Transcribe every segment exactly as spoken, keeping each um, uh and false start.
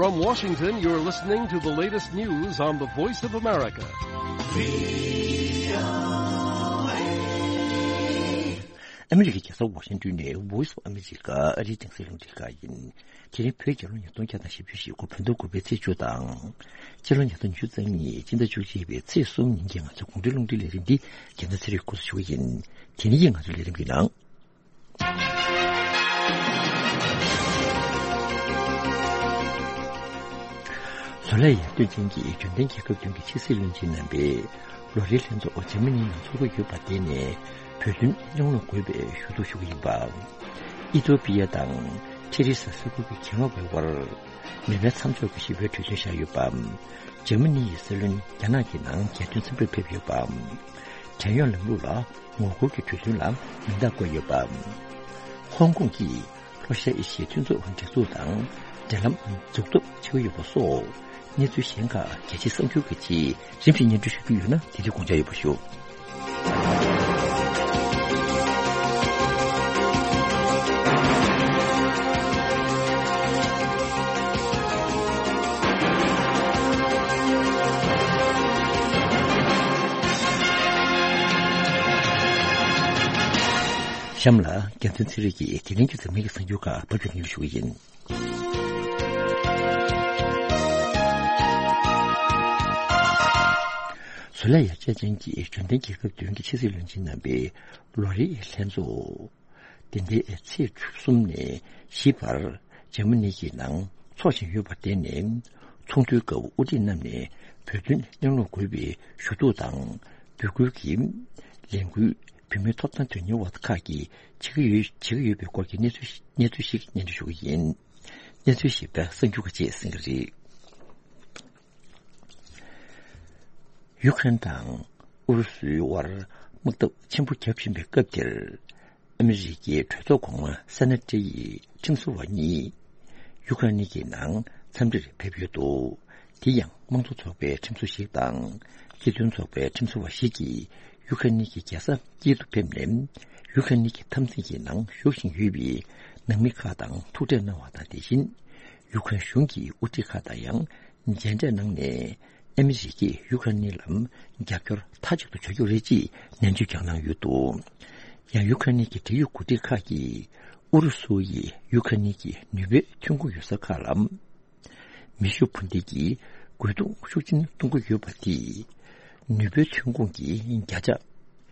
From Washington, you're listening to the latest news on the Voice of America. ཨ་མི་རི་ཀའི་རྒྱལ་ས་ཝ་ཤིང་ཏོན་ནས་Voice of America ཨ་རིའི་རྒྱང་སྲིང་རླུང་འཕྲིན་ཁང་ཡིན། དེ་རིང་བོད་རྒྱལ་ལོ་ཉིས་སྟོང་བརྒྱ་དང་བཞི་བཅུ་ཞེ་དགུ་བོད་ཟླ་དགུ་པའི་ཚེས་བཅུ་དང་། སྤྱི་ལོ་ཉིས་སྟོང་ཉི་ཤུ་རྩ་གཉིས་སྤྱི་ཟླ་བཅུ་གཅིག་པའི་ཚེས་གསུམ་ཉིན་གྱི་ང་ཚོའི་དགོང་དྲོའི་རླུང་འཕྲིན་ལས་རིམ་འདི་རྒྱལ་མཚན་ཚེ་རིང་འགོ་འཛུགས་ཞུ་གི་ཡིན། དེ་རིང་གི་ང་ཚོའི་ལས་རིམ་གྱི་ནང་། བཟོ་ལས་ཡར་ཐོན་ཅན་གྱི་འབྱོར་ལྡན་རྒྱལ་ཁབ་བདུན་གྱི་ཕྱི་སྲིད་བློན་ཆེན་རྣམ་པས་ལོ་རེའི་ལྷན་ཚོགས་འཇར་མ་ནིའི་ནང་འཚོགས་ཀྱི་ཡོད་པ་དེ་ནས་བོད་དོན་གླེང་སློང་དགོས་པའི་ཞུ་གཏུག་ཞུ་གི་ཡིན་པ། ཨི་ཐོ་པི་ཡ་དང་ཁྲི་རི་ས་ས་ཁུལ་གྱི་གྱེན་ལོག་པའི་དབར་མི་མནའ་མཚམས་འཇོག་གི་ཞི་བའི་གྲོས་མཐུན་བཞག་ཡོད་པ། འཇར་མ་ནི་ཡི་སྲིད་བློན་རྒྱ་ནག་གི་ནང་རྒྱལ་དོན་འཚམས་འདྲིར་ཕེབས་ཡོད་པ། བྲན་གཡོག་ལམ་ལུགས་ལ་ངོ་རྒོལ་གྱི་གྲོས་མཐུན་ལ་མིང་རྟགས་བཀོད་ཡོད་པ། ཧོང་ཀོང་གིས་ལྷོ་ཤར་ཨེ་ཤི་ཡའི་མཐུན་ཚོགས་སྒྲིག་འཛུགས་དང་འབྲེལ་ལམ་འཛུགས་ཐབས་བྱེད་ཀྱི་ཡོད་པ་སོགས་གནས་ཚུལ་གཞན་ཁག་རྒྱལ་སྤྱིའི་གསར་འགྱུར་གྱི་རྗེས་རིམ་བཞིན་སྙན་སྒྲོན་ཞུ་རྒྱུ་ཡོད་ན་དེ་དུས་དགོངས་འཇགས་ཡོད་པ་ཞུ། གཤམ་ལ་རྒྱལ་མཚན་ཚེ་རིང་གིས་དེ་རིང་གི་འཛམ་གླིང་གི་གསར་འགྱུར་ཁག་ཕབ་སྒྱུར་སྙན་སྒྲོན་ཞུ་གི་ཡིན། བཟོ་ལས་ཡར་རྒྱས་ཅན་གྱི་འབྱོར་ལྡན་རྒྱལ་ཁབ་བདུན་གྱི་ཕྱི་སྲིད་བློན་ཆེན་རྣམ་པའི་ལོ་རེའི་ལྷན་ཚོགས། དེ་ཟླའི་ཚེས་གསུམ་ནས་བཞི་བར་འཇར་མ་ནི་གི་ནང་འཚོགས་བཞིན་ཡོད་པ་དེ་ནས་ཚོགས་འདུའི་སྐབས་དབུ་ཁྲིད་རྣམས་ནས་བོད་དོན་གླེང་སློང་དགོས་པའི་ཞུ་གཏུག་དང་འབོད་སྐུལ་གྱི་ལས་འགུལ་བོད་མིའི་ཐོབ་ཐང་དོན་གཉེར་བ་ཁག་གིས་བྱེད་ཀྱི་ཡོད་བྱེད་ཀྱི་ཡོད་པའི་སྐོར་གྱི་གནས་ཚུལ་གནས་ཚུལ་ཞིག་སྙན་སྒྲོན་ཞུ་གི་ཡིན། གནས་ཚུལ་ཞིབ་ཕྲ་གསར་འགྱུར་ཁག་ཅིག་གསན་གྱི་རེད། ཡུ་ཁ་རེན་དང་ཨུ་རུ་སུའི་དབར་དམག་འཐབ་ཆེན་པོ་བརྒྱབ་བཞིན་པའི་སྐབས་འདིར། ཨ་མི་རི་ཀའི་གྲོས་ཚོགས་གོང་མ་སེ་ན་ཏྲེ་ཡི་ཁྲིམས་བཟོ་བ་གཉིས་ཡུ་ཁ་རེན་གྱི་ནང་འཚམས་འདྲིར་ཕེབས་ཡོད་འདུག་དེ་ཡང་དམངས་གཙོ་ཚོགས་པའི་ཁྲིམས་བཟོ་ཞིག་དང་སྤྱི་མཐུན་ཚོགས་པའི་ཁྲིམས་བཟོ་བ་ཞིག་གིས་ཡུ་ཁ་རེན་གྱི་རྒྱལ་ས་ཀིབ་ཏུ་ཕེབས་ནས་ཡུ་ཁ་རེན་གྱི་འཐབ་འཛིང་གི་ནང་ཞུགས་བཞིན་ཡོད་པའི་ནང་མི་ཁག་དང་ཐུག་འཕྲད་གནང་བ་དང་། དེ་བཞིན་ཡུ་ཁ་རེན་གཞུང་གི་དབུ་ཁྲིད་ཁག་དང་ཡང་མཇལ་འཕྲད་གནང་ནས། ཨ་མི་རི་ཀས་ཡུ་ཁ་རེན་ལ་རྒྱབ་སྐྱོར་མཐའ་གཅིག་ཏུ་བྱ་རྒྱུ་རེད་ཅེས་ནན་བརྗོད་ཀྱང་གནང་ཡོད་འདུག་ཡང་ཡུ་ཁ་རེན་གྱི་འབྲེལ་ཡོད་འགོ་ཁྲིད་ཁག་གིས་ཨུ་རུ་སུ་ཡིས་ཡུ་ཁ་རེན་གྱི་ནུས་པའི་ཐོན་ཁུངས་ཡོད་ས་ཁག་ལ་མེ་ཤུགས་འཕུར་མདེལ་གྱི་རྒོལ་རྡུང་ཤུགས་ཆེན་གཏོང་གི་ཡོད་པ་དེས་ནུས་པའི་ཐོན་ཁུངས་ཀྱི་བརྒྱ་ཆ་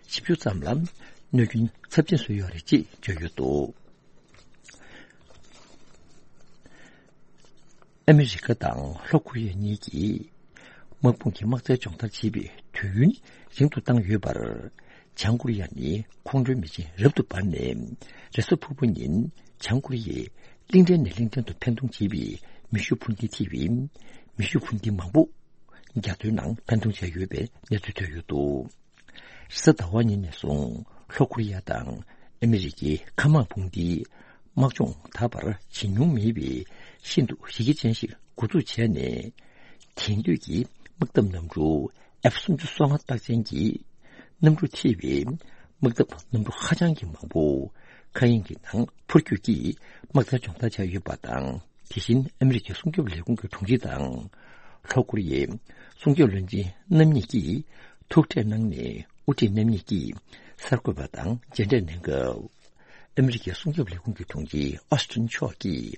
བཞི་བཅུ་ཙམ་ལ་གནོད་སྐྱོན་ཚབས་ཆེན་བཟོས་ཡོད་རེད་ཅེས་བརྗོད་ཡོད་འདུག་ཨ་མི་རི་ཀ་དང་ལྷོ་ཀོ་རི་ཡ་གཉིས་ཀྱིས་དམག་དཔུང་གི་དམག་རྩལ་སྦྱོང་བརྡར་བྱེད་པའི་དུས་ཡུན་རིང་དུ་བཏང་ཡོད་པར། བྱང་ཀོ་རི་ཡ་ནི་ཁོང་ཁྲོའི་མེ་ཆེན་རབ་ཏུ་འབར་ནས་རེས་གཟའ་ཕུར་བུ་ཉིན་བྱང་ཀོ་རི་ཡས་གླིང་ཕྲན་ནས་གླིང་ཕྲན་དུ་འཕེན་གཏོང་བྱེད་པའི་མེ་ཤུགས་འཕུར་མདེལ་ཐེ་བའི་མེ་ཤུགས་འཕུར་མདེལ་མང་པོ་རྒྱ་མཚོའི་ནང་འཕེན་གཏོང་བྱས་ཡོད་པའི་གནས་ཚུལ་ཐོན་ཡོད་འདུག་རེས་གཟའ་ཟླ་བ་ཉིན་ནས་བཟུང་ལྷོ་ཀོ་རི་ཡ་དང་ཨ་མི་རི་ཀའི་མཁའ་དམག་དཔུང་སྡེའི་དམག་སྦྱོང་ད་བར་བྱེད་མྱོང་མེད་པའི་ཤིན་ཏུ་གཞི་རྒྱ་ཅན་ཞིག་འགོ་འཛུགས་བྱས་ནས། དེང་དུས་ཀྱི་དམག་འཐབ་གནམ་གྲུ་ཨེཕ་སུམ་ཅུ་སོ་ལྔ་རྟགས་ཅན་གྱི་གནམ་གྲུ་ཐེ་བའི་དམག་འཐབ་གནམ་གྲུ་ཧ་ཅང་གི་མང་པོ་མཁའ་དབྱིངས་ཀྱི་ནང་འཕུར་སྐྱོད་ཀྱིས་དམག་རྩལ་སྦྱོང་བརྡར་བྱས་ཡོད་པ་དང་། དེ་བཞིན་ཨ་མི་རི་ཀའི་སྲུང་སྐྱོབ་ལས་ཁུངས་ཀྱི་དྲུང་ཆེ་དང་། ལྷོ་ཀོ་རི་ཡའི་སྲུང་སྐྱོབ་བློན་ཆེན་རྣམ་གཉིས་ཀྱིས་ཐུག་འཕྲད་གནང་ནས། དབུ་ཁྲིད་རྣམ་གཉིས་ཀྱིས་གསར་འགོད་པ་དང་མཇལ་འཕྲད་གནང་སྐབས། ཨ་མི་རི་ཀའི་སྲུང་སྐྱོབ་ལས་ཁུངས་ཀྱི་དྲུང་ཆེ་ཨོ་སི་ཊིན་མཆོག་གིས།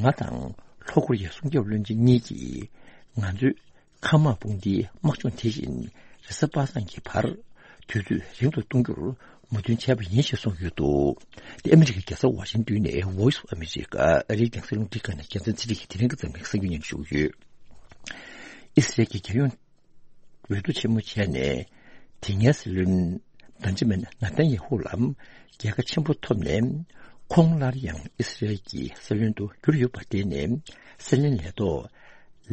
ང་དང་ལྷོ་ཀོ་རི་ཡའི་སྲུང་སྐྱོབ་བློན་ཆེན་གཉིས་ཀྱིས། ང་ཚོས་མཁའ་དམག་དཔུང་སྡེའི་དམག་སྦྱོང་དེ་བཞིན་རེས་གཟའ་པ་སངས་ཀྱི་བར་དུས་ཚོད་རིང་དུ་གཏོང་རྒྱུར་མོས་མཐུན་བྱས་པ་ཡིན་ཞེས་གསུངས་ཡོད་འདུག་དེ་ཨ་མི་རི་ཀའི་རྒྱལ་ས་ཝ་ཤིང་ཏོན་ནས་Voice of America ཨ་རིའི་རྒྱང་སྲིང་རླུང་འཕྲིན་ཁང་ནས་རྒྱལ་མཚན་ཚེ་རིང་གིས་དེ་རིང་གི་འཛམ་གླིང་གསར་འགྱུར་སྙན་སྒྲོན་ཞུ་གི་ཡོད། ཨི་སི་རལ་གྱི་རྒྱལ་ཡོངས་འོས་བསྡུ་ཆེན་མོ་བྱས་ནས། དེ་སྔའི་སྲིད་བློན་བན་ཇི་མིན་ནཱ་ཐན་ཡེ་ཧུ་ལ་རྒྱལ་ཁ་ཆེན་པོ་ཐོབ་ནས། ཁོང་སླར་ཡང་ཨི་སི་རལ་གྱི་སྲིད་བློན་དུ་གྱུར་ཡོད་པ་དེ་ནས་སྲིད་བློན་ལས་ཐོག་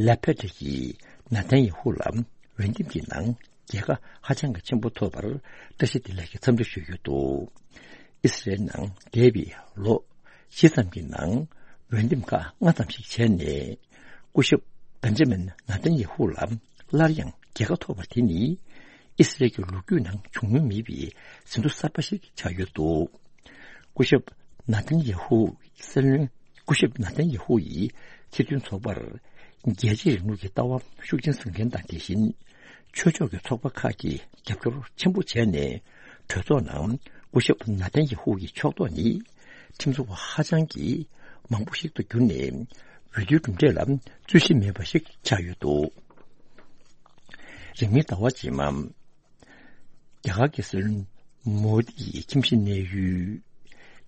ལེ་པེད་ཀྱིས་ནཱ་ཐན་ཡེ་ཧུ་ལ་འོས་འདེམས་ཀྱི་ནང་རྒྱལ་ཁ་ཧ་ཅང་གི་ཆེན་པོ་ཐོབ་པར་བཀྲ་ཤིས་བདེ་ལེགས་ཀྱི་འཚམས་འདྲི་ཞུས་ཡོད་འདུག་ཨི་སི་རལ་ནང་འདས་པའི་ལོ་བཞི་ཙམ་གྱི་ནང་འོས་འདེམས་ཁག་ལྔ་ཙམ་ཞིག་བྱས་ནས། སྐུ་ཞབས་བན་ཇི་མིན་ནཱ་ཐན་ཡེ་ཧུ་ལ་སླར་ཡང་རྒྱལ་ཁ་ཐོབ་པ་དེ་ནི་ཨི་སི་རལ་གྱི་ལོ་རྒྱུས་ནང་བྱུང་མྱོང་མེད་པའི་ཟིན་ཐོ་གསར་པ་ཞིག་ཆགས་ཡོད་འདུག་སྐུ་ཞབས་ནཱ་ཐན་ཡེ་ཧུ་སྲིད་བློན། སྐུ་ཞབས་ནཱ་ཐན་ཡེ་ཧུ་ཡིས་ སྤྱི་མཐུན་ཚོགས་པར་རྒྱལ་གཅེས་རིང་ལུགས་ཀྱི་ལྟ་བ་ཤུགས་ཆེན་བཟུང་མཁན་དང་། དེ་བཞིན་ཆོས་ཕྱོགས་ཀྱི་ཚོགས་པ་ཁག་གིས་རྒྱབ་སྐྱོར་ཆེན་པོ་བྱས་ནས། གྲོས་ཚོགས་ནང་སྐུ་ཞབས་ན་ཐན་ཡེ་ཧུ་ཡི་ཕྱོགས་གཏོགས་ནི་ཁྲིམས་བཟོ་བ་ཧ་ཅང་གི་མང་པོ་ཞིག་ཏུ་གྱུར་ནས། འོས་བསྡུའི་གྲུབ་འབྲས་ལ་རྩོད་གཞི་མེད་པ་ཞིག་ཆགས་ཡོད་འདུག་རིང་མིན་ཟླ་བ་རྗེས་མ། རྒྱ་གར་གྱི་སྲིད་བློན་མོ་དི་ཡི་ཁྱིམ་གཞིས་གནས་ཡུལ།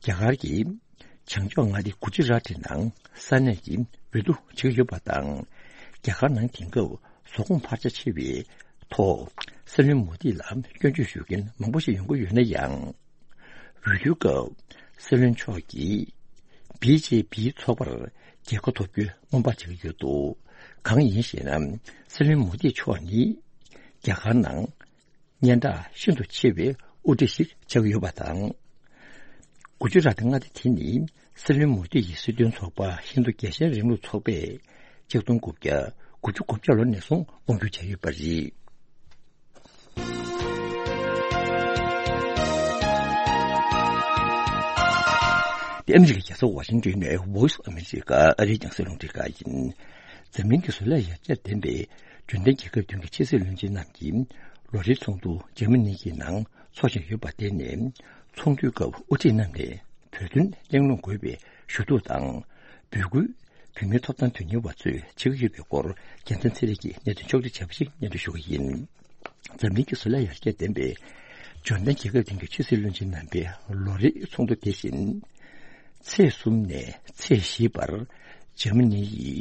རྒྱ་གར་གྱི་བྱང་ཕྱོགས་མངའ་སྡེ་གུ་ཇི་རཱ་ཊི་ནང་ས་གནས་ཀྱི་འོས་བསྡུ་བྱེད་ཀྱི་ཡོད་པ་དང་། རྒྱ་གར་ནང་དེང་སྐབས་ཟོག་གོང་འཕར་ཆ་ཆེ་བའི་ཐོག་སྲིད་བློན་མོ་དི་ལ་སྐྱོན་བརྗོད་ཞུ་མཁན་མང་པོ་ཞིག་ཡོང་གི་ཡོད་ན་ཡང་། འོས་བསྡུའི་སྐབས་སྲིད་བློན་མཆོག་གིས་བི་ཇེ་པི་ཚོགས་པར་རྒྱལ་ཁ་ཐོབ་རྒྱུའི་སྔོན་དཔག་བྱེད་ཀྱི་ཡོད་འདུག་གང་ཡིན་ཞེ་ན། སྲིད་བློན་མོ་དི་མཆོག་ནི་རྒྱ་གར་ནང་སྙན་གྲགས་ཤིན་ཏུ་ཆེ་བའི་དབུ་ཁྲིད་ཞིག་ཆགས་ཀྱི་ཡོད་པ་དང་། གུ་ཇི་རཱ་ཊི་མངའ་སྡེ་དེ་ནི་སྲིད་བློན་མོ་དི་ཡི་སྲིད་དོན་ཚོགས་པ་ཧིན་རྡུ་རྒྱལ་ཞེན་རིང་ལུགས་ཚོགས་པས་ཆིག་སྟོང་དགུ་བརྒྱ་དགུ་བཅུ་གོ་བརྒྱད་ལོ་ནས་བཟུང་དབང་སྒྱུར་བྱས་ཡོད་པ་རེད། འདི་ཨ་མི་རི་ཀའི་རྒྱལ་ས་ཝ་ཤིང་ཏོན་ནས་Voice of America ཨ་རིའི་རྒྱང་སྲིང་རླུང་འཕྲིན་ཁང་ཡིན། འཛམ་གླིང་གི་བཟོ་ལས་ཡར་རྒྱས་ལྡན་པའི་འབྱོར་ལྡན་རྒྱལ་ཁབ་བདུན་གྱི་ཕྱི་སྲིད་བློན་ཆེན་རྣམས་ཀྱིས་ལོ་རེའི་ཚོགས་འདུ་འཇར་མ་ནི་གི་ནང་འཚོགས་བཞིན་ཡོད་པ། དེ་ནས་ཚོགས་འདུའི་སྐབས་དབུ་ཁྲིད་རྣམས་ནས་བོད་དོན་གླེང་སློང་དགོས་པའི་ཞུ་གཏུག་དང་། འབོད་སྐུལ། བོད་མིའི་ཐོབ་ཐང་དོན་གཉེར་བ་ཚོས་བྱེད་ཀྱི་ཡོད་པའི་སྐོར་རྒྱལ་མཚན་ཚེ་རིང་གིས་གནད་དོན་ཕྱོགས་སྒྲིག་བྱས་པ་ཞིག་སྙན་སྒྲོན་ཞུ་གི་ཡིན། འཛམ་གླིང་གི་བཟོ་ལས་ཡར་རྒྱས་ལྡན་པའི་འབྱོར་ལྡན་རྒྱལ་ཁབ་སྟེང་གི་ཕྱི་སྲིད་བློན་ཆེན་རྣམ་པས་ལོ་རེའི་ཚོགས་འདུ་དེ་བཞིན་ཚེས་གསུམ་ནས་ཚེས་བཞི་བར་འཇར་མ་ནི་ཡི་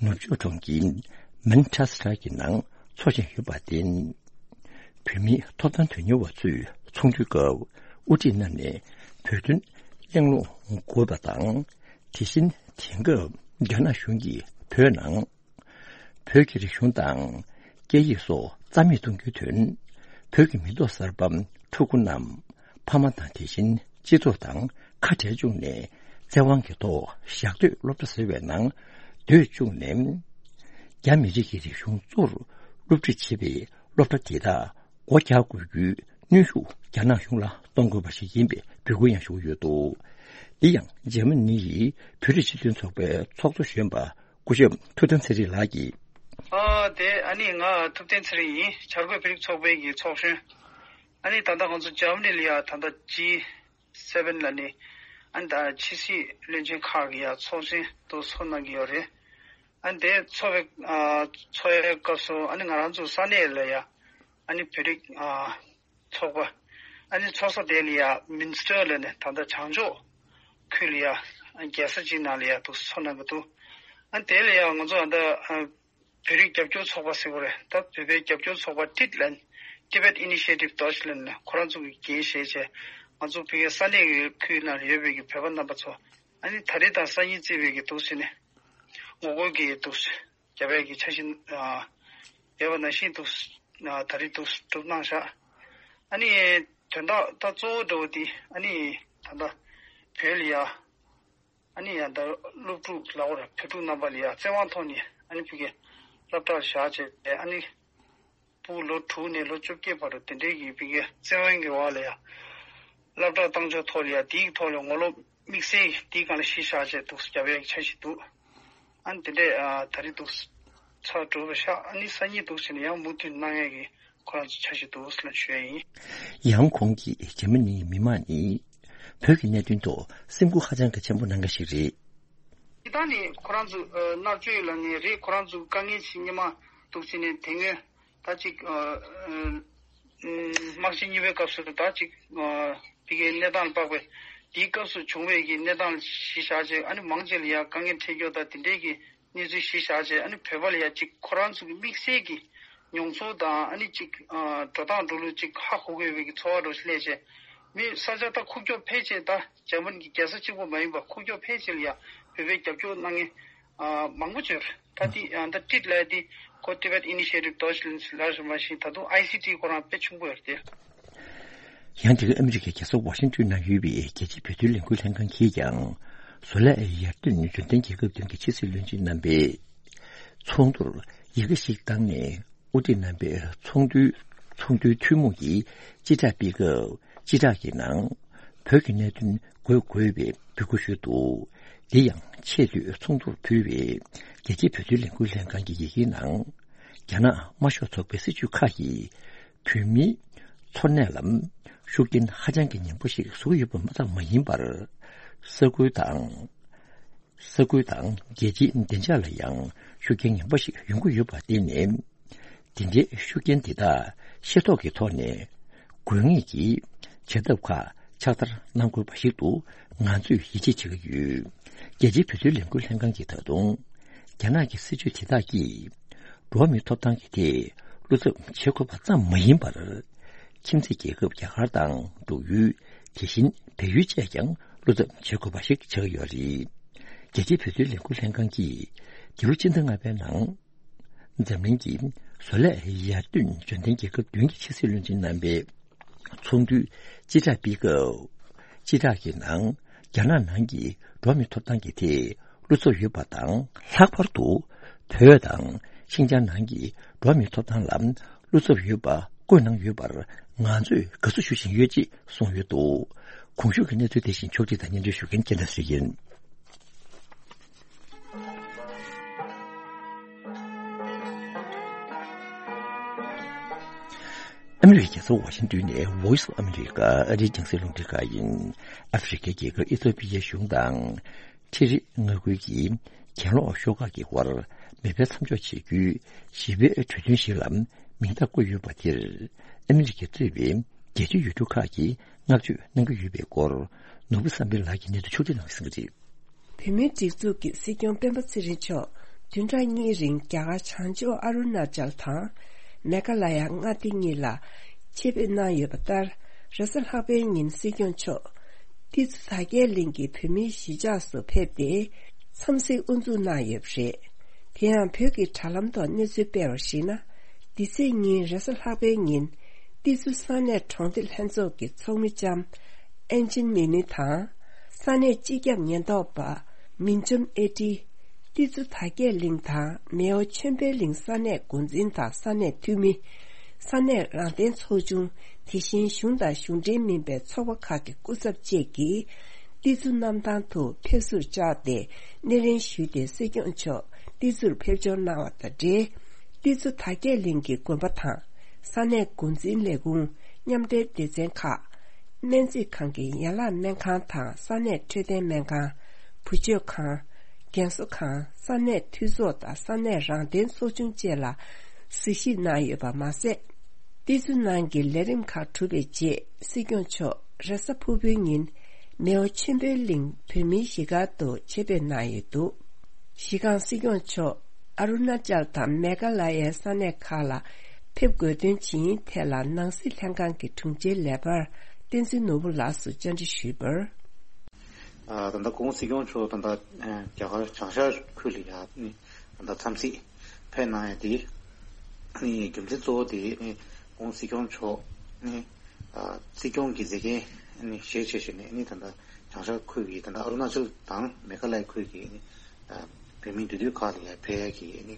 ནུབ་ཕྱོགས་གྲོང་ཁྱེར་མན་ཆེ་སི་ཊར་གྱི་ནང་འཚོགས་བཞིན་ཡོད་པར་བརྟེན། བོད་མིའི་ཐོབ་ཐང་དོན་གཉེར་བ་ཚོས་ཚོགས་འདུའི་སྐབས་དབུ་ཁྲིད་རྣམས་ནས་བོད་དོན་གླེང་སློང་དགོས་པ་དང་། དེ་བཞིན་དེང་སྐབས་རྒྱ་ནག་གཞུང་གིས་བོད་ནང་བོད་ཀྱི་རིག་གཞུང་དང་སྐད་ཡིག་སོགས་རྩ་མེད་གཏོང་རྒྱུའི་དོན། བོད་ཀྱི་མི་ཐོག་གསར་པ་ཕྲུ་གུ་རྣམས་ཕ་མ་དང་དེ་བཞིན་སྤྱི་ཚོགས་དང་ཁ་བྲལ་བཅུག་ནས་བཙན་དབང་གི་ཐོག་ཞག་སྡོད་སློབ་གྲྭ་ཟེར་བའི་ནང་སྡོད་བཅུག་ནས། རྒྱ་མི་རིགས་ཀྱི་རིག་གཞུང་གཙོར་སློབ་ཁྲིད་བྱེད་པའི་སློབ་གྲྭ་དེ་དག་སྒོ་རྒྱག་དགོས་རྒྱུའི་གནོན་ཤུགས་རྒྱ་ནག་གཞུང་ལ་གཏོང་དགོས་པ་ཞིག་ཡིན་པའི་འབོད་སྐུལ་ཡང་ཞུ་གི་ཡོད་འདུག་འདི་ཡང་འཇར་མ་ནི་ཡི་བོད་རིགས་སྤྱི་མཐུན་ཚོགས་པའི་ཚོགས་གཙོ་གཞོན་པ་སྐུ་ཞབས་ཐུབ་བསྟན་ཚེ་རིང་ལགས་ཀྱིས། ཨ་དེ་ཨ་ནི་ང་ཐུབ་བསྟན་ཚེ་རིང་ཡིན། བྱ་རྒོད་བོད་རིགས་ཚོགས་པའི་གི་ཚོགས་གཞོན། ཨ་ནི་ད་ལྟ་ང་ཚོ་འཇར་མ་ནི་ལ་ཡ་ད་ལྟ་ཇི་སེ་བེན་ལ་ནི་ཨ་ནི་ད་ཕྱི་སྲིད་བློན་ཆེན་ཁག་གི་ཡ་ཚོགས་ཆེན་དུ་ཚོགས་གནང་གི་ཡོད་རེད། ཨ་ནི་དེ་ཚོགས་པའི་ཨ་ཚོགས་ཡའི་སྐབས་སུ་ཨ་ནི་ང་རང་ཚོ་ས་གནས་ལ་ཡ་ཨ་ནི་བོད་རིགས་ཨ་ཚོགས་པ། ཨ་ནི་ཚོགས་ས་དེ་ལ་ཡ་མིན་སི་ཊར་ལ་ནི་ད་ལྟ་བྱང་ཕྱོགས་ཁུལ་ལ་ཡ་རྒྱལ་ས་གཅིག་ནང་ལ་ཡ་འདུག་སེ་ཚོགས་གནང་གི་འདུག་ཨ་ནི་དེ་ལ་ཡ་ང་ཚོ་ཨ་ད་ཨ་བོད་རིགས་རྒྱབ་སྐྱོར་ཚོགས་པ་ཟེར་བ་རེད། ད་བོད་པའི་རྒྱབ་སྐྱོར་ཚོགས་པ་ཊིཊ་ལན། Tibet Initiative Deutschland ཁོ་རང་ཚོ་གི་འགན་བཞེས་བྱས། ང་ཚོ་བོད་པའི་ས་གནས་ཀྱི་ཁུལ་ནང་ཡོད་པའི་གི་བོད་པ་རྣམ་པ་ཚོ་ཨ་ནི་ད་རེས་དང་སང་ཉིན་བརྩིས་པའི་གི་འདུག་སེ་ནས་ངོ་རྒོལ་གྱི་འདུག་སེ་རྒྱབ་ཡ་གི་འཆར་གཞི་ཨ་ཡོད་པ་ནང་བཞིན་འདུག་ཨ་ད་རེས་འདུག་སྒྲུབ་གནང་བཞག་ཨ་ནི་དོན་དག་ད་གཙོ་བོ་འདྲ་བོ་དེ་ཨ་ནི་ད་ལྟ་བོད་ལ་ཡ་ཨ་ནི་ཡ་ད་སློབ་ཕྲུག་ལ་འོ་ར་བོད་ཕྲུག་རྣམ་པ་ལ་ཡ་བཙན་དབང་ཐོག་ནས་ཨ་ནི་ཕ་གིའི་སློབ་གྲྭར་བཞག་བྱས་ཨ་ནི་ཕྲུ་གུ་ལོ་དྲུག་ནས་ལོ་བཅོ་བརྒྱད་བར་དུ་དེ་འདྲའི་གི་ཕ་གིའི་བཙན་དབང་གི་འོག་ལ་ཡ་སློབ་གྲྭ་བཏང་ཕྱོགས་ཐོག་ལ་ཡ་དེའི་ཐོག་ལ་ངོ་ལོག་དམིགས་བསལ་དེའི་སྒང་ལ་གཞི་བཞག་བྱས་འདུག་སེ་རྒྱབ་ཡ་གི་འཆར་གཞི་འདུག་ཨ་ནི་དེ་འདྲས་ཨ་ད་རེས་འདུག་སེ་ཚར་གྲུབ་པ་ཤག་ཨ་ནི་སང་ཉིན་འདུག་སེ་ནས་ཡང་མུ་མཐུད་གནང་ཡས་ཀྱི་ཁོ་རང་ཚོ་འཆར་གཞི་འདུག་ཟེར་ལབ་ཞུ་ཡ་ཡིན། ཡང་ཁོང་གིས་འཇར་མ་ནིའི་མི་མང་ནི་བོད་ཀྱི་གནད་དོན་ཐོག་སེམས་ཁུར་ཧ་ཅང་གི་ཆེན་པོ་གནང་མཁན་ཞིག་རེད། སྤྱིར་བཏང་ནས་ཁོ་རང་ཚོ་ཨ་མནར་གཅོད་ལབ་ནའི་རེད། ཁོ་རང་ཚོ་དཀའ་ངལ་ཞིག་སྔོན་མ་འདུག་སེ་ནས་དེ་སྔོན་ད་ཅིག་ཨ་ཨ་དམག་ཆེན་གཉིས་པའི་སྐབས་སུ་ད་ཅིག་ཨ་ཕ་གིའི་གནས་སྟངས་ལ་དཔག་པའི་དེའི་སྐབས་སུ་བྱུང་བའི་གི་གནས་སྟངས་གཞི་བཞག་བྱས་ཨ་ནི་མང་ཆེ་ལ་ཡ་དཀའ་ངལ་འཕྲད་རྒྱུ་དང་དེ་འདྲའི་གི་གནས་ཚུལ་གཞི་བཞག་བྱས་ཨ་ནི་བོད་པ་ལ་ཡ་ཅིག་ཁོ་རང་ཚོ་གི་དམིགས་བསལ་གྱི་མྱོང་ཚོར་དང་ཨ་ནི་ཅིག་ཨ་འགྲོ་སྟངས་འགྲོ་ལུགས་ཅིག་ཧ་གོ་དགོས་པའི་གི་ཚོར་བ་འདྲ་ཞིག་སླེབས་བྱས་མི་ས་ཆ་ད་ཁུག་ཀྱོག་ཕལ་ཆེར་ད་འཇར་མ་ནི་གི་རྒྱལ་ས་གཅིག་པོ་མ་ཡིན་པ་ཁུག་ཀྱོག་ཕལ་ཆེར་ལ་ཡ་བོད་པའི་རྒྱབ་སྐྱོར་གནང་མཁན་ཨ་མང་པོ་ཅིག་ཡོད་རེད། ད་དེ་ཨ་ད་ཊིཊ་ལབ་ཡ་དེ་ཁོ་Tibet Initiative Deutschland ལབ་བཞིན་པ་བཞིན་ད་དུང་ཨའི་སི་ཊི་ཁོ་རང་དཔེ་ཆུང་པོ་ཡོད་རེད་དེ། ཡང་དེ་ག་ཨ་མི་རི་ཀའི་རྒྱལ་ས་ཝ་ཤིང་ཏོན་ནང་ཡོད་པའི་རྒྱལ་སྤྱིའི་བོད་དོན་ལས་འགུལ་ལྷན་ཁང་གིས་ཀྱང་བཟོ་ལས་ཡར་ཐོན་འབྱོར་ལྡན་རྒྱལ་ཁབ་བདུན་གྱི་ཕྱི་སྲིད་བློན་ཆེན་རྣམ་པས་ཚོགས་འདུར་ཡི་གེ་ཞིག་བཏང་ནས་དབུ་ཁྲིད་རྣམ་པས་ཚོགས་འདུའི་ཚོགས་འདུའི་ཐུན་མོང་གི་སྤྱི་བསྒྲགས་སྤེལ་སྐབས་སྤྱི་བསྒྲགས་ཀྱི་ནང་། བོད་ཀྱི་གནད་དོན་འགོད་དགོས་པའི་འབོད་སྐུལ་ཞུས་འདུག། འདི་ཡང་ཆེས་མཐོའི་ཚོགས་འདུར་ཕུལ་བའི་རྒྱལ་སྤྱིའི་བོད་དོན་ལས་འགུལ་ལྷན་ཁང་གི་ཡི་གེའི་ནང་། རྒྱ་ནག་དམར་ཤོག་ཚོགས་པའི་སྲིད་བྱུས་ཁག་གིས་བོད་མིའི་འཚོ་གནས་ལ་ཤུགས་རྐྱེན་ཧ་ཅང་གི་ཉེན་པོ་ཞིག་བཟོ་གི་ཡོད་པ་ཙམ་མ་ཡིན་པར། ས་ཁུལ་དང་། ས་ཁུལ་དང་རྒྱལ་སྤྱིའི་བདེ་འཇགས་ལ་ཡང་ཤུགས་རྐྱེན་ངན་པ་ཞིག་ཡོང་གི་ཡོད་པར་བརྟེན་ནས། དེ་འདྲའི་ཤུགས་རྐྱེན་དེ་དག་ཤེས་རྟོགས་ཀྱི་ཐོག་ནས། དགོས་ངེས་ཀྱི་བྱ་ཐབས་ཁག་ཕྱག་བསྟར་གནང་དགོས་པ་ཞིག་ཏུ་ང་ཚོས་ཡིད་ཆེས་བྱེད་ཀྱི་ཡོད། རྒྱལ་སྤྱིའི་བོད་དོན་ལས་འགུལ་ལྷན་ཁང་གིས་ད་དུང་། རྒྱ་ནག་གི་སྲིད་བྱུས་དེ་དག་གིས། འགྲོ་བ་མིའི་ཐོབ་ཐང་གི་ཐད་བློ་འཚབ་བྱེད་དགོས་པ་ཙམ་མ་ཡིན་པར། ཁྱིམ་མཚེས་རྒྱལ་ཁབ་རྒྱ་གར་དང་འབྲུག་ཡུལ། དེ་བཞིན་བལ་ཡུལ་བཅས་ཀྱང་བློ་འཚབ་བྱེད་དགོས་པ་ཞིག་ཆགས་ཀྱི་ཡོད་རེད། རྒྱལ་སྤྱིའི་བོད་དོན་ལས་འགུལ་ལྷན་ཁང་གིས་འདི་ལོ་ཕྱི་ཟླ་ལྔ་པའི་ནང་། འཛམ་གླིང་གི་བཟོ་ལས་ཡར་ཐོན་འབྱོར་ལྡན་རྒྱལ་ཁབ་བདུན་གྱི་ཕྱི་སྲིད་བློན་ཆེན་རྣམ་པའི་ཚོགས་འདུའི་སྤྱི་བསྒྲགས་སྤེལ་སྐབས། སྤྱི་བསྒྲགས་ཀྱི་ནང་རྒྱ་ནག་ནང་གི་འགྲོ་བ་མིའི་ཐོབ་ཐང་གི་ཐད་བློ་འཚབ་ཡོད་པ་དང་། ལྷག་པར་དུ་བོད་དང་ཤིན་ཅང་ནང་གི་འགྲོ་བ་མིའི་ཐོབ་ཐང་ལ་བློ་འཚབ་ཡོད་པ་བཀོད་གནང་ཡོད་པར་ང་ཚོས་དགའ་བསུ་ཞུ་བཞིན་ཡོད་ཅེས་གསུངས་ཡོད་འདུག། གོང་ཞུས་ཀྱི་གནས་ཚུལ་དེ་བཞིན་ཕྱོགས་སྒྲིག་དང་སྙན་སྒྲོན་ཞུ་མཁན་རྒྱལ་ལྡན་ཚེ་རིང་ཡིན། ཨ་མི་རི་ཀའི་རྒྱལ་ས་ཝ་ཤིང་ཏོན་ནས་Voice of America ཨ་རིའི་རྒྱང་སྲིང་རླུང་འཕྲིན་ཁང་ཡིན། ཨ་ཧྥེ་རི་ཁའི་རྒྱལ་ཁབ་ཨི་ཐོ་པི་ཡའི་གཞུང་དང་། ཁྲི་རི་མངའ་ཁུལ་གྱི་གྱེན་ལོག་ཤོག་ཁག་གི་དབར་མེ་འཕེན་མཚམས་འཇོག་བྱེད་རྒྱུའི་ཞི་བའི་གྲོས་མཐུན་ཞིག་ལ་མིང་རྟགས་བཀོད་ཡོད་པ་དེར། ཨ་མི་རི་ཀས་གཙོས་པའི་རྒྱལ་སྤྱིའི་ཡུལ་གྲུ་ཁག་གིས་བསྔགས་བརྗོད་གནང་གི་ཡོད་པའི་སྐོར། ནོར་བུ་བསམ་འཕེལ་ལགས་ཀྱིས་གནས་ཚུལ་ཕྱོགས་སྒྲིག་གནང་གསན་གྱི་རེད། བོད་མིའི་སྒྲིག་འཛུགས་ཀྱི་སྲིད་སྐྱོང་སྤེན་པ་ཚེ་རིང་མཆོག་བདུན་ཕྲག་གཉིས་རིང་རྒྱ་གར་བྱང་ཕྱོགས་ཨ་རུ་ན་ཅལ་དང་མེ་ག་ལ་ཡ་མངའ་སྡེ་གཉིས་ལ་ཆེད་ཕེབས་གནང་ཡོད་པ་ལྟར། རེས་གཟའ་ལྷག་པའི་ཉིན་སྲིད་སྐྱོང་མཆོག་ཏི་ཛུ་དར་རྒྱས་གླིང་གི་བོད་མིའི་གཞིས་ཆགས་སུ་ཕེབས་ཏེ་འཚམས་གཟིགས་དབུ་འཛུགས་གནང་ཡོད་པ་རེད། དེ་ཡང་བོད་ཀྱི་དྲ་ལམ་ཐོག་གནས་ཚུལ་སྤེལ་བར་གཞིགས་ན། འདི་ཚེས་ཉིན་རེས་གཟའ་ལྷག་པའི་ཉིན་ཏི་ཛུ་ས་གནས་གྲོང་སྡེ་ལྷན་ཚོགས་ཀྱི་ཚོགས་མི་ལྕམ་ཨན་ཅིན་མི་ནི་དང་། ས་གནས་སྤྱི་ཁྱབ་ཉེན་རྟོག་པ་མིན་ཅོམ་ཨེ་ཏི། ཏི་ཛུ་དར་རྒྱས་གླིང་དང་མེའོ་ཆོས་འཕེལ་གླིང་ས་གནས་འགོ་འཛིན་དང་ས་གནས་འཐུས་མི། ས་གནས་རང་བདེན་ཚོགས་ཆུང་། དེ་བཞིན་གཞུང་དང་གཞུང་འབྲེལ་མིན་པའི་ཚོགས་པ་ཁག་གི་སྐུ་ཚབ་བཅས་ཀྱིས་ཏི་ཛུ་གནམ་ཐང་དུ་ཕེབས་བསུར་བཅར་ཏེ་སྣེ་ལེན་ཞུས་ཏེ་སྲིད་སྐྱོང་མཆོག་ཏི་ཛུར་ཕེབས་འབྱོར་གནང་བ་དང་འབྲེལ། ཏི་ཛུ་དར་རྒྱས་གླིང་གི་དགོན་པ་དང་ས་གནས་འགོ་འཛིན་ལས་ཁུངས། མཉམ་འབྲེལ་སྡེ་ཚན་ཁག་སྨན་རྩིས་ཁང་གི་ཡན་ལག་སྨན་ཁང་དང་ས་གནས་འཕྲོད་བསྟེན་སྨན་ཁང་། བུ་བཅོལ་ཁང་། རྒན་གསོ་ཁང་། ས་གནས་འཐུས་ཚོགས་དང་ས་གནས་རང་བདེན་ཚོགས་ཆུང་བཅས་ལ་གཟིགས་ཞིབ་གནང་ཡོད་པ་མ་ཟད། ཏི་ཛུ་ནང་གི་ལས་རིམ་ཁག་གྲུབ་པའི་རྗེས་སྲིད་སྐྱོང་མཆོག་རེས་གཟའ་ཕུར་བུའི་ཉིན་མེའོ་ཆོས་འཕེལ་གླིང་བོད་མིའི་གཞིས་སྒར་དུ་ཆེད་ཕེབས་གནང་ཡོད་འདུག། གཞི་རྐང་སྲིད་སྐྱོང་མཆོག་ཨ་རུ་ན་ཅལ་དང་མེ་ག་ལ་ཡའི་ས་གནས་ཁག་ལ་ཕེབས་དགོས་དོན་ཇི་ཡིན་ཐད་ལ་ནང་སྲིད་ལྷན་ཁང་གི་དྲུང་ཆེའི་ལས་འཕར་བསྟན་འཛིན་ནོར་བུ་ལགས་སུ་བཅར་འདྲི་ཞུས་པར། ཨ། ད་ལྟ་སྐུ་ངོ་སྲིད་སྐྱོང་མཆོག་ད་ལྟ་རྒྱ་གར་བྱང་ཤར་ཁུལ་ལ་ཡ་ནི་ད་ལྟ་འཚམས་གཟིགས་ཕེབས་གནང་ཡ་དེ་ནི་རྒྱུ་མཚན་གཙོ་བོ་དེ་ནི་སྐུ་ངོ་སྲིད་སྐྱོང་མཆོག་ནི་ཨ། སྲིད་སྐྱོང་གི་མཛད་འགན་ནི་བཞེས་བྱས་བྱས་ནས་ནི་ད་ལྟ་བྱང་ཤར་ཁུལ་གྱི་ད་ལྟ་ཨ་རུ་ན་ཅལ་དང་མེ་ག་ལ་ཡ་ཁུལ་གྱི་ནི་ཨ། བོད་མིའི་འདུས་སྡོད་ཁག་ལ་ཡ་ཕེབས་ཡ་གི་ནི་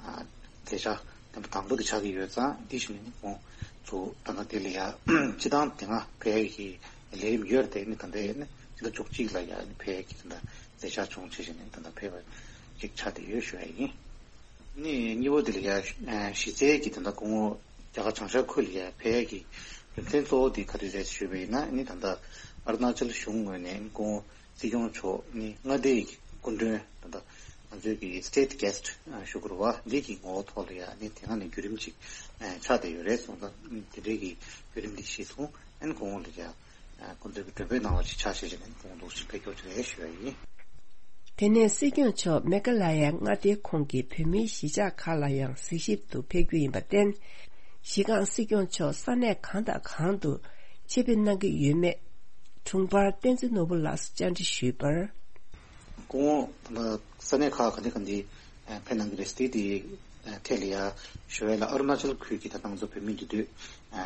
ཨ། མཛད་འཆར་དང་པོ་དེ་ཆགས་ཀྱི་ཡོད་ཙང་། འདི་བཞིན་ནི་ཁོང་ཚོ་ད་ལྟ་དེ་ལ་ཡ་སྤྱི་བཏང་དེ་སྔ་ཕེབས་ཡ་གི་ལས་རིམ་ཡོད་རེད་དེ། ནི་ད་ལྟ་ནི་ཕྱི་ཟླ་བཅུ་གཅིག་ལ་ཡ་ནི་ཕེབས་ཡ་གི་ད་ལྟ་མཛད་འཆར་བྱུང་བྱས་བྱས་ནས་ད་ལྟ་ཕེབས་པ་ཅིག་ཆགས་བསྡད་ཡོད་ཞུ་ཡ་ཡིན། ནི་གཉིས་པ་དེ་ལ་ཡ་གཞི་རྩའི་གི་ད་ལྟ་སྐུ་ངོ་རྒྱ་གར་བྱང་ཤར་ཁུལ་ལ་ཡ་ཕེབས་ཡ་གི་རྒྱུ་མཚན་གཙོ་བོ་དེ་ག་རེ་རེད་ཞུས་པ་ཡིན་ན། ནི་ད་ལྟ་ཨ་རུ་ན་ཅལ་གཞུང་ངོས་ནས་ནི་སྐུ་ངོ་སྲིད་སྐྱོང་མཆོག་ནི་མངའ་སྡེའི་སྐུ་མགྲོན་ད་ལྟ་ང་ཚོའི་གི་state guest ཞུ་དགོས་རེད་བ། འདི་གི་ངོ་བོ་ཐོག་ལ་ཡ་ནི་དེ་སྔ་ནས་བརྒྱུད་རིམ་ཅིག་ཆགས་བསྡད་ཡོད་རེད། སོང་ཙང་དེ་འདྲའི་གི་བརྒྱུད་རིམ་འདི་གཞིར་བཟུང་ཨན་སྐུ་ངོ་ལ་ཡ་སྐུ་མགྲོན་གྱི་མགྲོན་འབོད་གནང་བ་ཞིག་ཆགས་བྱས་བྱས་ནས་སྐུ་ངོ་འདུག་ཕེབས་སྐྱོར་བྱས་ཞུ་ཡ་ཡིན། དེ་ནས་སྲིད་སྐྱོང་མཆོག་མེ་ག་ལ་ཡ་མངའ་སྡེ་ཁོངས་ཀྱི་བོད་མིའི་གཞིས་ཆགས་ཁག་ལ་ཡང་གཟིགས་ཞིབ་ཏུ་ཕེབས་རྒྱུ་ཡིན་པར་བརྟེན། གཞི་རྐང་སྲིད་སྐྱོང་མཆོག་ས་གནས་གང་དང་གང་དུ་ཆེད་ཕེབས་གནང་གི་ཡོད་མེད་དྲུང་འཕར་བསྟན་འཛིན་ནོར་བུ་ལགས་སུ་བཅར་འདྲི་ཞུས་པར། སྐུ་ངོ་ད་ལྟ་ས་གནས་ཁག་ག་འདྲ་ག་འདྲ་ཕེབས་གནང་གི་རེད། དེ་དེ་ཐད་ལ་ཡ་ཞུ་བ་ལ་ཨ་རུ་ན་ཅལ་ཁུལ་གྱི་ད་ལྟ་ང་ཚོ་བོད་མི་འདུས་སྡོད་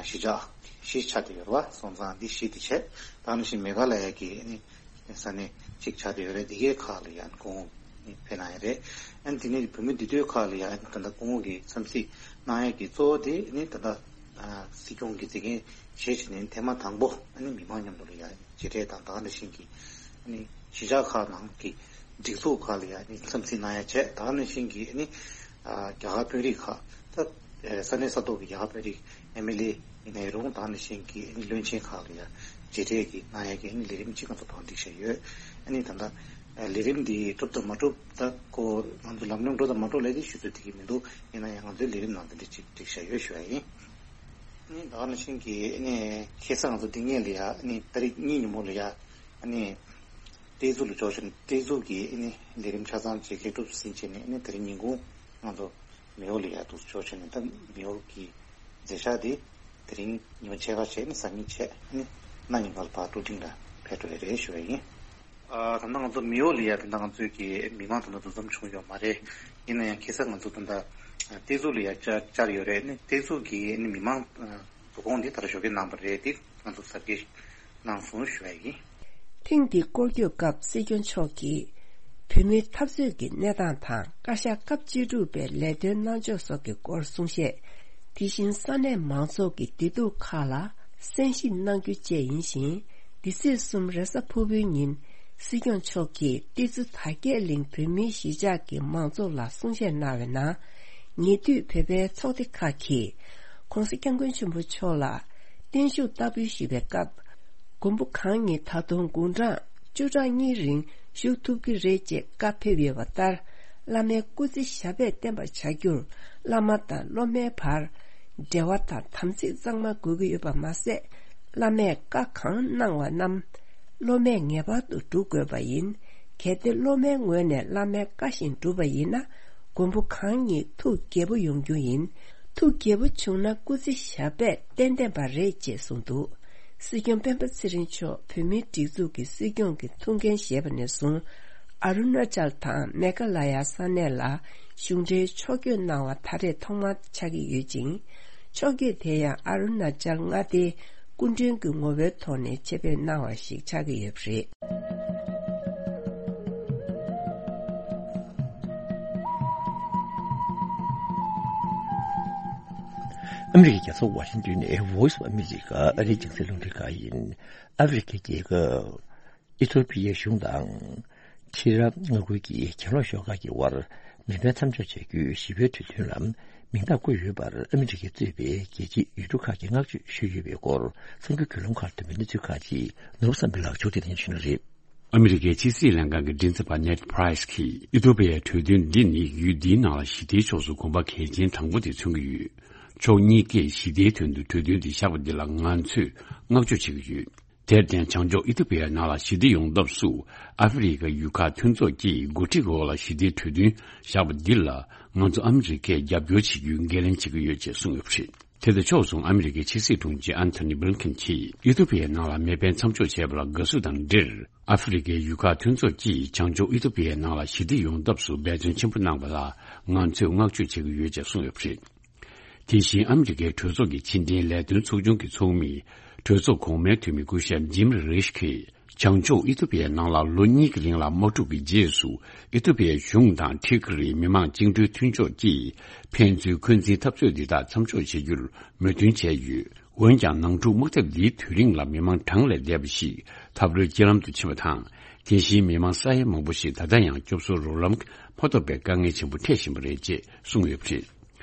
གཞིས་ཆགས་བཞི་ཆགས་བསྡད་ཡོད་རེད་བ། སོང་ཙང་འདི་བཞི་དེ་བྱས། ད་ནང་བཞིན་མེ་ག་ལ་ཡ་གི་ནི་ས་གནས་གཅིག་ཆགས་བསྡད་ཡོད་རེད། འདི་གའི་ཁག་ལ་ཡང་སྐུ་ངོ་ནི་ཕེབས་གནང་ཡ་རེད། ཨན་དེ་ནས་བོད་མི་འདུས་སྡོད་ཁག་ལ་ཡང་ད་ལྟ་སྐུ་ངོ་གིས་འཚམས་གཟིགས་གནང་ཡ་གི་གཙོ་བོ་དེ་ནི་ད་ལྟ་ ཨ་སྲིད་སྐྱོང་གི་མཛད་འགན་བཞེས་བྱས་ནས་ཐེངས་མ་དང་པོ་ཨ་ནི་མི་མང་མཉམ་དུ་ལ་ཡ་མཇལ་འཕྲད་དང་། ད་ག་ནང་བཞིན་གྱི་ཨ་ནི་གཞིས་ཆགས་ཁག་ནང་གི་སྒྲིག་འཛུགས་ཁག་ལ་ཡ་ཨ་ནི་འཚམས་གཟིགས་གནང་ཡ་བྱས། ད་ག་ནང་བཞིན་གྱི་ཨ་ནི་ཨ་རྒྱ་གར་དཔོན་རིགས་ཁག་ད་ས་གནས་ས་ཐོག་གི་རྒྱ་གར་དཔོན་རིགས་ཨེམ་ཨེལ་ཨེ་ཡིན་ན་ཡང་རུང་། ད་ག་ནང་བཞིན་གྱི་ཨ་ནི་བློན་ཆེན་ཁག་ལ་ཡ་མཇལ་འཕྲད་ཀྱི་གནང་ཡ་གི་ཨ་ནི་ལས་རིམ་གཅིག་ང་ཚོ་བང་སྒྲིག་བྱས་ཡོད། ཨ་ནི་ད་ལྟ་ལས་རིམ་འདི་གྲུབ་དང་མ་གྲུབ་ད་ཁོ་ང་ཚོ་ལམ་ལྷོང་འགྲོ་དང་མ་འགྲོ་ལས་དེ་ཞུ་ཚོད་དེ་གི་མི་འདུག་ཡིན་ན་ཡང་ང་ཚོའི་ལས་རིམ་ནང་དེ་འདྲ་ཅིག་བསྒྲིགས་བཞག་ཡོད་ཞུ་བ་ཡིན། ཨ་ནི་ད་ག་ནང་བཞིན་གྱི་ཨ་ནི་ཁ་སང་ང་ཚོ་འདི་ངེད་ལ་ཡ་ཨ་ནི་ཏ་རིག་གཉིས་ཉིན་མོ་ལ་ཡ་ཨ་ནི་ཏེ་ཛུ་ལ་འབྱོར་བྱུང་། ཏེ་ཛུ་གི་ཨ་ནི་ལས་རིམ་ཆ་ཚང་ཅིག་ལེགས་གྲུབ་ཟིན་བྱས་ནས་ཨ་ནི་དེ་རིང་ཉིན་གུང་ང་ཚོ་མེའོ་ལ་ཡ་འདུག་འབྱོར་བྱས་ནས། ད་མེའོ་གི་མཛད་འཆར་དེ་དེ་རིང་ཉི་མ་ཕྱེད་ཀ་བྱས་ནས་གཟའ་ཉིན་བྱས་ཨ་ནི་གནངས་ཉིན་ག་ལ་ཕར་ཀྲུའུ་ཀྲིང་ལ་ཕེབས་འགྲོ་ཡ་རེད་ཞུ་བ་ཡིན། ཨ་ད་ལྟ་ང་ཚོ་མེའོ་ལ་ཡ་ད་ལྟ་ང་ཚོའི་གི་མི་མང་ད་ལྟ་འདུ་འཛོམས་བྱུང་ཡོད་མ་རེད། ཡིན་ན་ཡང་ཁ་སང་ང་ཚོ་ད་ལྟ་ཏེ་ཛུ་ལ་ཡ་བཅར་བཅར་ཡོད་རེད། ཨ་ནི་ཏེ་ཛུ་གི་ཨ་ནི་མི་མང་འདུ་ཁང་འདི་ད་ལྟ་ཞོགས་ཀས་གནང་བ་རེད། དེ་ང་ཚོ་གཟབ་རྒྱས་གནང་སོང་ཞུ་བ་ཡིན། ཐེངས་འདིའི་སྐོར་སྐྱོད་སྐབས་སྲིད་སྐྱོང་མཆོག་གིས་བོད་མིའི་འཐབ་རྩོད་ཀྱི་གནས་སྟངས་དང་བཀའ་ཤག་སྐབས་བཅུ་དྲུག་པའི་ལས་དོན་གནང་ཕྱོགས་སོགས་ཀྱི་སྐོར་གསུང་བཤད། དེ་བཞིན་ས་གནས་མང་ཚོགས་ཀྱི་བདེ་སྡུག་ཁག་ལ་གསན་ཞིབ་གནང་རྒྱུ་བཅས་ཡིན་ཞིང་། འདི་ཚེས་གསུམ་རེས་གཟའ་ཕུར་བུའི་ཉིན་སྲིད་སྐྱོང་མཆོག་གིས་ཏི་ཙུ་དར་རྒྱས་གླིང་བོད་མིའི་གཞིས་ཆགས་ཀྱི་མང་ཚོགས་ལ་གསུང་བཤད་གནང་བའི་ནང་། ཉེ་དུས་བོད་པའི་ཚོགས་སྡེ་ཁག་གིས་༸གོང་ས་༸སྐྱབས་མགོན་ཆེན་པོ་མཆོག་ལ་བརྟན་བཞུགས་བསྟར་འབུལ་ཞུས་པའི་སྐབས། མགོན་པོ་གང་ཉིད་ད་དུང་དགུང་གྲངས་བཅུ་ཕྲག་གཉིས་རིང་བཞུགས་ཐུབ་ཀྱི་རེད་ཅེས་བཀའ་ཕེབས་ཡོད་པ་ལྟར། བླ་མའི་སྐུ་ཚེ་ཞབས་པད་བརྟན་པར་བྱ་རྒྱུར་བླ་མ་དང་སློབ་མའི་བར་འབྲེལ་བ་དང་དམ་ཚིག་གཙང་མ་དགོས་ཀྱི་ཡོད་པ་མ་ཟད། བླ་མས་བཀའ་གང་གནང་བ་རྣམས་སློབ་མས་ངེས་པར་དུ་སྒྲུབ་དགོས་པ་ཡིན། གལ་ཏེ་སློབ་མའི་ངོས་ནས་བླ་མའི་བཀའ་བཞིན་བསྒྲུབས་པ་ཡིན་ན། མགོན་པོ་གང་ཉིད་ཐུགས་དགྱེས་པོ་ཡོང་རྒྱུ་ཡིན། ཐུགས་དགྱེས་པོ་བྱུང་ན་སྐུ་ཚེ་ཞབས་པད་བརྟན་བརྟན་པ་རེད་ཅེས་གསུངས་འདུག་སྲིད་སྐྱོང་སྤེན་པ་ཚེ་རིང་མཆོག་བོད་མིའི་སྒྲིག་འཛུགས་ཀྱི་སྲིད་སྐྱོང་གི་ཐུགས་འགན་བཞེས་པ་ནས་བཟུང་། ཨ་རུ་ན་ཅལ་དང་མེ་ག་ལ་ཡ་ས་གནས་ལ་གཞུང་འབྲེལ་ཕྱོགས་བསྐྱོད་གནང་བ་ད་རེས་ཐོག་མ་ཆགས་ཀྱི་ཡོད་ཅིང་། ཕྱོགས་བསྐྱོད་དེ་ཡང་ཨ་རུ་ན་ཅལ་མངའ་སྡེའི་སྐུ་མགྲོན་གྱི་ངོ་བོའི་ཐོག་ནས་ཆེད་ཕེབས་གནང་བ་ཞིག་ཆགས་ཀྱི་ཡོད་པ་རེད། ཨ་མི་རི་ཀའི་རྒྱལ་ས་ཝ་ཤིང་ཏོན་ནས་Voice of America ཨ་རིའི་རྒྱང་སྲིང་རླུང་འཕྲིན་ཁང་ཡིན། ཨ་ཧྥེ་རི་ཁའི་རྒྱལ་ཁབ་ཨི་ཐོ་པི་ཡའི་གཞུང་དང་ཁྲི་རབས་མངའ་ཁུལ་གྱི་གྱེན་ལོག་ཤོག་ཁག་གི་དབར་མེ་འཕེན་མཚམས་འཇོག་བྱ་རྒྱུའི་ཞི་བའི་གྲོས་མཐུན་ལ་མིང་རྟགས་བཀོད་ཡོད་པར་ཨ་མི་རི་ཀས་གཙོས་པའི་རྒྱལ་སྤྱིའི་ཡུལ་གྲུ་ཁག་གིས་བསྔགས་བརྗོད་ཞུས་ཡོད་པའི་སྐོར། གསར་འགྱུར་བརྒྱུད་ལམ་ཁག་ཐོན་པའི་གནས་ཚུལ་ཁག་ཅིག་ནོར་བུ་བསམ་འཕེལ་ལགས་མཇུག་བསྡུ་ལེན་ཞུ་གནང་རེད། ཨ་མི་རི་ཀའི་ཕྱི་སྲིད་ལྷན་ཁང་གི་མགྲིན་ཚབ་པ་ནེད་པྲའི་སི་གིས་ཨི་ཐོ་པི་ཡའི་གྲོས་མཐུན་འདི་ནི་ཡུལ་འདིའི་ནང་ལ་ཞི་བདེའི་ཕྱོགས་སུ་གོམ་པ་གལ་ཆེན་དང་པོ་དེ་མཚོན་གྱི་ཡོད། ཕྱོགས་གཉིས་ཀས་ཞི་བདེའི་དོན་དུ་གྲོས་མཐུན་འདི་བཞག་པ་འདི་ལ་ང་ཚོས་བསྔགས་བརྗོད་བྱེད་ཀྱི་ཡོད། དེར་བརྟེན་བྱང་ཕྱོགས་ཨི་ཐོ་པི་ཡའི་ནང་ལ་ཞི་བདེ་ཡོང་ཐབས་སུ་ཨ་ཧྥེ་རི་ཁ་ཡུལ་ཁག་མཐུན་ཚོགས་ཀྱིས་འགོ་ཁྲིད་འོག་ལ་ཞི་བདེའི་གྲོས་མཐུན་བཞག་པ་འདི་ལ་ང་ཚོ་ཨ་མི་རི་ཀས་རྒྱབ་སྐྱོར་བྱེད་རྒྱུའི་འགན་ལེན་བྱེད་ཀྱི་ཡོད་ཅེས་གསུངས་ཡོད་པ་རེད། དེ་དང་ཕྱོགས་མཚུངས་ཨ་མི་རི་ཀའི་ཕྱི་སྲིད་དྲུང་ཆེ་ཨན་ཐོ་ནི་བྷི་ལིན་ཁིན་གྱིས་ཨི་ཐོ་པི་ཡའི་ནང་ལ་མེ་འཕེན་མཚམས་འཇོག་བྱས་པ་ལ་དགའ་བསུ་དང་འབྲེལ། ཨ་ཧྥེ་རི་ཁའི་ཡུལ་ཁག་མཐུན་ཚོགས་ཀྱིས་བྱང་ཕྱོགས་ཨི་ཐོ་པི་ཡའི་ནང་ལ་ཞི་བདེ་ཡོང་ཐབས་སུ་འབད་བརྩོན་ཆེན་པོ་གནང་བ་ལ་ང་ཚོས་བསྔགས་བརྗོད་བྱེད་ཀྱི་ཡོད་ཅེས་གསུངས་ཡོད་པ་རེད། དེ་བཞིན་ཨ་མི་རི་ཀའི་གྲོས་ཚོགས་ཀྱི་ཕྱི་འབྲེལ་ལས་དོན་ཚོགས་ཆུང་གི་ཚོགས་མི་གྲོས་ཚོགས་གོང་མའི་འཐུས་མི་སྐུ་ཞབས་ཇིམ་རིཤ་གིས། བྱང་ཕྱོགས་ཨི་ཐོ་པི་ཡའི་ནང་ལ་ལོ་གཉིས་ཀྱི་རིང་ལ་དམག་འཁྲུག་གི་རྗེས་སུ་ཨི་ཐོ་པི་ཡའི་གཞུང་དང་ཐི་གི་རིའི་མི་དམངས་བཅིངས་འགྲོལ་མཐུན་ཕྱོགས་ཀྱིས་ཕན་ཚུན་འཁོན་འཛིན་འཐབ་རྩོད་འདི་དག་མཚམས་འཇོག་བྱེད་རྒྱུར་མོས་མཐུན་བྱས་ཡོད། འོན་ཀྱང་ནང་འཁྲུག་དམག་འཐབ་འདིའི་དུས་རིང་ལ་མི་མང་གྲངས་ལས་འདས་པ་ཞིག་འཐབ་རོལ་རྐྱེན་ལམ་དུ་ཕྱིན་པ་དང་། དེ་བཞིན་མི་མང་ས་ཡ་མང་པོ་ཞིག་ད་ལྟ་ཡང་སྐྱོབ་གསོའི་རོགས་རམ་མ་ཐོབ་པའི་དཀའ་ངལ་ཆེན་པོ་འཕྲད་བཞིན་པ་རེད་ཅེས་གསུངས་ཡོད་པ་རེད།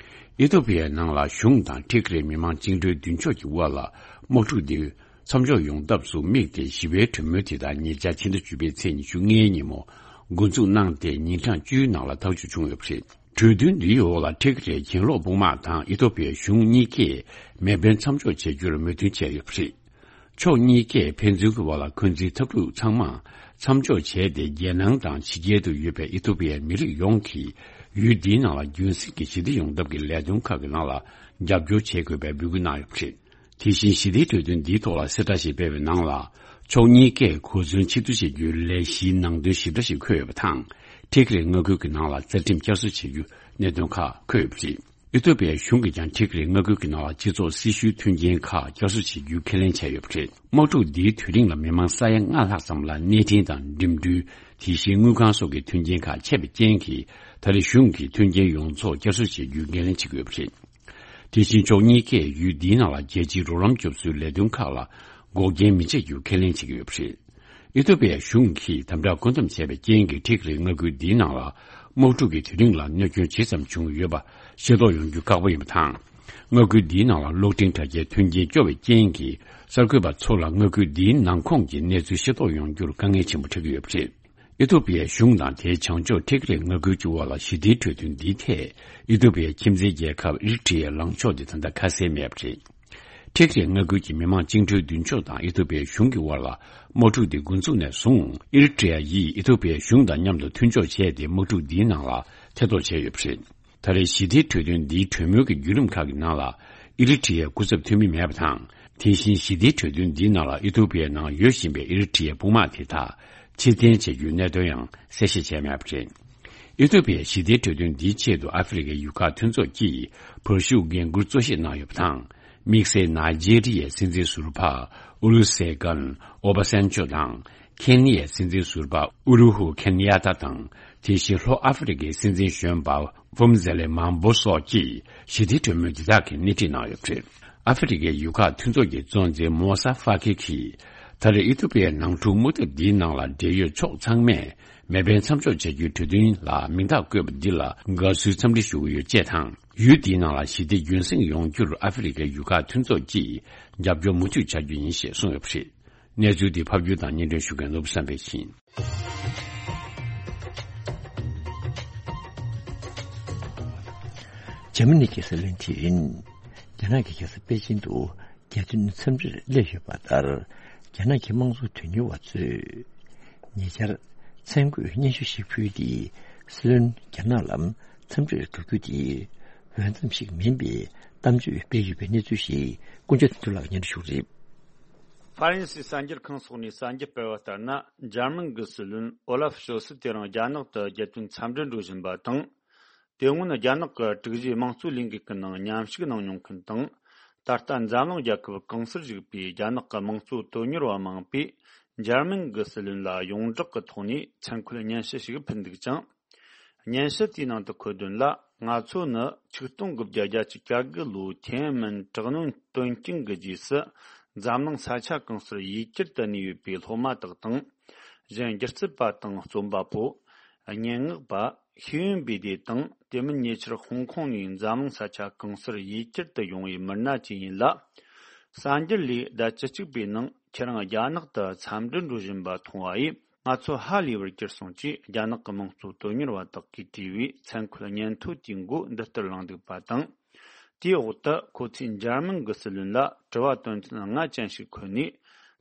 ཨི་ཐོ་པི་ཡའི་ནང་ལ་གཞུང་དང་ཐི་གི་རིའི་མི་མང་བཅིངས་འགྲོལ་མདུན་ཕྱོགས་ཀྱི་དབར་ལ་དམག་འཁྲུག་འདི་མཚམས་འཇོག་ཡོང་ཐབས་སུ་དམིགས་ཏེ་ཞི་བའི་གྲོས་མོལ་དེ་དག་ཉེ་ཆར་ཕྱི་ཟླ་བཅུ་པའི་ཚེས་ཉི་ཤུ་ལྔའི་ཉིན་མོ་འགོ་འཛུགས་གནང་སྟེ་ཉིན་གྲངས་བཅུའི་ནང་ལ་ཐག་གཅོད་བྱུང་ཡོད་པ་རེད། གྲོས་མཐུན་འདིའི་འོག་ལ་ཐི་གི་རིའི་གྱེན་ལོག་དཔུང་དམག་དང་ཨི་ཐོ་པི་ཡའི་གཞུང་གཉིས་ཀས་མེ་འཕེན་མཚམས་འཇོག་བྱེད་རྒྱུར་མོས་མཐུན་བྱས་ཡོད་པ་རེད། ཕྱོགས་གཉིས་ཀས་ཕན་ཚུན་གྱི་བར་ལ་འཁོན་འཛིན་འཐབ་འཁྲུག་ཚང་མ་མཚམས་འཇོག་བྱས་ཏེ། རྒྱལ་ནང་དང་ཕྱི་རྒྱལ་དུ་ཡོད་པའི་ཨི་ཐོ་པི་ཡའི་མི་རིགས་ཡོངས་ཀྱིས་ཡུལ་འདིའི་ནང་ལ་རྒྱུན་སྲིང་གི་ཞི་བདེ་ཡོང་ཐབས་ཀྱི་ལས་དོན་ཁག་གི་ནང་ལ་རྒྱབ་སྐྱོར་བྱེད་དགོས་པའི་འབོད་སྐུལ་གནང་ཡོད་པ་རེད། དེ་བཞིན་ཞི་བདེའི་གྲོས་མཐུན་འདིའི་ཐོག་ལ་གསལ་བསྒྲགས་ཤིག་སྤེལ་བའི་ནང་ལ། ཕྱོགས་གཉིས་ཀས་གོ་མཚོན་ཆེད་བསྡུ་བྱེད་རྒྱུའི་ལས་གཞིའི་ནང་དོན་ཞིབ་ཕྲ་ཞིག་འཁོད་ཡོད་པ་དང་། ཐི་གི་རི་མངའ་ཁུལ་གྱི་ནང་ལ་རྩ་ཁྲིམས་བསྐྱར་གསོ་བྱེད་རྒྱུ་གནད་དོན་ཁག་འཁོད་ཡོད་པ་རེད། ཨི་ཐོ་པི་ཡའི་གཞུང་གིས་ཀྱང་ཐི་གི་རི་མངའ་ཁུལ་གྱི་ནང་ལ་སྤྱི་ཚོགས་སྲི་ཞུའི་མཐུན་རྐྱེན་ཁག་བསྐྱར་གསོ་བྱེད་རྒྱུའི་ཁས་ལེན་བྱས་ཡོད་པ་རེད། དམག་འཁྲུག་འདིའི་དུས་རིང་ལ་མི་མང་ས་ཡ་ལྔ་ལྷག་ཙམ་ལ་གནས་འཕྲིན་དང་འགྲིམ་འགྲུལ། དེ་བཞིན་དངུལ་ཁང་སོགས་ཀྱི་མཐུན་རྐྱེན་ཁག་ཆད་པའི་རྐྱེན་གྱིས། ད་རེས་གཞུང་གིས་མཐུན་རྐྱེན་ཡོངས་རྫོགས་བསྐྱར་གསོ་བྱེད་རྒྱུའི་འགན་ལེན་བྱེད་ཀྱི་ཡོད་པ་རེད། དེ་བཞིན་ཕྱོགས་གཉིས་ཀས་ཡུལ་འདིའི་ནང་ལ་རྒྱལ་སྤྱིའི་རོགས་རམ་སྐྱོབ་གསོའི་ལས་དོན་ཁག་ལ་འགོག་རྐྱེན་མི་བྱེད་རྒྱུ་ཁས་ལེན་བྱེད་ཀྱི་ཡོད་པ་རེད། ཨི་ཐོ་པི་ཡའི་གཞུང་གིས་དམ་དྲག་བཀོད་འདོམས་བྱས་པའི་རྐྱེན་གྱིས་ཏི་གི་རི་མངའ་ཁུལ་འདིའི་ནང་ལ་དམག་འཁྲུག་གི་དུས་རིང་ལ་གནོད་སྐྱོན་ཇི་ཙམ་བྱུང་ཡོད་པ་ཤེས་རྟོགས་ཡོང་རྒྱུ་ཁག་པོ་ཡིན་པ་དང་། མངའ་ཁུལ་འདིའི་ནང་ལ་གློག་འཕྲིན་དྲ་རྒྱའི་མཐུན་རྐྱེན་སྐྱོ་བའི་རྐྱེན་གྱིས་གསར་འགོད་པ་ཚོ་ལ་མངའ་ཁུལ་འདིའི་ནང་ཁོངས་ཀྱི་གནས་ཚུལ་ཤེས་རྟོགས་ཡོང་རྒྱུར་དཀའ་ངལ་ཆེན་པོ་འཕྲད་ཀྱི་ཡོད་པ་རེད། ཨི་ཐོ་པི་ཡའི་གཞུང་དང་དེའི་བྱང་ཕྱོགས་ཏི་གི་རི་མངའ་ཁུལ་གྱི་དབར་ལ་ཞི་བདེའི་གྲོས་མཐུན་འདིའི་ཐད། ཨི་ཐོ་པི་ཡའི་ཁྱིམ་མཚེས་རྒྱལ་ཁབ་ཨི་རི་ཊི་ཡའི་ལངས་ཕྱོགས་དེ་ད་ལྟ་ཁ་གསལ་མེད་པ་རེད། ཏི་གི་རི་མངའ་ཁུལ་གྱི་མི་དམངས་བཅིངས་འགྲོལ་མདུན་ཕྱོགས་དང་ཨི་ཐོ་པི་ཡའི་གཞུང་གི་དབར་ལ་དམག་འཁྲུག་འདི་འགོ་འཛུགས་ནས་བཟུང་། ཨི་རི་ཊི་ཡ་ཡིས་ཨི་ཐོ་པི་ཡའི་གཞུང་དང་མཉམ་དུ་མཐུན་ཕྱོགས་བྱས་ཏེ་དམག་འཁྲུག་འདིའི་ནང་ལ་ཐེ་གཏོགས་བྱས་ཡོད་པ་རེད། ད་རེས་ཞི་བདེའི་གྲོས་མཐུན་འདིའི་གྲོས་མོལ་གྱི་བརྒྱུད་རིམ་ཁག་གི་ནང་ལ་ཨི་རི་ཊི་ཡའི་སྐུ་ཚབ་འཐུས་མི་མེད་པ་དང་། དེ་བཞིན་ཞི་བདེའི་གྲོས་མཐུན་འདིའི་ནང་ལ་ཨི་ཐོ་པི་ཡའི་ནང་ཡོད་བཞིན་པའི་ཨི་རི་ཊི་ཡའི་དཔུང་དམག་དེ་དག་ཕྱིར་འཐེན་བྱེད་རྒྱུའི་གནད་དོན་ཡང་གསལ་བཤད་བྱས་མེད་པ་རེད། ཨི་ཐོ་པི་ཡའི་ཞི་བདེའི་གྲོས་མཐུན་འདིའི་ཆེད་དུ་ཨ་ཧྥེ་རི་ཁའི་ཡུལ་ཁག་མཐུན་ཚོགས་ཀྱིས་བར་ཞུགས་འགན་འཁུར་གཙོ་བཞེས་གནང་ཡོད་པ་དང་། དམིགས་བསལ་ནཱི་ཇེ་རི་ཡའི་སྲིད་འཛིན་ཟུར་པ་ཨུ་ལུ་སེ་གན་ཨོ་བ་སན་ཅོ་དང་། ཁེན་ནི་ཡའི་སྲིད་འཛིན་ཟུར་པ་ཨུ་རུ་ཧུ་ཁེན་ཡ་ཏ་དང་། དེ་བཞིན་ལྷོ་ཨ་ཧྥེ་རི་ཁའི་སྲིད་འཛིན་གཞོན་པ་ཕུམ་ཛེ་ལེ་མཱན་བྷོ་སོགས་ཀྱིས་ཞི་བདེའི་གྲོས་མོལ་འདི་དག་གི་སྣེ་ཁྲིད་གནང་ཡོད་པ་རེད། ཨ་ཧྥེ་རི་ཁའི་ཡུལ་ཁག་མཐུན་ཚོགས་ཀྱི་གཙོ་འཛིན་མོ་ས་ཧྥ་ཁི་གིས། ད་རེས་ཨི་ཐོ་པི་ཡའི་ནང་འཁྲུག་དམག་འཐབ་འདིའི་ནང་ལ་འབྲེལ་ཡོད་ཕྱོགས་ཚང་མས་མེ་འཕེན་མཚམས་འཇོག་བྱ་རྒྱུའི་གྲོས་མཐུན་ལ་མིང་རྟགས་བཀོད་པ་འདི་ལ་དགའ་བསུའི་འཚམས་འདྲི་ཞུ་གི་ཡོད་ཅེས་དང་། ཡུལ་འདིའི་ནང་ལ་ཞི་བདེ་རྒྱུན་སྲུང་ཡོང་རྒྱུར་ཨ་ཧྥེ་རི་ཁའི་ཡུལ་ཁག་མཐུན་ཚོགས་ཀྱིས་རྒྱབ་སྐྱོར་མུ་མཐུད་བྱ་རྒྱུ་ཡིན་ཞེས་གསུངས་ཡོད་པ་རེད། གནས་ཚུལ་འདི་ཕབ་སྒྱུར་དང་སྙན་སྒྲོན་ཞུ་མཁན་ནོར་བུ་བསམ་འཕེལ་ཡིན། འཇར་མ་ནི་གི་སྲིད་བློན་ཁྲི་རིན། རྒྱ་ནག་གི་རྒྱལ་ས་པེ་ཅིན་དུ་རྒྱལ་དོན་འཚམས་འདྲིར་སླེབས་ཡོད་པ་ལྟར། རྒྱ་ནག་གི་དམངས་གཙོ་དོན་གཉེར་བ་ཚོས་ཉེ་ཆར་མཚན་བཀོད་སྙན་ཞུ་ཞིག་ཕུལ་ཏེ། སྲིད་བློན་རྒྱ་ནག་ལ་འཚམས་འདྲིར་འགྲོ་རྒྱུ་དེ་འོས་འཚམ་ཞིག་མིན་པའི་གཏམ་བརྗོད་སྤེལ་ཡོད་པའི་གནས་ཚུལ་ཞིག་ཀུན་མཁྱེན་དོན་གྲུབ་ལགས་སྙན་སྒྲོན་ཞུ་གི་རེད། ཧྥ་རན་སིའི་གསར་འགྱུར་ཁང་སོགས་ནས་གསར་འགྱུར་སྤེལ་བ་ལྟར་ན། འཇར་མན་གྱི་སྲིད་བློན་ཨོ་ལ་ཧྥ་ཤོལ་ཚི་དེ་རིང་རྒྱ་ནག་ཏུ་རྒྱལ་དོན་འཚམས་འདྲིར་འགྲོ་བཞིན་པ་དང་། དེ་སྔོན་རྒྱ་ནག་གི་དྲུག་བཞིའི་དམངས་གཙོའི་ལས་འགུལ་གྱི་ནང་མཉམ་ཞུགས་གནང་མྱོང་མཁན་དང་། ད་ལྟ་འཛམ་གླིང་རྒྱལ་ཁབ་གང་སར་བཞུགས་པའི་རྒྱ་ནག་གི་དམངས་གཙོ་དོན་གཉེར་བ་མང་པོས་འཇར་མན་གྱི་སྲིད་བློན་ལ་ཡོངས་གྲགས་ཀྱི་ཐོག་ནས་མཚན་འཁོད་སྙན་ཞུ་ཞིག་ཕུལ་འདུག་ཅིང་། སྙན་ཞུ་དེའི་ནང་དུ་འཁོད་དོན་ལ། ང་ཚོ་ནི་ཆིག་སྟོང་དགུ་བརྒྱ་བརྒྱད་ཅུ་གྱ་དགུ་ལོའི་ཐེན་ཨན་མན་དྲག་གནོན་དོན་རྐྱེན་གྱི་རྗེས་སུ། འཛམ་གླིང་ས་ཆ་གང་སར་ཡུལ་གྱར་དུ་གནས་ཡོད་པའི་སློབ་མ་དག་དང་། གཞན་སྒྱུ་རྩལ་པ་དང་རྩོམ་པ་པོ། སྙན་ངག་པ། ཤེས་ཡོན་པའི་སྡེ་དང་། དེ་མིན་ཉེ་ཆར་ཧོང་ཀོང་ནས་འཛམ་གླིང་ས་ཆ་གང་སར་ཡུལ་གྱར་དུ་ཡོང་བའི་མི་སྣ་བཅས་ཡིན་ལ། གསར་འགྱུར་ལས་ཟླ་བཅུ་གཅིག་པའི་ནང་ཁྱེད་རང་རྒྱ་ནག་ཏུ་འཚམས་འདྲིར་འགྲོ་བཞིན་པ་མཐོང་བ་ཡིས། ང་ཚོ་ཧ་ལས་པར་གྱུར་སོང་ཅེས་རྒྱ་ནག་གི་དམངས་གཙོ་དོན་གཉེར་བ་དག་གིས་བྲིས་པའི་མཚན་འཁོད་སྙན་ཐོ་དེའི་མགོ་འདི་ལྟར་བླངས་འདུག་པ་དང་། དེའི་འོག་ཏུ་ཁོ་ཚོས་འཇར་མན་གྱི་སྲིད་བློན་ལ་དྲི་བ་དོན་ཚན་ལྔ་ཅན་ཞིག་འཁོད་ནས།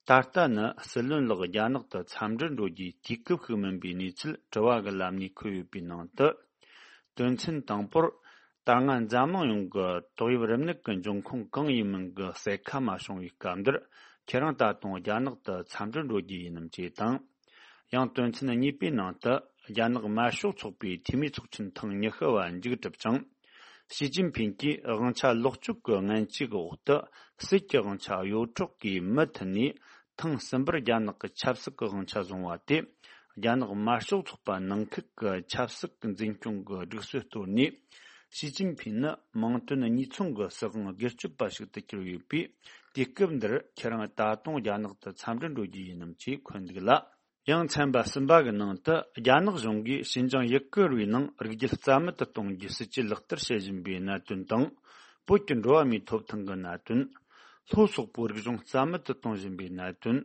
ད་ལྟ་ནི་སྲིད་བློན་ལགས་རྒྱ་ནག་ཏུ་འཚམས་འདྲིར་འགྲོ་རྒྱུའི་དུས་སྐབས་ཤིག་མིན་པའི་གནས་ཚུལ་དྲི་བ་གི་ལམ་ནས་འཁོད་ཡོད་པའི་ནང་དུ། དོན་ཚན་དང་པོར། ད་སྔ་འཛམ་གླིང་ཡོངས་ཀྱི་ཏོག་དབྱིབས་རིམས་ནད་ཀྱི་འབྱུང་ཁུངས་གང་ཡིན་མིན་གྱི་གསལ་ཁ་མ་བྱུང་བའི་སྐབས་འདིར། ཁྱེད་རང་ད་དུང་རྒྱ་ནག་ཏུ་འཚམས་འདྲིར་འགྲོ་རྒྱུ་ཡིན་ནམ་ཅེས་དང་། ཡང་དོན་ཚན་གཉིས་པའི་ནང་དུ། རྒྱ་ནག་དམར་ཤོག་ཚོགས་པའི་འཐུས་མི་ཚོགས་ཆེན་ཐེངས་ཉི་ཤུ་བ་མཇུག་གྲུབ་ཅིང་། ཞི་ཅིན་ཕིང་གིས་དབང་ཆ་ལོག་སྤྱོད་ཀྱི་ངན་ཇུས་ཀྱི་འོག་ཏུ། སྲིད་ཀྱི་དབང་ཆ་གཡོ་འཕྲོག་གིས་མུ་མཐུད་ནས། ཐེངས་གསུམ་པར་རྒྱ་ནག་གི་ཆབ་སྲིད་ཀྱི་དབང་ཆ་བཟུང་བ་དེ། རྒྱ་ནག་དམར་ཤོག་ཚོགས་པ་ནང་ཁུལ་གྱི་ཆབ་སྲིད་ཀྱི་འཛིན་སྐྱོང་གི་སྒྲིག་སྲོལ་གཏོར་ནས། ཞི་ཅིན་ཕིང་ནི་མིང་དོན་གཉིས་མཚུངས་ཀྱི་སྲིད་དབང་སྒེར་གཅོད་པ་ཞིག་ཏུ་གྱུར་ཡོད་པས། དུས་སྐབས་འདིར་ཁྱེད་རང་ད་དུང་རྒྱ་ནག་ཏུ་འཚམས་འདྲིར་འགྲོ་རྒྱུ་ཡིན་ནམ་ཅེས་འཁོད་འདུག་ལ། ཡང་ཚན་པ་གསུམ་པ་གི་ནང་དུ། རྒྱ་ནག་གཞུང་གིས་ཞིན་ཅང་ཡུ་གུར་བའི་ནང་རིགས་རྒྱུད་རྩ་མེད་དུ་གཏོང་རྒྱུའི་སྲིད་ཇུས་ལག་བསྟར་བྱེད་བཞིན་པའི་གནད་དོན་དང་། བོད་ཀྱི་འགྲོ་བ་མིའི་ཐོབ་ཐང་གི་གནད་དོན། ལྷོ་སོག་པོའི་རིག་གཞུང་རྩ་མེད་དུ་གཏོང་བཞིན་པའི་གནད་དོན།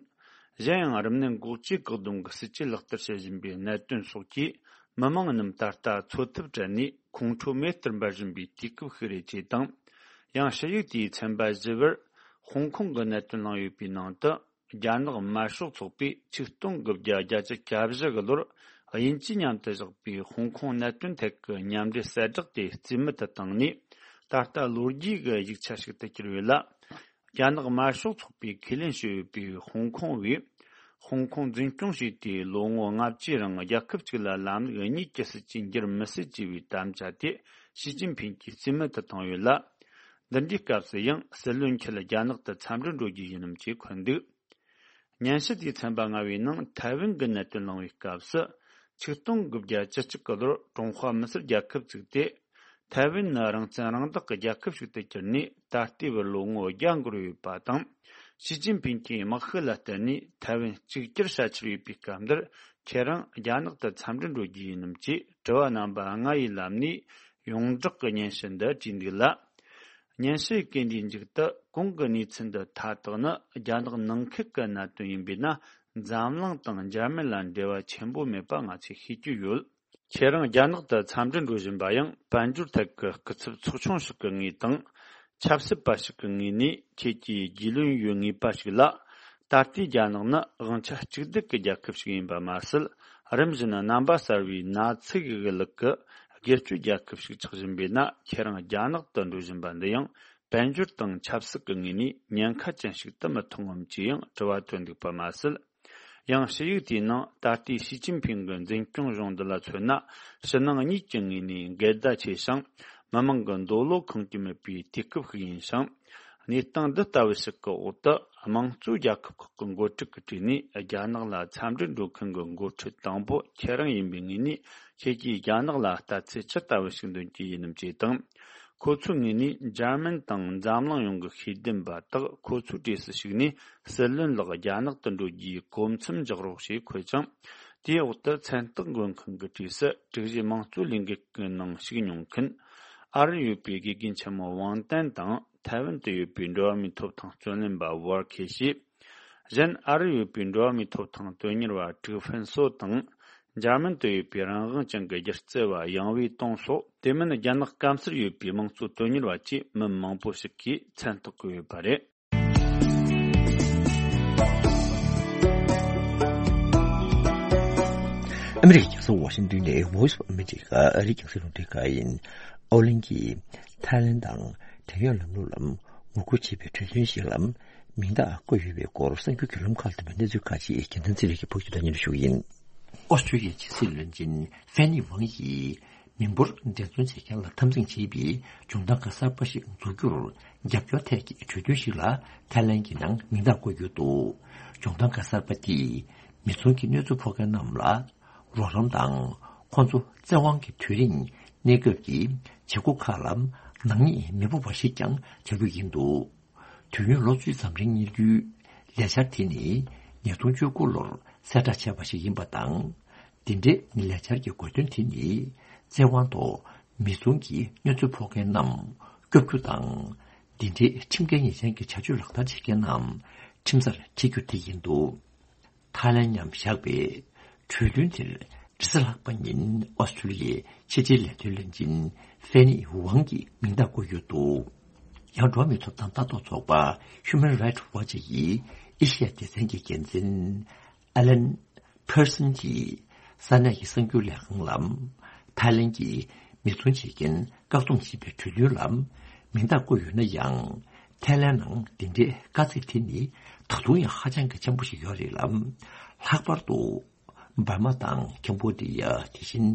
གཞན་ཡང་། རིམས་ནད་འགོག་བཅོས་བཀག་སྡོམ་གྱི་སྲིད་ཇུས་ལག་བསྟར་བྱེད་བཞིན་པའི་གནད་དོན་སོགས་ཀྱིས། མི་མང་རྣམས་ད་ལྟ་འཚོ་ཐབས་བྲལ་ནས་ཁོང་ཁྲོ་མེ་ལྟར་འབར་བཞིན་པའི་དུས་སྐབས་ཤིག་རེད་ཅེས་དང་། ཡང་། ཞུ་ཡིག་དེའི་ཚན་པ་བཞི་པར། ཧོང་ཀོང་གི་གནད་དོན་གླེང་ཡོད་པའི་ནང་དུ། རྒྱ་ནག་དམར་ཤོག་ཚོགས་པས་ཆིག་སྟོང་དགུ་བརྒྱ་བརྒྱད་ཅུ་གྱ་བཞི་གི་ལོར། དབྱིན་ཇིས་མཉམ་དུ་བཞག་པའི་ཧོང་ཀོང་གནད་དོན་ཐད་ཀྱི་མཉམ་འབྲེལ་གསལ་བསྒྲགས་དེ་རྩིས་མེད་དུ་བཏང་ནས། ད་ལྟ་ལོ་རྒྱུས་ཀྱི་ཡིག་ཆ་ཞིག་ཏུ་གྱུར་ཡོད་ལ། རྒྱ་ནག་དམར་ཤོག་ཚོགས་པས་ཁས་ལེན་བྱས་ཡོད་པའི་ཧོང་ཀོང་བས། ཧོང་ཀོང་འཛིན་སྐྱོང་བྱས་ཏེ་ལོ་ངོ་ལྔ་བཅུའི་རིང་རྒྱལ་ཁབ་གཅིག་ལ་ལམ་ལུགས་གཉིས་ཀྱི་སྲིད་ཇུས་འགྱུར་མི་སྲིད་ཅེས་པའི་དམ་བཅའ་དེ་ཞི་ཅིན་ཕིང་གིས་རྩིས་མེད་དུ་བཏང་ཡོད་ལ། འདི་འདྲའི་སྐབས་སུ་ཡང་སྲིད་བློན་ཁྱེད་རྒྱ་ནག་ཏུ་འཚམས་འདྲིར་འགྲོ་རྒྱུ་ཡིན་ནམ་ཅེས་འཁོད་འདུག། སྙན་ཞུ་དེའི་ཚན་པ་ལྔ་པའི་ནང་ཐའེ་ཝན་གྱི་གནད་དོན་གླེང་བའི་སྐབས་སུ། ཆིག་སྟོང་དགུ་བརྒྱ་བཅུ་གཅིག་གི་ལོར་ཀྲུང་ཧྭ་མི་སེར་རྒྱལ་ཁབ་བཙུགས་ཏེ། ཐའེ་ཝན་ནི་རང་བཙན་རང་བདག་གི་རྒྱལ་ཁབ་ཞིག་ཏུ་གྱུར་ནས་ད་ལྟའི་བར་ལོ་ངོ་བརྒྱ་འགོར་ཡོད་པ་དང་། ཞི་ཅིན་ཕིང་གིས་དམག་ཤུགས་ལ་བརྟེན་ནས་ཐའེ་ཝན་གཅིག་གྱུར་བྱ་འཆར་ཡོད་པའི་སྐབས་འདིར་ཁྱེད་རང་རྒྱ་ནག་ཏུ་འཚམས་འདྲིར་འགྲོ་རྒྱུ་ཡིན་ནམ་ཅེས་དྲི་བ་རྣམ་པ་ལྔ་ཡི་ལམ་ནས་ཡོངས་བསྒྲགས་ཀྱི་སྙན་ཞུ་འདི་བྲིས་འདུག་ལ། སྙན་ཞུ་ཡི་གན་འདིའི་མཇུག་ཏུ་གོང་གི་གནས་ཚུལ་འདི་མཐའ་དག་ནི་རྒྱ་ནག་ནང་ཁུལ་གྱི་གནད་དོན་ཡིན་པས་ན། འཛམ་གླིང་དང་འཇར་མན་ལ་འབྲེལ་བ་ཆེན་པོ་མེད་པ་ང་ཚོས་ཤེས་ཀྱི་ཡོད། ཁྱེད་རང་རྒྱ་ནག་ཏུ་འཚམས་འདྲིར་འགྲོ་བཞིན་པ་ཡང་དཔལ་འབྱོར་ཐད་ཀྱི་སྐུ་ཚབ་ཚོགས་ཆུང་ཞིག་གི་ངོས་དང་། ཆབ་སྲིད་པ་ཞིག་གི་ངོས་ནས་ཁྱེད་ཀྱིས་རྒྱུས་ལོན་ཡོད་ངེས་པ་ཞིག་ལ། ད་ལྟའི་རྒྱ་ནག་ནི་དབང་ཆ་གཅིག་སྡུད་ཀྱི་རྒྱལ་ཁབ་ཞིག་ཡིན་པ་མ་ཟད། རིམ་བཞིན་རྣམ་པ་གསར་བའི་ནཱ་ཚི་གི་གླུ་གི་སྒེར་གཅོད་རྒྱལ་ཁབ་ཞིག་ཆགས་བཞིན་པས་ན། ཁྱེད་རང་རྒྱ་ནག་ཏུ་འགྲོ་བཞིན་པ་འདི་ཡང་དཔལ་འབྱོར་དང་ཆབ་སྲིད་ཀྱི་ངོས་ནས་ཉེན་ཁ་ཅན་ཞིག་ཏུ་མི་མཐོང་ངམ་ཅེས་ཡང་དྲི་བ་བཏོན་འདུག་པ་མ་ཟད། ཡང་ཞུ་ཡིག་དེའི་ནང་ད་ལྟའི་ཞི་ཅིན་ཕིང་གི་འཛིན་སྐྱོང་གཞུང་འདི་ལ་མཚོན་ན། ཕྱི་ནང་གཉིས་ཀྱི་ངོས་ནས་འགལ་ཟླ་ཆེ་ཞིང་། མི་མང་གི་འདོད་བློ་ཁེངས་ཀྱི་མེད་པའི་དུས་སྐབས་ཤིག་ཡིན་ཞིང་། གནས་སྟངས་འདི་ལྟ་བུ་ཞིག་གི་འོག་ཏུ། དམངས་གཙོའི་རྒྱལ་ཁབ་ཁག་གི་འགོ་ཁྲིད་ཀྱི་གྲས་ནས་རྒྱ་ནག་ལ་འཚམས་འདྲིར་འགྲོ་མཁན་གྱི་འགོ་ཁྲིད་དང་པོ་ཁྱེད་རང་ཡིན་པའི་ངོས་ནས། ཁྱེད་ཀྱིས་རྒྱ་ནག་ལ་ལྟ་ཚུལ་ཇི་ལྟ་བུ་ཞིག་འདོན་གྱི་ཡིན་ནམ་ཅེས་དང་། ཁོ་ཚོའི་ངོས་ནས་འཇར་མན་དང་འཛམ་གླིང་ཡོངས་ཀྱི་ཤེས་ལྡན་པ་དག་ཁོ་ཚོའི་གྲས་སུ་ཞུགས་ནས། སྲིད་བློན་ལགས་རྒྱ་ནག་ཏུ་འགྲོ་རྒྱུའི་གོ་མཚམས་འཇོག་རོགས་ཞེས་འཁོད་ཅིང་། དེའི་འོག་ཏུ་མཚན་རྟགས་འགོད་མཁན་གྱི་གྲས་སུ་དྲུག་བཞི་དམངས་གཙོའི་ལས་འགུལ་གྱི་ནང་ཞུགས་མྱོང་མཁན། ཨ་རིར་ཡོད་པའི་དགེ་རྒན་ཆེན་མོ་ཝང་ཏན་དང་། ཐའེ་ཝན་དུ་ཡོད་པའི་འགྲོ་བ་མིའི་ཐོབ་ཐང་རྩོད་ལེན་པ་ཝར་ཁེ་ཤི། གཞན་ཨ་རིར་ཡོད་པའི་འགྲོ་བ་མིའི་ཐོབ་ཐང་དོན་གཉེར་བ་ཀྲིག་ཧྥན་སོ་དང་། འཇར་མན་དུ་ཡོད་པའི་རང་དབང་ཅན་གྱི་སྒྱུ་རྩལ་བ་ཡང་ཝེ་ཏུང་སོགས། དེ་མིན་རྒྱ་ནག་སྐམ་སར་ཡོད་པའི་དམངས་གཙོ་དོན་གཉེར་བ་བཅས་མི་མང་པོ་ཞིག་གིས་མཚན་རྟགས་བཀོད་ཡོད་པ་རེད། ཨ་མི་རི་ཀའི་རྒྱལ་ས་ཝ་ཤིང་ཏོན་ནས་Voice of America ཨ་རིའི་རྒྱང་སྲིང་རླུང་འཕྲིན་ཁང་ཡིན། ཨོ་གླིང་གིས་ཐའི་ལན་དང་བྲན་གཡོག་ལམ་ལུགས་ལ་ངོ་རྒོལ་བྱེད་པའི་གྲོས་མཐུན་ཞིག་ལ་མིང་རྟགས་བཀོད་ཡོད་པའི་སྐོར་གསར་འགྱུར་བརྒྱུད་ལམ་ཁག་ལ་ཐོན་པའི་གནས་ཚུལ་ཁག་ཅིག་རྒྱལ་མཚན་ཚེ་རིང་གིས་ཕབ་སྒྱུར་དང་སྙན་སྒྲོན་ཞུ་གི་ཡིན། ཨོ་སི་ཀྲི་ལི་ཡའི་ཕྱི་སྲིད་བློན་ཆེན་ཧྥེ་ནི་ཝང་ཡིས། མི་འབོར་འགྲན་བཙོང་བྱེད་མཁན་ལ་འཐབ་འཛིང་བྱེད་པའི་སྦྱོང་བརྡར་སྒར་གསར་པ་ཞིག་འཛུགས་རྒྱུར་རྒྱབ་སྐྱོར་ཐད་ཀྱི་གྲོས་མཐུན་ཞིག་ལ་ཐའི་ལན་གྱི་ནང་མིང་རྟགས་བཀོད་ཡོད་འདུག། སྦྱོང་བརྡར་སྒར་གསར་པ་དེས་མི་ཚང་གི་གནོད་འཚེ་ཕོག་མཁན་རྣམས་ལ་རོགས་རམ་དང་། ཁོང་ཚོ་བཙན་དབང་གི་དུས་རིང་གནས་སྐབས་ཀྱི་བྱེད་སྒོ་ཁག་ལ་ནག་ཉེས་མི་ཕོག་པ་ཞིག་ཀྱང་བྱ་རྒྱུ་ཡིན་འདུག། དུས་ཡུན་ལོ་བཅུ་ཙམ་རིང་གཉེར་རྒྱུའི་ལས་འཆར་དེ་ནི་ཉིས་སྟོང་བཅུ་དགུ་ལོར་གསལ་བསྒྲགས་བྱས་པ་ཞིག་ཡིན་པ་དང་། འདི་འདྲའི་ལས་འཆར་གྱི་དགོས་དོན་དེ་ནི་བཙན་དབང་ཐོག་མི་ཚང་གི་གནོད་འཚེ་ཕོག་མཁན་རྣམས་སྐྱོབ་རྒྱུ་དང་། འདི་འདྲའི་ཁྲིམས་འགལ་ཉེས་ཅན་གྱི་བྱ་སྤྱོད་ལག་བསྟར་བྱེད་མཁན་རྣམས་ཁྲིམས་སར་འཁྲིད་རྒྱུ་དེ་ཡིན་འདུག། ཐའི་ལན་མཉམ་བཞག་པའི་གྲོས་མཐུན་དེར་རེས་གཟའ་ལྷག་པ་ཉིན་ཨོ་སི་ཀྲི་ལི་ཡའི་ཕྱི་དྲིལ་ལས་དོན་བློན་ཆེན་ཧྥེ་ནི་ཝང་གིས་མིང་རྟགས་བཀོད་ཡོད་འདུག། ཡང་འགྲོ་བ་མིའི་ཐོབ་ཐང་ལྟ་རྟོག་ཚོགས་པ་Human Rights Watch ཡི་ཨེ་ཤི་ཡ་སྡེ་ཚན་གྱི་འགན་འཛིན་ཨ་ལན་ཕེར་སན་གྱིས་ས་གནས་ཀྱི་གསར་འགྱུར་ལས་ཁང་ལ། ཐའི་ལན་གྱིས་མི་ཚང་བྱེད་མཁན་བཀག་སྡོམ་བྱེད་པའི་གྲོས་མཐུན་ལ་མིང་རྟགས་བཀོད་ཡོད་ན་ཡང་། ཐའི་ལན་ནང་འདི་འདྲའི་དཀའ་ཚེགས་དེ་ནི་ད་དུང་ཡང་ཧ་ཅང་གི་ཆེན་པོ་ཞིག་ཡོད་རེད་ལ། ལྷག་པར་དུ། འབར་མ་དང་ཁེམ་བྷོ་ཌི་ཡ། དེ་བཞིན་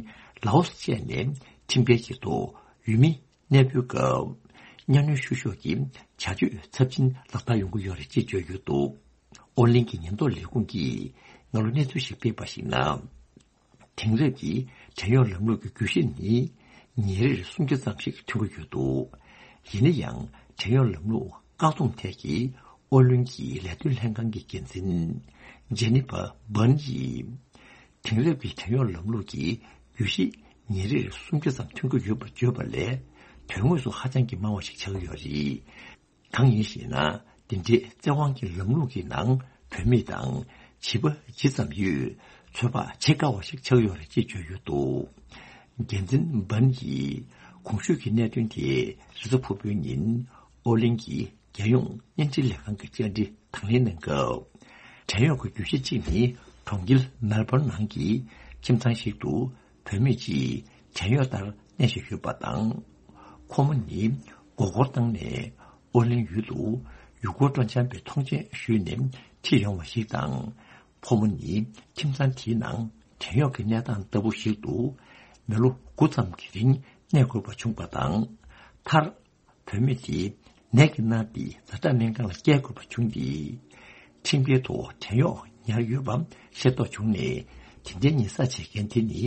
ལའོ་སི་བཅས་ནས་ཁྲིམས་འགལ་གྱི་ཐོག་ཡུལ་མི་གནས་སྤོའི་སྐབས་གཉའ་གནོན་བཤུ་གཞོག་གི་བྱ་སྤྱོད་ཚབས་ཆེན་ལག་བསྟར་ཡོང་གི་ཡོད་རེད་ཅེས་བརྗོད་ཡོད་འདུག། ཨོ་གླིང་གི་ཉེན་རྟོག་ལས་ཁུངས་ཀྱིས་སྔ་ལོ་གནས་ཚུལ་ཞིག་སྤེལ་བར་གཞིགས་ན། དེང་རབས་ཀྱི་བྲན་གཡོག་ལམ་ལུགས་ཀྱི་རྒྱུད་བཤད་ནི་ཉིན་རེར་སུམ་བརྒྱ་ཙམ་ཞིག་ཐོན་གྱི་ཡོད་འདུག། ཡིན་ན་ཡང་བྲན་གཡོག་ལམ་ལུགས་བཀག་སྡོམ་ཐད་ཀྱི་ཨོ་གླིང་གི་ལས་དོན་ལྷན་ཁང་གི་འགན་འཛིན་ཇེ་ནི་ཕར་བྷན་ཡིས། དེང་རབས་ཀྱི་བྲན་གཡོག་ལམ་ལུགས་ཀྱི་རྒྱུད་བཤད་ཉིན་རེར་སུམ་བརྒྱ་ཙམ་ཐོན་གྱི་ཡོད་པར་བརྗོད་པ་ལས། དོན་དངོས་སུ་ཧ་ཅང་གི་དམའ་བ་ཞིག་ཆགས་ཀྱི་ཡོད་རེད། གང་ཡིན་ཞེ་ན། འདི་འདྲའི་བཙན་དབང་གི་ལམ་ལུགས་ཀྱི་ནང་བུད་མེད་དང་བྱིས་པ་ཇི་ཙམ་ཡོད། ཚོད་དཔག་བྱེད་དཀའ་བ་ཞིག་ཆགས་ཡོད་རེད་ཅེས་བརྗོད་ཡོད་འདུག། འགན་འཛིན་བྷན་ཡིས་གོང་ཞུས་ཀྱི་གནད་དོན་དེ་རེས་གཟའ་ཕུར་བུའི་ཉིན་ཨོ་གླིང་གི་རྒྱལ་ཡོངས་བརྙན་འཕྲིན་ལས་ཁང་གི་བཅར་འདྲི་དང་ལེན་གནང་སྐབས། བྲན་གཡོག་གི་རྒྱུད་བཤད་གཅིག་ནི་གྲོང་ཁྱེར་མེལ་བྷོན་ནང་གི་ཁྱིམ་ཚང་ཞིག་ཏུ་བུད་མེད་ཅིག་བྲན་གཡོག་ལྟར་གནས་བཞིན་ཡོད་པ་དང་། ཁོ་མོ་ནི་མགོ་སྐོར་བཏང་ནས་ཨོ་གླིང་ཡུལ་དུ་ཡུལ་སྐོར་སྤྲོ་འཆམ་པའི་ཐོངས་མཆན་ཞུས་ནས་ཁྲིད་ཡོང་བ་ཞིག་དང་། ཕོ་མོ་ནི་ཁྱིམ་ཚང་དེའི་ནང་བྲན་གཡོག་གི་གནས་སྟངས་ལྟ་བུ་ཞིག་ཏུ་མི་ལོ་དགུ་ཙམ་གྱི་རིང་གནས་དགོས་པ་བྱུང་བ་དང་། མཐར། བུད་མེད་དེ་ནད་ཀྱིས་མནར་ཏེ་ཛ་དྲག་སྨན་ཁང་ལ་བསྐྱལ་དགོས་པ་བྱུང་སྟེ། ཁྲིམས་འགལ་ཐོག་བྲན་གཡོག་ཉར་ཡོད་པ་ཤེས་རྟོགས་བྱུང་ནས། དེ་འདྲའི་ཉེས་བསགས་བྱེད་མཁན་དེ་ནི་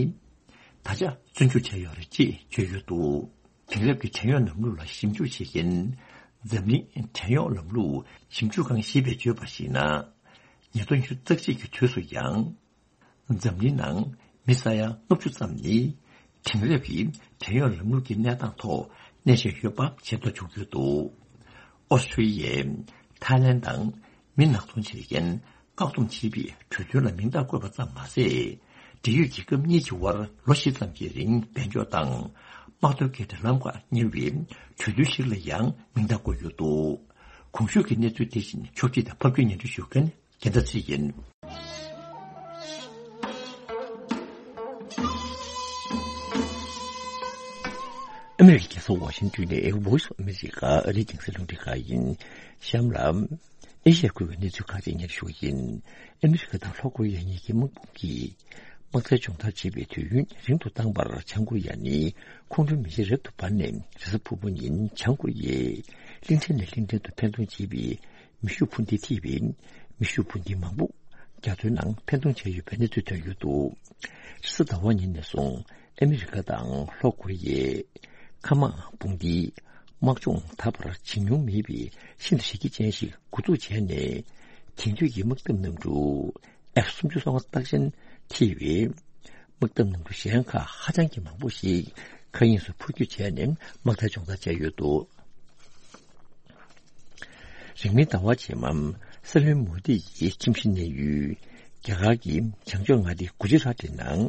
ད་ཆ་བཙོན་འཇུག་བྱས་ཡོད་རེད་ཅེས་བརྗོད་ཡོད་འདུག། དེང་རབས་ཀྱི་བྲན་གཡོག་ལམ་ལུགས་ལ་ཞིབ་འཇུག་བྱེད་མཁན་འཛམ་གླིང་བྲན་གཡོག་ལམ་ལུགས་ཞིབ་འཇུག་ཁང་ཞེས་པས་བརྗོད་པར་གཞིགས་ན། ཉིས་སྟོང་ཉི་ཤུ་རྩ་གཅིག་གི་དུས་སུ་ཡང་། འཛམ་གླིང་ནང་མི་ས་ཡ་ལྔ་བཅུ་ཙམ་ནི་དེང་རབས་ཀྱི་བྲན་གཡོག་ལམ་ལུགས་ཀྱི་གནས་སྟངས་ཐོག་གནས་བཞིན་ཡོད་པ་ཤེས་རྟོགས་བྱུང་ཡོད་འདུག་ཨོ་སི་ཁྲུ་ལི་ཡས། ཐའི་ལེན་དང་མི་ནག་ཚོང་བྱེད་མཁན་བཀག་སྡོམ་བྱས་པའི་གྲོས་མཐུན་ལ་མིང་རྟགས་བཀོད་པ་ཙམ་མ་ཟད། འབྲེལ་ཡོད་རྒྱལ་ཁབ་གཉིས་ཀྱི་དབར་ལོ་བཞི་ཙམ་གྱི་རིང་དཔལ་འབྱོར་དང་དམག་དོན་གྱི་འབྲེལ་ལམ་ཁག་གཉེར་བའི་གྲོས་མཐུན་ཞིག་ལ་ཡང་མིང་རྟགས་བཀོད་ཡོད་འདུག་གོང་ཞུས་ཀྱི་གནས་ཚུལ་དེ་བཞིན་ཕྱོགས་སྒྲིག་དང་ཕབ་སྒྱུར་སྙན་སྒྲོན་ཞུ་མཁན་རྒྱལ་མཚན་ཚེ་རིང་ཡིན། ཨ་མེ་རི་ཁའི་རྒྱལ་ས་ཝ་ཤིང་ཏོན་ནས་Voice of America ཨ་རིའི་རྒྱང་སྲིང་རླུང་འཕྲིན་ཁང་ཡིན། གཤམ་ལ། ཨེ་ཤི་ཡ་ཁུལ་གྱི་གནས་ཚུལ་ཁག་ཅིག་སྙན་ཞུ་ཡིན། ཨ་མེ་རི་ཁ་དང་ལྷོ་ཀོ་རི་ཡ་གཉིས་ཀྱི་དམག་དཔུང་གིས་དམག་རྩལ་སྦྱོང་བརྡར་བྱེད་པའི་དུས་ཡུན་རིང་དུ་བཏང་བར་བྱང་ཀོ་རི་ཡ་ནི་ཁོང་ཁྲོའི་མེ་ལྕེ་རབ་ཏུ་འབར་ནས་རེས་གཟའ་ཕུར་བུ་ཉིན་བྱང་ཀོ་རི་ཡས་གླིང་ཕྲན་ནས་གླིང་ཕྲན་དུ་འཕེན་གཏོང་བྱེད་པའི་མེ་ཤུགས་འཕུར་མདེལ་ཐེ་བའི་མེ་ཤུགས་འཕུར་མདེལ་མང་པོ་རྒྱ་མཚོའི་ནང་འཕེན་གཏོང་བྱས་ཡོད་པའི་གནས་ཚུལ་ཐོན་ཡོད་འདུག་རེས་གཟའ་ཟླ་བ་ཉིན་ནས་བཟུང་ཨ་མི་རི་ཀ་དང་ལྷོ་ཀོ་རི་ཡས་མཁའ་དམག་དཔུང་སྡེའི་དམག་སྦྱོང་ད་བར་བྱེད་མྱོང་མེད་པའི་ཤིན་ཏུ་གཟི་བརྗིད་ཅན་ཞིག་འགོ་འཛུགས་བྱས་ནས། དེང་དུས་ཀྱི་དམག་འཐབ་གནམ་གྲུ་ཨེཕ་སུམ་ཅུ་སོ་ལྔ་རྟགས་ཅན་ཐེ་བའི་དམག་འཐབ་གནམ་གྲུ་གཞན་ཁག་ཧ་ཅང་གི་མང་པོ་ཞིག་མཁའ་དབྱིངས་སུ་འཕུར་སྐྱོད་བྱས་ནས་དམག་རྩལ་སྦྱོང་བརྡར་བྱས་ཡོད་འདུག་རིང་མིན་ཟླ་བ་རྗེས་མ་སྲིད་བློན་མོ་དི་ཡི་ཁྱིམ་གཞིས་གནས་ཡུལ་རྒྱ་གར་གྱི་བྱང་ཕྱོགས་མངའ་སྡེ་གུ་ཇི་རཱ་ཏི་ནང་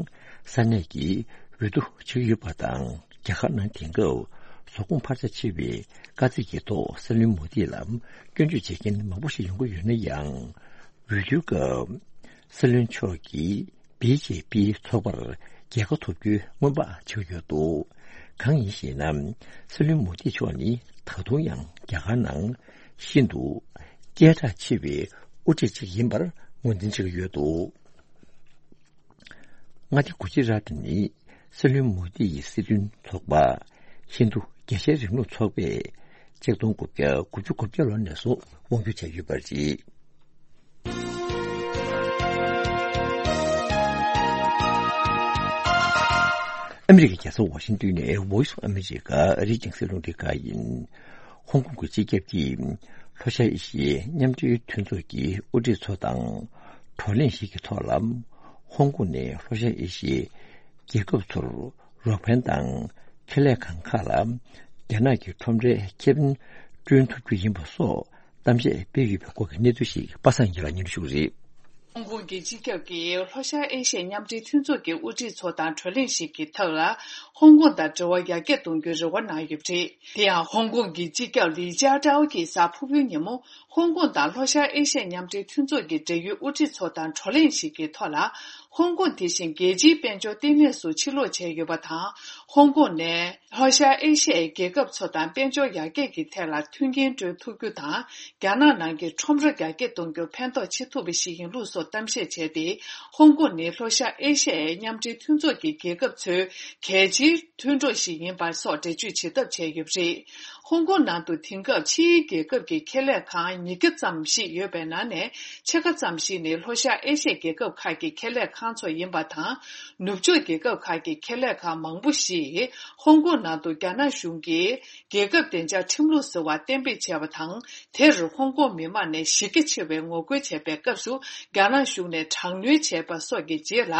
ས་གནས་ཀྱི་འོས་བསྡུ་བྱེད་ཀྱི་ཡོད་པ་དང་། རྒྱ་གར་ནང་དེང་སྐབས་ཟོག་གོང་འཕར་ཆ་ཆེ་བའི་དཀའ་ཚེགས་ཀྱི་ཐོག་སྲིད་བློན་མོ་དི་ལ་སྐྱོན་བརྗོད་བྱེད་མཁན་མང་པོ་ཞིག་ཡོང་གི་ཡོད་ན་ཡང་། འོས་བསྡུའི་སྐབས་སྲིད་བློན་མཆོག་གིས་བི་ཇེ་པི་ཚོགས་པར་རྒྱལ་ཁ་ཐོབ་རྒྱུའི་སྔོན་དཔག་བྱེད་ཀྱི་ཡོད་འདུག་གང་ཡིན་ཞེ་ན། སྲིད་བློན་མོ་དི་མཆོག་ནི་ད་དུང་ཡང་རྒྱ་གར་ནང་ཤིན་ཏུ་སྐད་གྲགས་ཆེ་བའི་དབུ་ཁྲིད་ཅིག་ཡིན་པར་ངོས་འཛིན་བྱེད་ཀྱི་ཡོད་འདུག་མངའ་སྡེ་གུ་ཇི་རཱ་ཏི་ནི་སྲིད་བློན་མོ་དི་ཡི་སྲིད་དོན་ཚོགས་པ་ཧིན་རྡུ་རྒྱལ་སྤྱིའི་རིང་ལུགས་ཚོགས་པས་ཆིག་སྟོང་དགུ་བརྒྱ་དགུ་བཅུ་གོ་བརྒྱད་ལོ་ནས་བཟུང་དབང་སྒྱུར་བྱས་ཡོད་པ་རེད། ཨ་མི་རི་ཀའི་རྒྱལ་ས་ཝ་ཤིང་ཏོན་ནས་Voice of America ཨ་རིའི་རྒྱང་སྲིང་རླུང་འཕྲིན་ཁང་ཡིན། ཧོང་ཀོང་གི་སྤྱི་ཁྱབ་ཀྱིས་ལྷོ་ཤར་ཨེ་ཤི་ཡའི་མཉམ་འབྲེལ་མཐུན་ཚོགས་ཀྱི་དབུ་ཁྲིད་ཚོ་དང་བགྲོ་གླེང་ཞིག་གི་ཐོག་ལ། ཧོང་ཀོང་ནས་ལྷོ་ཤར་ཨེ་ཤི་ཡའི་རྒྱལ་ཁབ་ཚོར་རོགས་ཕན་དང་ཁེ་ལས་ཁང་ཁག་ལ་རྒྱ་ནག་གི་ཁྲོམ་རའི་ཁེ་ཕན་བསྐྲུན་ཐུབ་རྒྱུ་ཡིན་པ་སོགས་གཏམ་བཤད་སྤེལ་ཡོད་པའི་སྐོར་གྱི་གནས་ཚུལ་ཞིག་པ་སངས་སྐྱིད་ལགས་སྙན་ཞུ་རེད། ཧོང་ཀོང་གི་སྤྱི་ཁྱབ་ཀྱིས་ལྷོ་ཤར་ཨེ་ཤི་ཡའི་མཉམ་འབྲེལ་མཐུན་ཚོགས་ཀྱི་དབུ་ཁྲིད་ཚོ་དང་བགྲོ་གླེང་ཞིག་གི་ཐོག་ལ། ཧོང་ཀོང་དང་འབྲེལ་བ་ཡར་རྒྱས་གཏོང་རྒྱུའི་རེ་བ་གནང་ཡོད་པ་རེད། དེ་ཡང་ཧོང་ཀོང་གི་སྤྱི་ཁྱབ་ལི་ཅཱ་ཀྲའོ་གིས་གཟའ་ཕུར་བུའི་ཉིན་མོ། ཧོང་ཀོང་དང་ལྷོ་ཤར་ཨེ་ཤི་ཡའི་མཉམ་འབྲེལ་མཐུན་ཚོགས་ཀྱི་འབྲེལ་ཡོད་དབུ་ཁྲིད་ཚོ་དང་བགྲོ་གླེང་ཞིག་གི་ཐོག་ལ། ཧོང་ཀོང་དེ་བཞིན་རྒྱལ་སྤྱིའི་དཔལ་འབྱོར་ལྟེ་གནས་སུ་ཕྱིར་ལོག་བྱས་ཡོད་པ་དང་། ཧོང་ཀོང་ནས་ལྷོ་ཤར་ཨེ་ཤི་ཡའི་རྒྱལ་ཁབ་ཚོ་དང་དཔལ་འབྱོར་ཡར་རྒྱས་ཀྱི་ཐད་ལ་མཐུན་རྐྱེན་སྤྲོད་ཐུབ་རྒྱུ་དང་། རྒྱ་ནག་ནང་གི་ཁྲོམ་ར་ཡར་རྒྱས་གཏོང་རྒྱུར་ཕན་ཐོགས་ཆེ་ཐུབ་པ་ཞིག་ཡིན་ལུགས་སོགས་གཏམ་བཤད་བྱས་ཏེ། ཧོང་ཀོང་ནི་ལྷོ་ཤར་ཨེ་ཤི་ཡའི་མཉམ་འབྲེལ་མཐུན་ཚོགས་ཀྱི་རྒྱལ་ཁབ་ཚོའི་གལ་ཆེའི་མཐུན་གྲོགས་ཤིག་ཡིན་པ་སོགས་འགྲེལ་བརྗོད་བྱེད་ཐབས་བྱས་ཡོད་པ་རེད། ཧོང་ཀོང་ནང་དུ་དེང་སྐབས་ཕྱིའི་རྒྱལ་ཁབ་ཀྱི་ཁེ་ལས་ཁང་ཉིས་བརྒྱ་ཙམ་ཞིག་ཡོད་པའི་ནང་ནས་ཕྱེད་ཀ་ཙམ་ཞིག་ནི་ལྷོ་ཤར་ཨེ་ཤི་ཡའི་རྒྱལ་ཁབ་ཁག་གི་ཁེ་ལས་ཁང་ཚོ་ཡིན་པ་དང་། ནུབ་ཕྱོགས་རྒྱལ་ཁབ་ཁག་གི་ཁེ་ལས་ཁང་མང་པོ་ཞིག་ཧོང་ཀོང་ནང་དུ་རྒྱ་ནག་གཞུང་གིས་རྒྱལ་ཁབ་བདེ་འཇགས་ཁྲིམས་ལུགས་ཟེར་བ་གཏན་འབེབས་བྱས་པ་དང་། དེར་ཧོང་ཀོང་མི་མང་ནས་གཞི་རྒྱ་ཆེ་བའི་ངོ་རྒོལ་བྱས་པའི་སྐབས་སུ། རྒྱ་ནག་གཞུང་ནས་དྲག་གནོན་བྱས་པ་སོགས་ཀྱི་རྗེས་ལ།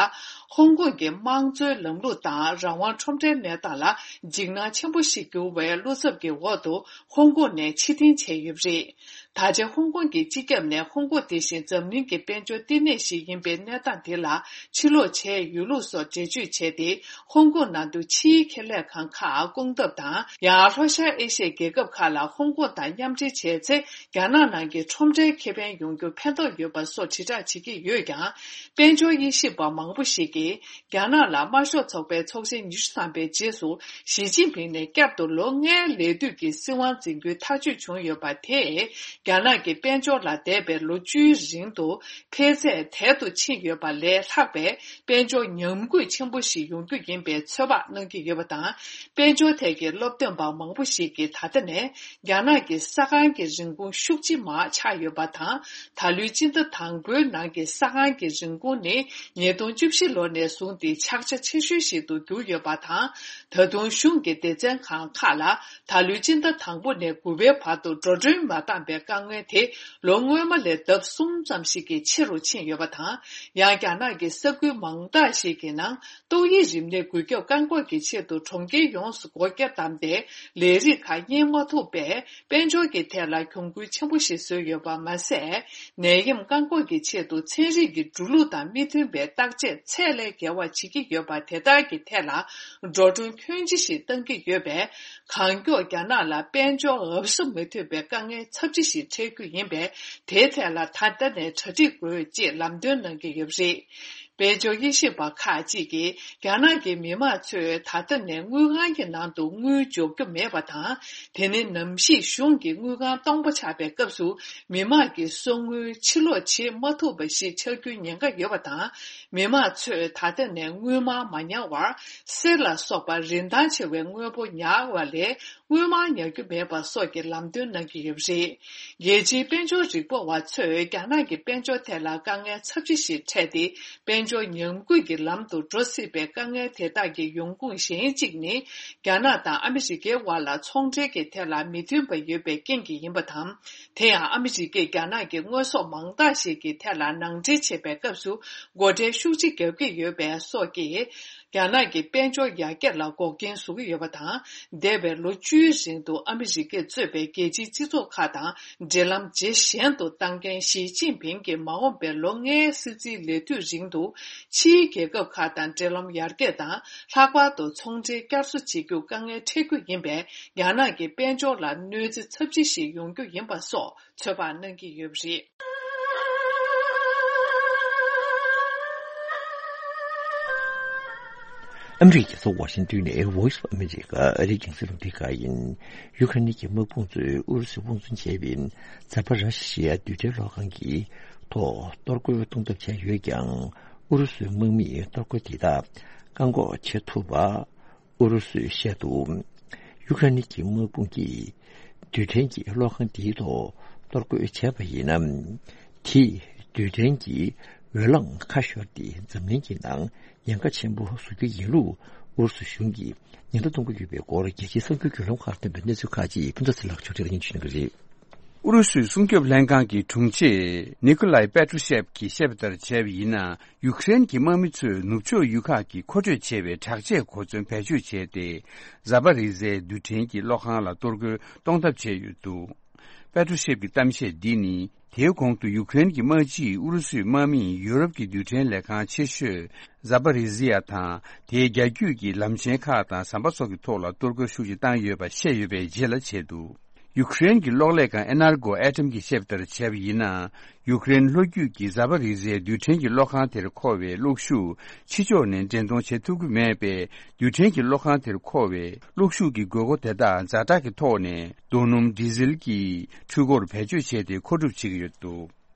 ཧོང་ཀོང་གི་དམངས་གཙོའི་ལམ་ལུགས་དང་རང་དབང་ཁྲོམ་རའི་གནས་སྟངས་ལ་འཇིགས་སྣང་ཆེན་པོ་ཞིག་གྱུར་བའི་བློ་འཚབ་ཀྱི་འོག་ཏུ་ཧོང་ཀོང་ནས་ཕྱིར་འཐེན་བྱས་ཡོད་པ་རེད། ད་ཆ་ཧོང་ཀོང་གི་སྤྱི་ཁྱབ་ནས་ཧོང་ཀོང་དེ་བཞིན་འཛམ་གླིང་གི་དཔལ་འབྱོར་ལྟེ་གནས་ཤིག་ཡིན་པའི་གནས་སྟངས་དེ་ལ་ཕྱིར་ལོག་བྱས་ཡོད་ལུགས་སོགས་འགྲེལ་བརྗོད་བྱས་ཏེ། ཧོང་ཀོང་ནང་དུ་ཕྱིའི་ཁེ་ལས་ཁང་ཁག་སྐོང་ཐབས་དང་། ཡང་ལྷོ་ཤར་ཨེ་ཤི་ཡའི་རྒྱལ་ཁབ་ཁག་ལ་ཧོང་ཀོང་དང་མཉམ་འབྲེལ་བྱས་ཚེ། རྒྱ་ནག་ནང་གི་ཁྲོམ་རའི་ཁེ་ཕན་ཡོང་རྒྱུར་ཕན་ཐོགས་ཡོད་པ་སོགས་དྲིལ་བསྒྲགས་བྱེད་ཀྱི་ཡོད་ཀྱང་། དཔལ་འབྱོར་དབྱེ་ཞིབ་པ་མང་པོ་ཞིག་གིས། རྒྱ་ནག་ལ་དམར་ཤོག་ཚོགས་པའི་ཚོགས་ཆེན་ཉི་ཤུ་ཐམ་པའི་རྗེས་སུ། ཞི་ཅིན་ཕིང་ནས་བསྐྱར་དུ་ལོ་ལྔའི་ལས་དུས་ཀྱི་སྲིད་དབང་འཛིན་རྒྱུའི་ཐག་གཅོད་བྱུང་ཡོད་པ་དེས། རྒྱ་ནག་གི་དཔལ་འབྱོར་ལ་འདས་པའི་ལོ་བཅུའི་རིང་དུ་འཕེལ་ཚད་དལ་དུ་ཕྱིན་ཡོད་པ་ལས་ལྷག་ཆགས་པའི་དཔལ་འབྱོར་ཉམས་རྒུད་ཆེན་པོ་ཞིག་ཡོང་རྒྱུ་ཡིན་པའི་ཚོད་དཔག་གནང་གི་ཡོད་པ་དང་། དཔལ་འབྱོར་ཐད་ཀྱི་སློབ་སྟོན་པ་མང་པོ་ཞིག་གིས་ད་ལྟ་ནས་རྒྱ་ནག་གི་ས་ཁང་གི་རིན་གོང་ཤུགས་ཆེ་མར་ཆག་ཡོད་པ་དང་། ད་ལོའི་སྤྱི་ཟླ་དང་པོའི་ནང་གི་ས་ཁང་གི་རིན་གོང་ནི་ཉིས་སྟོང་བཅུ་བཞི་ལོ་ནས་བཟུང་སྟེ་ཆག་ཆ་ཆེ་ཤོས་ཤིག་ཏུ་གྱུར་ཡོད་པ་དང་། ད་དུང་གཞུང་གི་སྡེ་ཚན་ཁང་ཁག་ལ་ད་ལོའི་སྤྱི་ཟླ་དང་པོ་ནས་དགུ་པའི་བར་དུ་འགྲོ་གྲོན་མ་བཏང་པའི་དཀའ་ངལ་དེ་ལོ་སྔོན་མ་ལས་ལྡབ་གསུམ་ཙམ་ཞིག་གིས་ཆེ་རུ་ཕྱིན་ཡོད་པ་དང་། ཡང་རྒྱ་ནག་གི་ས་ཁུལ་མང་དག་ཞིག་གི་ནང་ཏོག་དབྱིབས་རིམས་ནད་འགོས་ཁྱབ་བཀག་འགོག་གི་ཆེད་དུ་གྲོང་ཁྱེར་ཡོངས་སུ་སྒོ་བརྒྱབ་བསྡམས་ཏེ་ལས་རིགས་ཁག་གཉེར་མ་ཐུབ་པས། དཔལ་འབྱོར་གྱི་ཐད་ལ་གྱོང་གུད་ཆེན་པོ་ཞིག་བཟོས་ཡོད་པ་མ་ཟད། ནད་ཡམས་བཀག་འགོག་གི་ཆེད་དུ་ཚན་རིག་གི་འགྲོ་ལུགས་དང་མི་མཐུན་པའི་བརྟག་དཔྱད་ཚད་ལས་བརྒལ་བ་བྱེད་ཀྱི་ཡོད་པ་དེ་དག་གི་ཐད་ལ་འགྲོ་གྲོན་ཁྱོན་ཆེ་ཞིག་གཏང་གི་ཡོད་པས། གང་མགྱོགས་རྒྱ་ནག་ལ་དཔལ་འབྱོར་འུབ་ས་མི་ཐུབ་པའི་དཀའ་ངལ་ཚབས་ཆེ་ཞིག་འཕྲད་རྒྱུ་ཡིན་པས། དེའི་ཐད་ལ་ད་ལྟ་ནས་གྲ་སྒྲིག་དགོས་ཅེས་ལམ་སྟོན་གནང་གི་ཡོད་པ་རེད། དཔལ་འབྱོར་དབྱེ་ཞིབ་པ་ཁག་ཅིག་གིས་རྒྱ་ནག་གི་མི་དམངས་ཚོས་ད་ལྟ་ནས་དངུལ་ཁང་གི་ནང་དུ་དངུལ་འཇོག་རྒྱུ་མེད་པ་དང་། དེ་ནི་ནམ་ཞིག་གཞུང་གིས་དངུལ་ཁང་སྟོང་པ་ཆགས་པའི་སྐབས་སུ་མི་དམངས་ཀྱི་གསོག་དངུལ་ཕྱིར་སློག་བྱེད་མ་ཐུབ་པ་ཞིག་ཆགས་རྒྱུའི་ཉེན་ཁ་ཡོད་པ་དང་། མི་དམངས་ཚོས་ད་ལྟ་ནས་དངུལ་སྨར་མ་ཉར་བར་གསེར་ལ་སོགས་པ་རིན་ཐང་ཆེ་བའི་དངོས་པོ་ཉར་བ་ལས། དངུལ་སྨར་ཉར་རྒྱུ་མེད་པ་སོགས་ཀྱི་ལམ་སྟོན་གནང་གི་ཡོད་པ་རེད། རྒྱལ་སྤྱིའི་དཔལ་འབྱོར་རིག་པ་བ་ཚོས་རྒྱ་ནག་གི་དཔལ་འབྱོར་ཐད་ལ་དཀའ་ངལ་ཚབས་ཆེ་ཞིག་འཕྲད་དེ། དཔལ་འབྱོར་ཉམས་རྒུད་ཀྱི་ལམ་དུ་འགྲོ་སྲིད་པའི་དཀའ་ངལ་དེ་དག་གི་ཡོང་ཁུངས་གཞན་གཅིག་ནི། རྒྱ་ནག་དང་ཨ་མི་རི་ཀའི་དབར་ལ་ཚོང་འབྲེལ་གྱི་ཐད་ལ་མི་མཐུན་པ་ཡོད་པའི་རྐྱེན་གྱིས་ཡིན་པ་དང་། དེ་ཡང་ཨ་མི་རི་ཀས་རྒྱ་ནག་གི་དངོས་ཟོག་མང་དག་ཞིག་གི་ཐད་ལ་ནང་འདྲེན་བྱེད་པའི་སྐབས་སུ་སྒོ་ཁྲལ་ཤུགས་ཆེ་བརྒྱབ་ཀྱི་ཡོད་པ་སོགས་ཀྱིས། རྒྱ་ནག་གི་དཔལ་འབྱོར་ཡར་རྒྱས་ལ་འགོག་རྐྱེན་བཟོ་གི་ཡོད་པ་དང་། འདས་པའི་ལོ་བཅུའི་རིང་དུ་ཨ་མི་རི་ཀས་གཙོས་པའི་རྒྱལ་སྤྱིའི་སྤྱི་ཚོགས་ཁག་དང་འབྲེལ་ལམ་ཇེ་ཞན་དུ་བཏང་མཁན་ཞི་ཅིན་ཕིང་གིས་མ་འོངས་པའི་ལོ་ལྔའི་སྲིད་འཛིན་ལས་དུས་རིང་དུ་ཕྱིའི་རྒྱལ་ཁབ་ཁག་དང་འབྲེལ་ལམ་ཡར་རྒྱས་དང་། ལྷག་པར་དུ་ཚོང་འབྲེལ་བསྐྱར་གསོ་བྱེད་རྒྱུ་དཀའ་ངལ་འཕྲད་རྒྱུ་ཡིན་པས། རྒྱ་ནག་གི་དཔལ་འབྱོར་ལ་གནོད་འཚེ་ཚབས་ཆེ་ཞིག་ཡོང་རྒྱུ་ཡིན་པ་སོགས་ཚོད་དཔག་གནང་གི་ཡོད་པ་རེད། ཨ་མི་རི་ཀའི་རྒྱལ་ས་ཝ་ཤིང་ཏོན་ནས་Voice of America ཨ་རིའི་རྒྱང་སྲིང་རླུང་འཕྲིན་ཁང་ཡིན། ཡུ་ཁ་རེན་གྱི་དམག་དཔུང་ཚོས་ཨུ་རུ་སུས་དབང་བཙོང་བྱས་པའི་ཛ་པ་ར་ཤི་ཡ་རྡུལ་ཕྲན་གློག་ཁང་གི་ཐོག་གཏོར་རྒོལ་གཏོང་ཐབས་བྱས་ཡོད་ཀྱང་། ཨུ་རུ་སུའི་དམག་མིས་གཏོར་རྒོལ་དེ་དག་བཀག་འགོག་བྱེད་ཐུབ་པ། ཨུ་རུ་སུས་བཤད་འདུག་ཡུ་ཀེ་རེན་གྱི་དམག་དཔུང་གིས་རྡུལ་ཕྲན་གྱི་གློག་ཁང་དེའི་ཐོག་གཏོར་རྒོལ་བྱས་པ་ཡིན་ན། དེས་རྡུལ་ཕྲན་གྱི་འོས་ལངས་ཁ་ཤོར་ཏེ་འཛམ་གླིང་གི་ནང་ཉེན་ཁ་ཆེན་པོ་བཟོ་རྒྱུ་ཡིན་ལུགས་ཨུ་རུ་སུ་གཞུང་གིས་ཉེན་བརྡ་གཏོང་གི་ཡོད་པའི་སྐོར། རྒྱལ་སྤྱིའི་གསར་འགྱུར་བརྒྱུད་ལམ་ཁག་ལ་བཏོན་པའི་གནས་ཚུལ་ཁག་ཅིག་ཕུན་ཚོགས་ཚེ་ལགས་ཕྱོགས་སྒྲིག་སྙན་ཞུ་གནང་གི་རེད། ཨུ་རུ་སུའི་སྲུང་སྐྱོབ་ལྷན་ཁང་གི་དྲུང་ཆེ་ནི་ཀོ་ལའི་པེ་ཏྲུ་ཤེབ་ཀྱིས་བཤད་པ་ལྟར་བྱས་པ་ཡིན་ན། ཡུཀ་རེན་གྱི་དམག་མི་ཚོས་ནུབ་ཕྱོགས་ཡུལ་ཁག་གི་མཁོ་སྤྲོད་བྱས་པའི་དྲག་ཆས་གོ་མཚོན་བེད་སྤྱོད་བྱས་ཏེ། ཛ་པ་རི་ཟའི་རྡུལ་ཕྲན་གྱི་གློག་ཁང་ལ་གཏོར་རྒོལ་གཏོང་ཐབས་བྱས་ཡོད་འདུག་པེ་ཏྲུ་ཤེབ་ཀྱི་གཏམ་བཤད་འདི་ནི། དེའི་གོང་དུ་ཡུཀ་རེན་གྱི་དམག་སྤྱིས་ཨུ་རུ་སུའི་དམག་མིས་ཡུ་རོབ་ཀྱི་རྡུལ་ཕྲན་ལས་ཁང་ཆེ་ཤོས་ཛ་པ་རི་ཟི་ཡ་དང་། དེའི་རྒྱ་རྒྱུད་ཀྱི་ལམ་ཆེན་ཁག་དང་ཟམ་པ་སོགས་ཀྱི་ཐོག་ལ་གཏོར་རྒོལ་ཤུགས་ཆེ་བཏང་ཡོད་པ་བཤད་ཡོད་པའི་རྗེས་ལ་བྱས་འདུག་ཡུཀ་རེན་གྱི་གློག་ལས་ཁང་ཨེ་ནར་གོ་ཨེ་ཊམ་གྱིས་བཤད་པ་ལྟར་བྱས་པ་ཡིན་ན། ཡུཀ་རེན་ལྷོ་རྒྱུད་ཀྱི་ཛ་པ་རི་ཟའི་རྡུལ་ཕྲན་གྱི་གློག་ཁང་དེར་མཁོ་བའི་གློག་ཤུགས་ཕྱི་ཕྱོགས་ནས་འདྲེན་གཏོང་བྱེད་ཐུབ་ཀྱི་མེད་པས། རྡུལ་ཕྲན་གྱི་གློག་ཁང་དེར་མཁོ་བའི་གློག་ཤུགས་ཀྱི་དགོས་མཁོ་དེ་དག་ཛ་དྲག་གི་ཐོག་ནས་རྡོ་སྣུམ་ཌི་ཟེལ་གྱི་འཕྲུལ་འཁོར་བེད་སྤྱོད་བྱས་ཏེ་མཁོ་སྒྲུབ་བྱེད་ཀྱི་ཡོད་འདུག་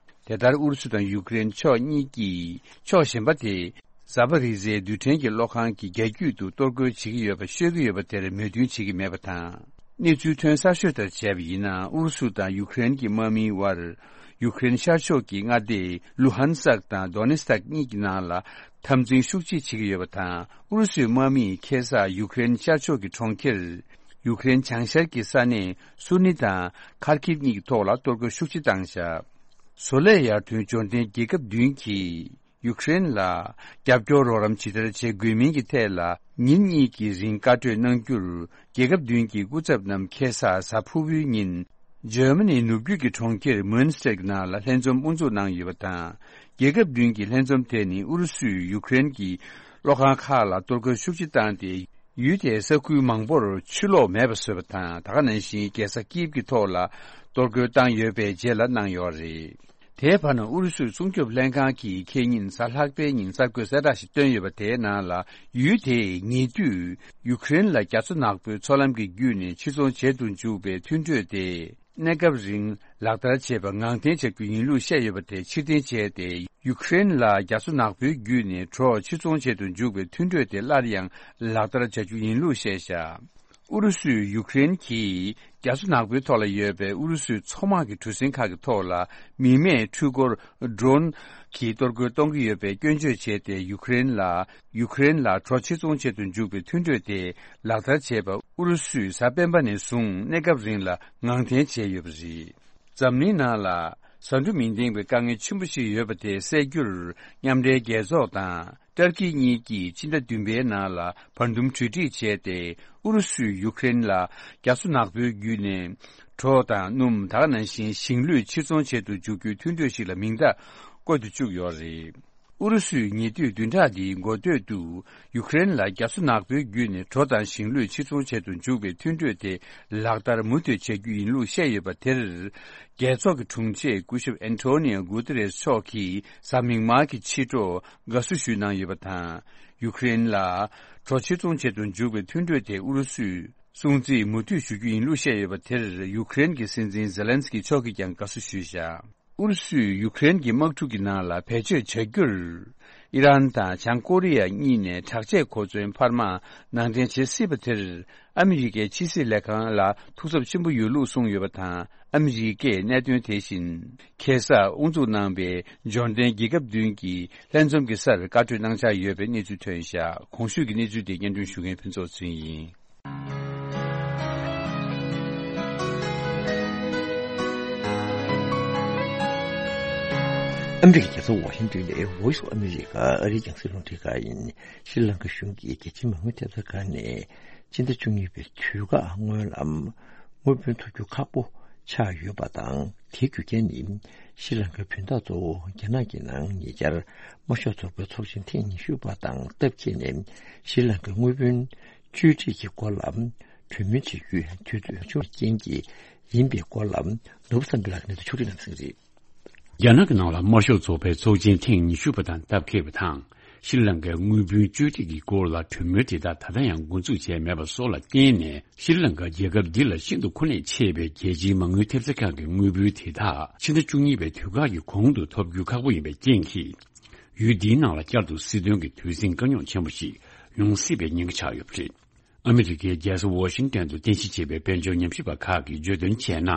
དེ་ལྟར་ཨུ་རུ་སུ་དང་ཡུཀ་རེན་ཕྱོགས་གཉིས་ཀྱིས་ཕྱོགས་གཞན་པ་དེ་ཛ་པ་རི་ཟའི་རྡུལ་ཕྲན་གྱི་གློག་ཁང་གི་རྒྱ་རྒྱུད་དུ་གཏོར་རྒོལ་བྱེད་ཀྱི་ཡོད་པ་ཤོད་ཀྱི་ཡོད་པ་དེར་མོས་མཐུན་བྱེད་ཀྱི་མེད་པ་དང་། གནས་ཚུལ་ཐོན་གསར་ཤོས་ལྟར་བྱས་པ་ཡིན་ན། ཨུ་རུ་སུ་དང་ཡུཀ་རེན་གྱི་དམག་མིའི་དབར་ཡུཀ་རེན་ཤར་ཕྱོགས་ཀྱི་མངའ་སྡེ་ལུ་ཧན་སཀ་དང་དོ་ནེ་སྟག་གཉིས་ཀྱི་ནང་ལ་འཐབ་འཛིང་ཤུགས་ཆེ་བྱེད་ཀྱི་ཡོད་པ་དང་། ཨུ་རུ་སུའི་དམག་མིས་ཁ་སང་ཡུཀ་རེན་ཤར་ཕྱོགས་ཀྱི་གྲོང་ཁྱེར་ཡུཀ་རེན་བྱང་ཤར་གྱི་ས་གནས་སུར་ནི་དང་ཁར་ཁིབ་གཉིས་ཀྱི་ཐོག་ལ་གཏོར་རྒོལ་ཤུགས་ཆེ་བཏང་བཞག་བཟོ་ལས་ཡར་ཐོན་འབྱོར་ལྡན་རྒྱལ་ཁབ་བདུན་གྱིས་ཡུཀ་རེན་ལ་རྒྱབ་སྐྱོར་རོགས་རམ་ཇི་ལྟར་བྱེད་དགོས་མིན་གྱི་ཐད་ལ་ཉིན་གཉིས་ཀྱི་རིང་བཀའ་གྲོས་གནང་རྒྱུར། རྒྱལ་ཁབ་བདུན་གྱི་སྐུ་ཚབ་རྣམས་ཁ་སང་གཟའ་ཕུར་བུའི་ཉིན། འཇར་མ་ནིའི་ནུབ་རྒྱུད་ཀྱི་གྲོང་ཁྱེར་མུན་སྟེར་གྱི་ནང་ལ་ལྷན་འཛོམས་དབུ་འཛུགས་གནང་ཡོད་པ་དང་། རྒྱལ་ཁབ་བདུན་གྱི་ལྷན་འཛོམས་དེ་ནི་ཨུ་རུ་སུས་ཡུཀ་རེན་གྱི་གློག་ཁང་ཁག་ལ་གཏོར་རྒོལ་ཤུགས་ཆེ་བཏང་སྟེ། ཡུལ་དེའི་ས་ཁུལ་མང་པོར་ཆུ་གློག་མེད་པ་བཟོས་པ་དང་། ད་ག་ནང་བཞིན་རྒྱལ་ས་ཀིབ་ཀྱི་ཐོག་ལ་གཏོར་རྒོལ་བཏང་ཡོད་པའི་རྗེས་ལ་གནང་ཡོད་རེད། དེའི་བར་ན་ཨུ་རུ་སུའི་སྲུང་སྐྱོབ་ལྷན་ཁང་གིས་ཁེ་ཉིན་གཟའ་ལྷག་པའི་ཉིན་གསར་འགོད་གསལ་བསྒྲགས་ཤིག་བཏོན་ཡོད་པ། དེའི་ནང་ལ་ཡུལ་དེས་ཉེ་དུས་ཡུཀ་རེན་ལ་རྒྱ་མཚོ་ནག་པོའི་མཚོ་ལམ་གྱི་བརྒྱུད་ནས་ཕྱིར་ཚོང་བྱེད་དུ་འཇུག་པའི་མཐུན་གྲོས་དེ་ གནས་སྐབས་རིང་ལག་བསྟར་བྱས་པ་ངང་འཐེན་བྱ་རྒྱུ་ཡིན་ལུགས་བཤད་ཡོད་པ་དེ་ཕྱིར་འཐེན་བྱས་ཏེ། ཡུཀ་རེན་ལ་རྒྱ་མཚོ་ནག་པོའི་བརྒྱུད་ནས་གྲོ་ཕྱིར་ཚོང་བྱེད་དུ་འཇུག་པའི་མཐུན་གྲོས་དེ་སླར་ཡང་ལག་བསྟར་བྱ་རྒྱུ་ཡིན་ལུགས་བཤད་བཞག་ཨུ་རུ་སུས་ཡུཀ་རེན་གྱིས་རྒྱ་མཚོ་ནག་པོའི་ཐོག་ལ་ཡོད་པའི་ཨུ་རུ་སུའི་མཚོ་དམག་གི་གྲུ་གཟིངས་ཁག་གི་ཐོག་ལ་མི་མེད་འཕྲུལ་འཁོར་ཌོ་རོན་གྱིས་གཏོར་རྒོལ་གཏོང་གི་ཡོད་པའི་སྐྱོན་བརྗོད་བྱས་ཏེ། ཡུཀ་རེན་ལ་ཡུཀ་རེན་ལ་གྲོ་ཕྱིར་ཚོང་བྱེད་དུ་འཇུག་པའི་མཐུན་གྲོས་དེ་ལག་བསྟར་བྱས་པ་ཨུ་རུ་སུས་གཟའ་སྤེན་པ་ནས་བཟུང་གནས་སྐབས་རིང་ལ་ངང་འཐེན་བྱས་ཡོད་པ་རེད། འཛམ་གླིང་ནང་ལ་བཟའ་འབྲུ་མི་ལྡན་པའི་དཀའ་ངལ་ཆེན་པོ་ཞིག་ཡོད་པ་དེ་སེལ་རྒྱུར་མཉམ་འབྲེལ་རྒྱལ་ཚོགས་དང་། ཏར་ཀི་གཉིས་ཀྱིས་ཕྱི་ཟླ་བདུན་པའི་ནང་ལ་བར་འདུམ་གྲོས་འགྲིག་བྱས་ཏེ། ཨུ་རུ་སུས་ཡུཀ་རེན་ལ་རྒྱ་མཚོ་ནག་པོའི་བརྒྱུད་ནས་གྲོ་དང་སྣུམ། ད་ག་ནང་བཞིན་ཞིང་ལུད་ཕྱིར་ཚོང་བྱེད་དུ་འཇུག་རྒྱུའི་མཐུན་གྲོས་ཤིག་ལ་མིང་རྟགས་བཀོད་དུ་བཅུག་ཡོད་རེད། ཨུ་རུ་སུས་ཉེ་དུས་བདུན་ཕྲག་འདིའི་འགོ་སྟོད་དུ་ཡུཀ་རེན་ལ་རྒྱ་མཚོ་ནག་པོའི་བརྒྱུད་ནས་གྲོ་དང་ཞིང་ལུད་ཕྱིར་ཚོང་བྱེད་དུ་འཇུག་པའི་མཐུན་གྲོས་དེ་ལག་བསྟར་མུ་མཐུད་བྱ་རྒྱུ་ཡིན་ལུགས་བཤད་ཡོད་པ་དེར། རྒྱལ་ཚོགས་ཀྱི་དྲུང་ཆེ་སྐུ་ཞབས་ཨན་ཊོ་ནིའོ་གུ་ཏེ་རེས་མཆོག་གིས་གཟའ་མིག་དམར་གྱི་ཕྱི་དྲོ། དགའ་བསུ་ཞུས་གནང་ཡོད་པ་དང་། ཡུཀ་རེན་ལ་གྲོ་ཕྱིར་ཚོང་བྱེད་དུ་འཇུག་པའི་མཐུན་གྲོས་དེ་ཨུ་རུ་སུས་སྲུང་བརྩི་མུ་མཐུད་ཞུ་རྒྱུ་ཡིན་ལུགས་བཤད་ཡོད་པ་དེར། ཡུཀ་རེན་གྱི་སྲིད་འཛིན་ཛེ་ལན་སི་ཀི་མཆོག་གིས་ཀྱང་དགའ་བསུ་ཞུས་བཞག་ཨུ་རུ་སུས་ཡུཀ་རེན་གྱི་དམག་འཁྲུག་གི་ནང་ལ་བེད་སྤྱོད་བྱ་རྒྱུར། ཨི་རན་དང་བྱང་ཀོ་རི་ཡ་གཉིས་ནས་དྲག་ཆས་གོ་མཚོན་འཕར་མ་ནང་འདྲེན་བྱེད་སྲིད་པ་དེར། ཨ་མི་རི་ཀའི་ཕྱི་སྲིད་ལས་ཁང་ལ་ཐུགས་འཚབ་ཆེན་པོ་ཡོད་ལུགས་གསུངས་ཡོད་པ་དང་། ཨ་མི་རི་ཀས་གནད་དོན་དེ་བཞིན་ཁ་སང་དབུ་འཛུགས་གནང་པའི་འབྱོར་ལྡན་རྒྱལ་ཁབ་བདུན་གྱི་ལྷན་འཛོམས་ཀྱི་སར་བཀའ་གྲོས་གནང་འཆར་ཡོད་པའི་གནས་ཚུལ་ཐོན་བཞག་གོང་ཞུས་ཀྱི་གནས་ཚུལ་དེ་སྙན་སྒྲོན་ཞུ་མཁན་ཕུན་ཚོགས་ཚུན་ཡིན། ཨ་མི་རི་ཀའི་རྒྱལ་ས་ཝ་ཤིང་ཏོན་ནས་Voice of America ཨ་རིའི་རྒྱང་སྲིང་རླུང་འཕྲིན་ཁང་ཡིན། ཤྲི་ལང་ཀ་གཞུང་གིས་རྒྱལ་སྤྱིའི་མ་དངུལ་ཐེབས་རྩ་ཁང་ནས་ཕྱི་ཟླ་བཅུ་གཉིས་པའི་དུས་བཀག་སྔོན་ལ་དངུལ་བུན་ཐོབ་རྒྱུ་ཁག་པོ་ཆགས་ཡོད་པ་དང་། དེའི་རྒྱུ་རྐྱེན་ནི་ཤྲི་ལང་ཀའི་བུན་བདག་གཙོ་བོ་རྒྱ་ནག་གི་ནང་ཉེ་ཆར་དམར་ཤོག་ཚོགས་པའི་ཚོགས་ཆེན་ཐེངས་ཉི་ཤུ་པ་དང་སྟབས་འཁེལ་ནས་ཤྲི་ལང་ཀའི་དངུལ་བུན་བཅོས་སྒྲིག་གི་སྐོར་ལ་གྲོས་མོལ་བྱེད་རྒྱུའི་དུས་ཚོད་བྱུང་བའི་རྐྱེན་གྱིས་ཡིན་པའི་སྐོར་ལ་ནོར་བུ་བསམ་འཕེལ་ལགས་ཀྱིས་གནས་ཚུལ་ཕྱོགས་སྒྲིག་གནང་གནང་གི་རེད། རྒྱ་ནག་གི་ནང་ལ་དམར་ཤོག་ཚོགས་པའི་ཚོགས་ཆེན་ཐེངས་ཉི་ཤུ་པ་དང་སྟབས་འཁེལ་བ་དང་། ཤྲི་ལང་ཀའི་དངུལ་བུན་བཅོས་སྒྲིག་གི་སྐོར་ལ་གྲོས་མོལ་དེ་དག་ད་ལྟ་ཡང་འགོ་འཛུགས་བྱས་མེད་པ་སོགས་ལ་བརྟེན་ནས། ཤྲི་ལང་ཀ་རྒྱལ་ཁབ་འདི་ལ་ཤིན་ཏུ་མཁོ་གནད་ཆེ་བའི་རྒྱལ་སྤྱིའི་མ་དངུལ་ཐེབས་རྩ་ཁང་གི་དངུལ་བུན་དེ་དག་ཕྱི་ཟླ་བཅུ་གཉིས་པའི་དུས་བཀག་གི་གོང་དུ་ཐོབ་རྒྱུ་ཁག་པོ་ཡིན་པའི་རྐྱེན་གྱིས། ཡུལ་འདིའི་ནང་ལ་བསྐྱར་དུ་སྲིད་དོན་གྱི་དུས་ཟིང་དཀའ་རྙོག་ཆེན་པོ་ཞིག་ཡོང་སྲིད་པའི་ཉེན་ཁ་ཆགས་ཡོད་པ་རེད། ཨ་མི་རི་ཀའི་རྒྱལ་ས་ཝ་ཤིང་ཏོན་དུ་རྟེན་གཞི་བྱས་པའི་དཔལ་འབྱོར་ཉམས་ཞིབ་པ་ཁག་གིས་བརྗོད་དོན་བྱས་ན།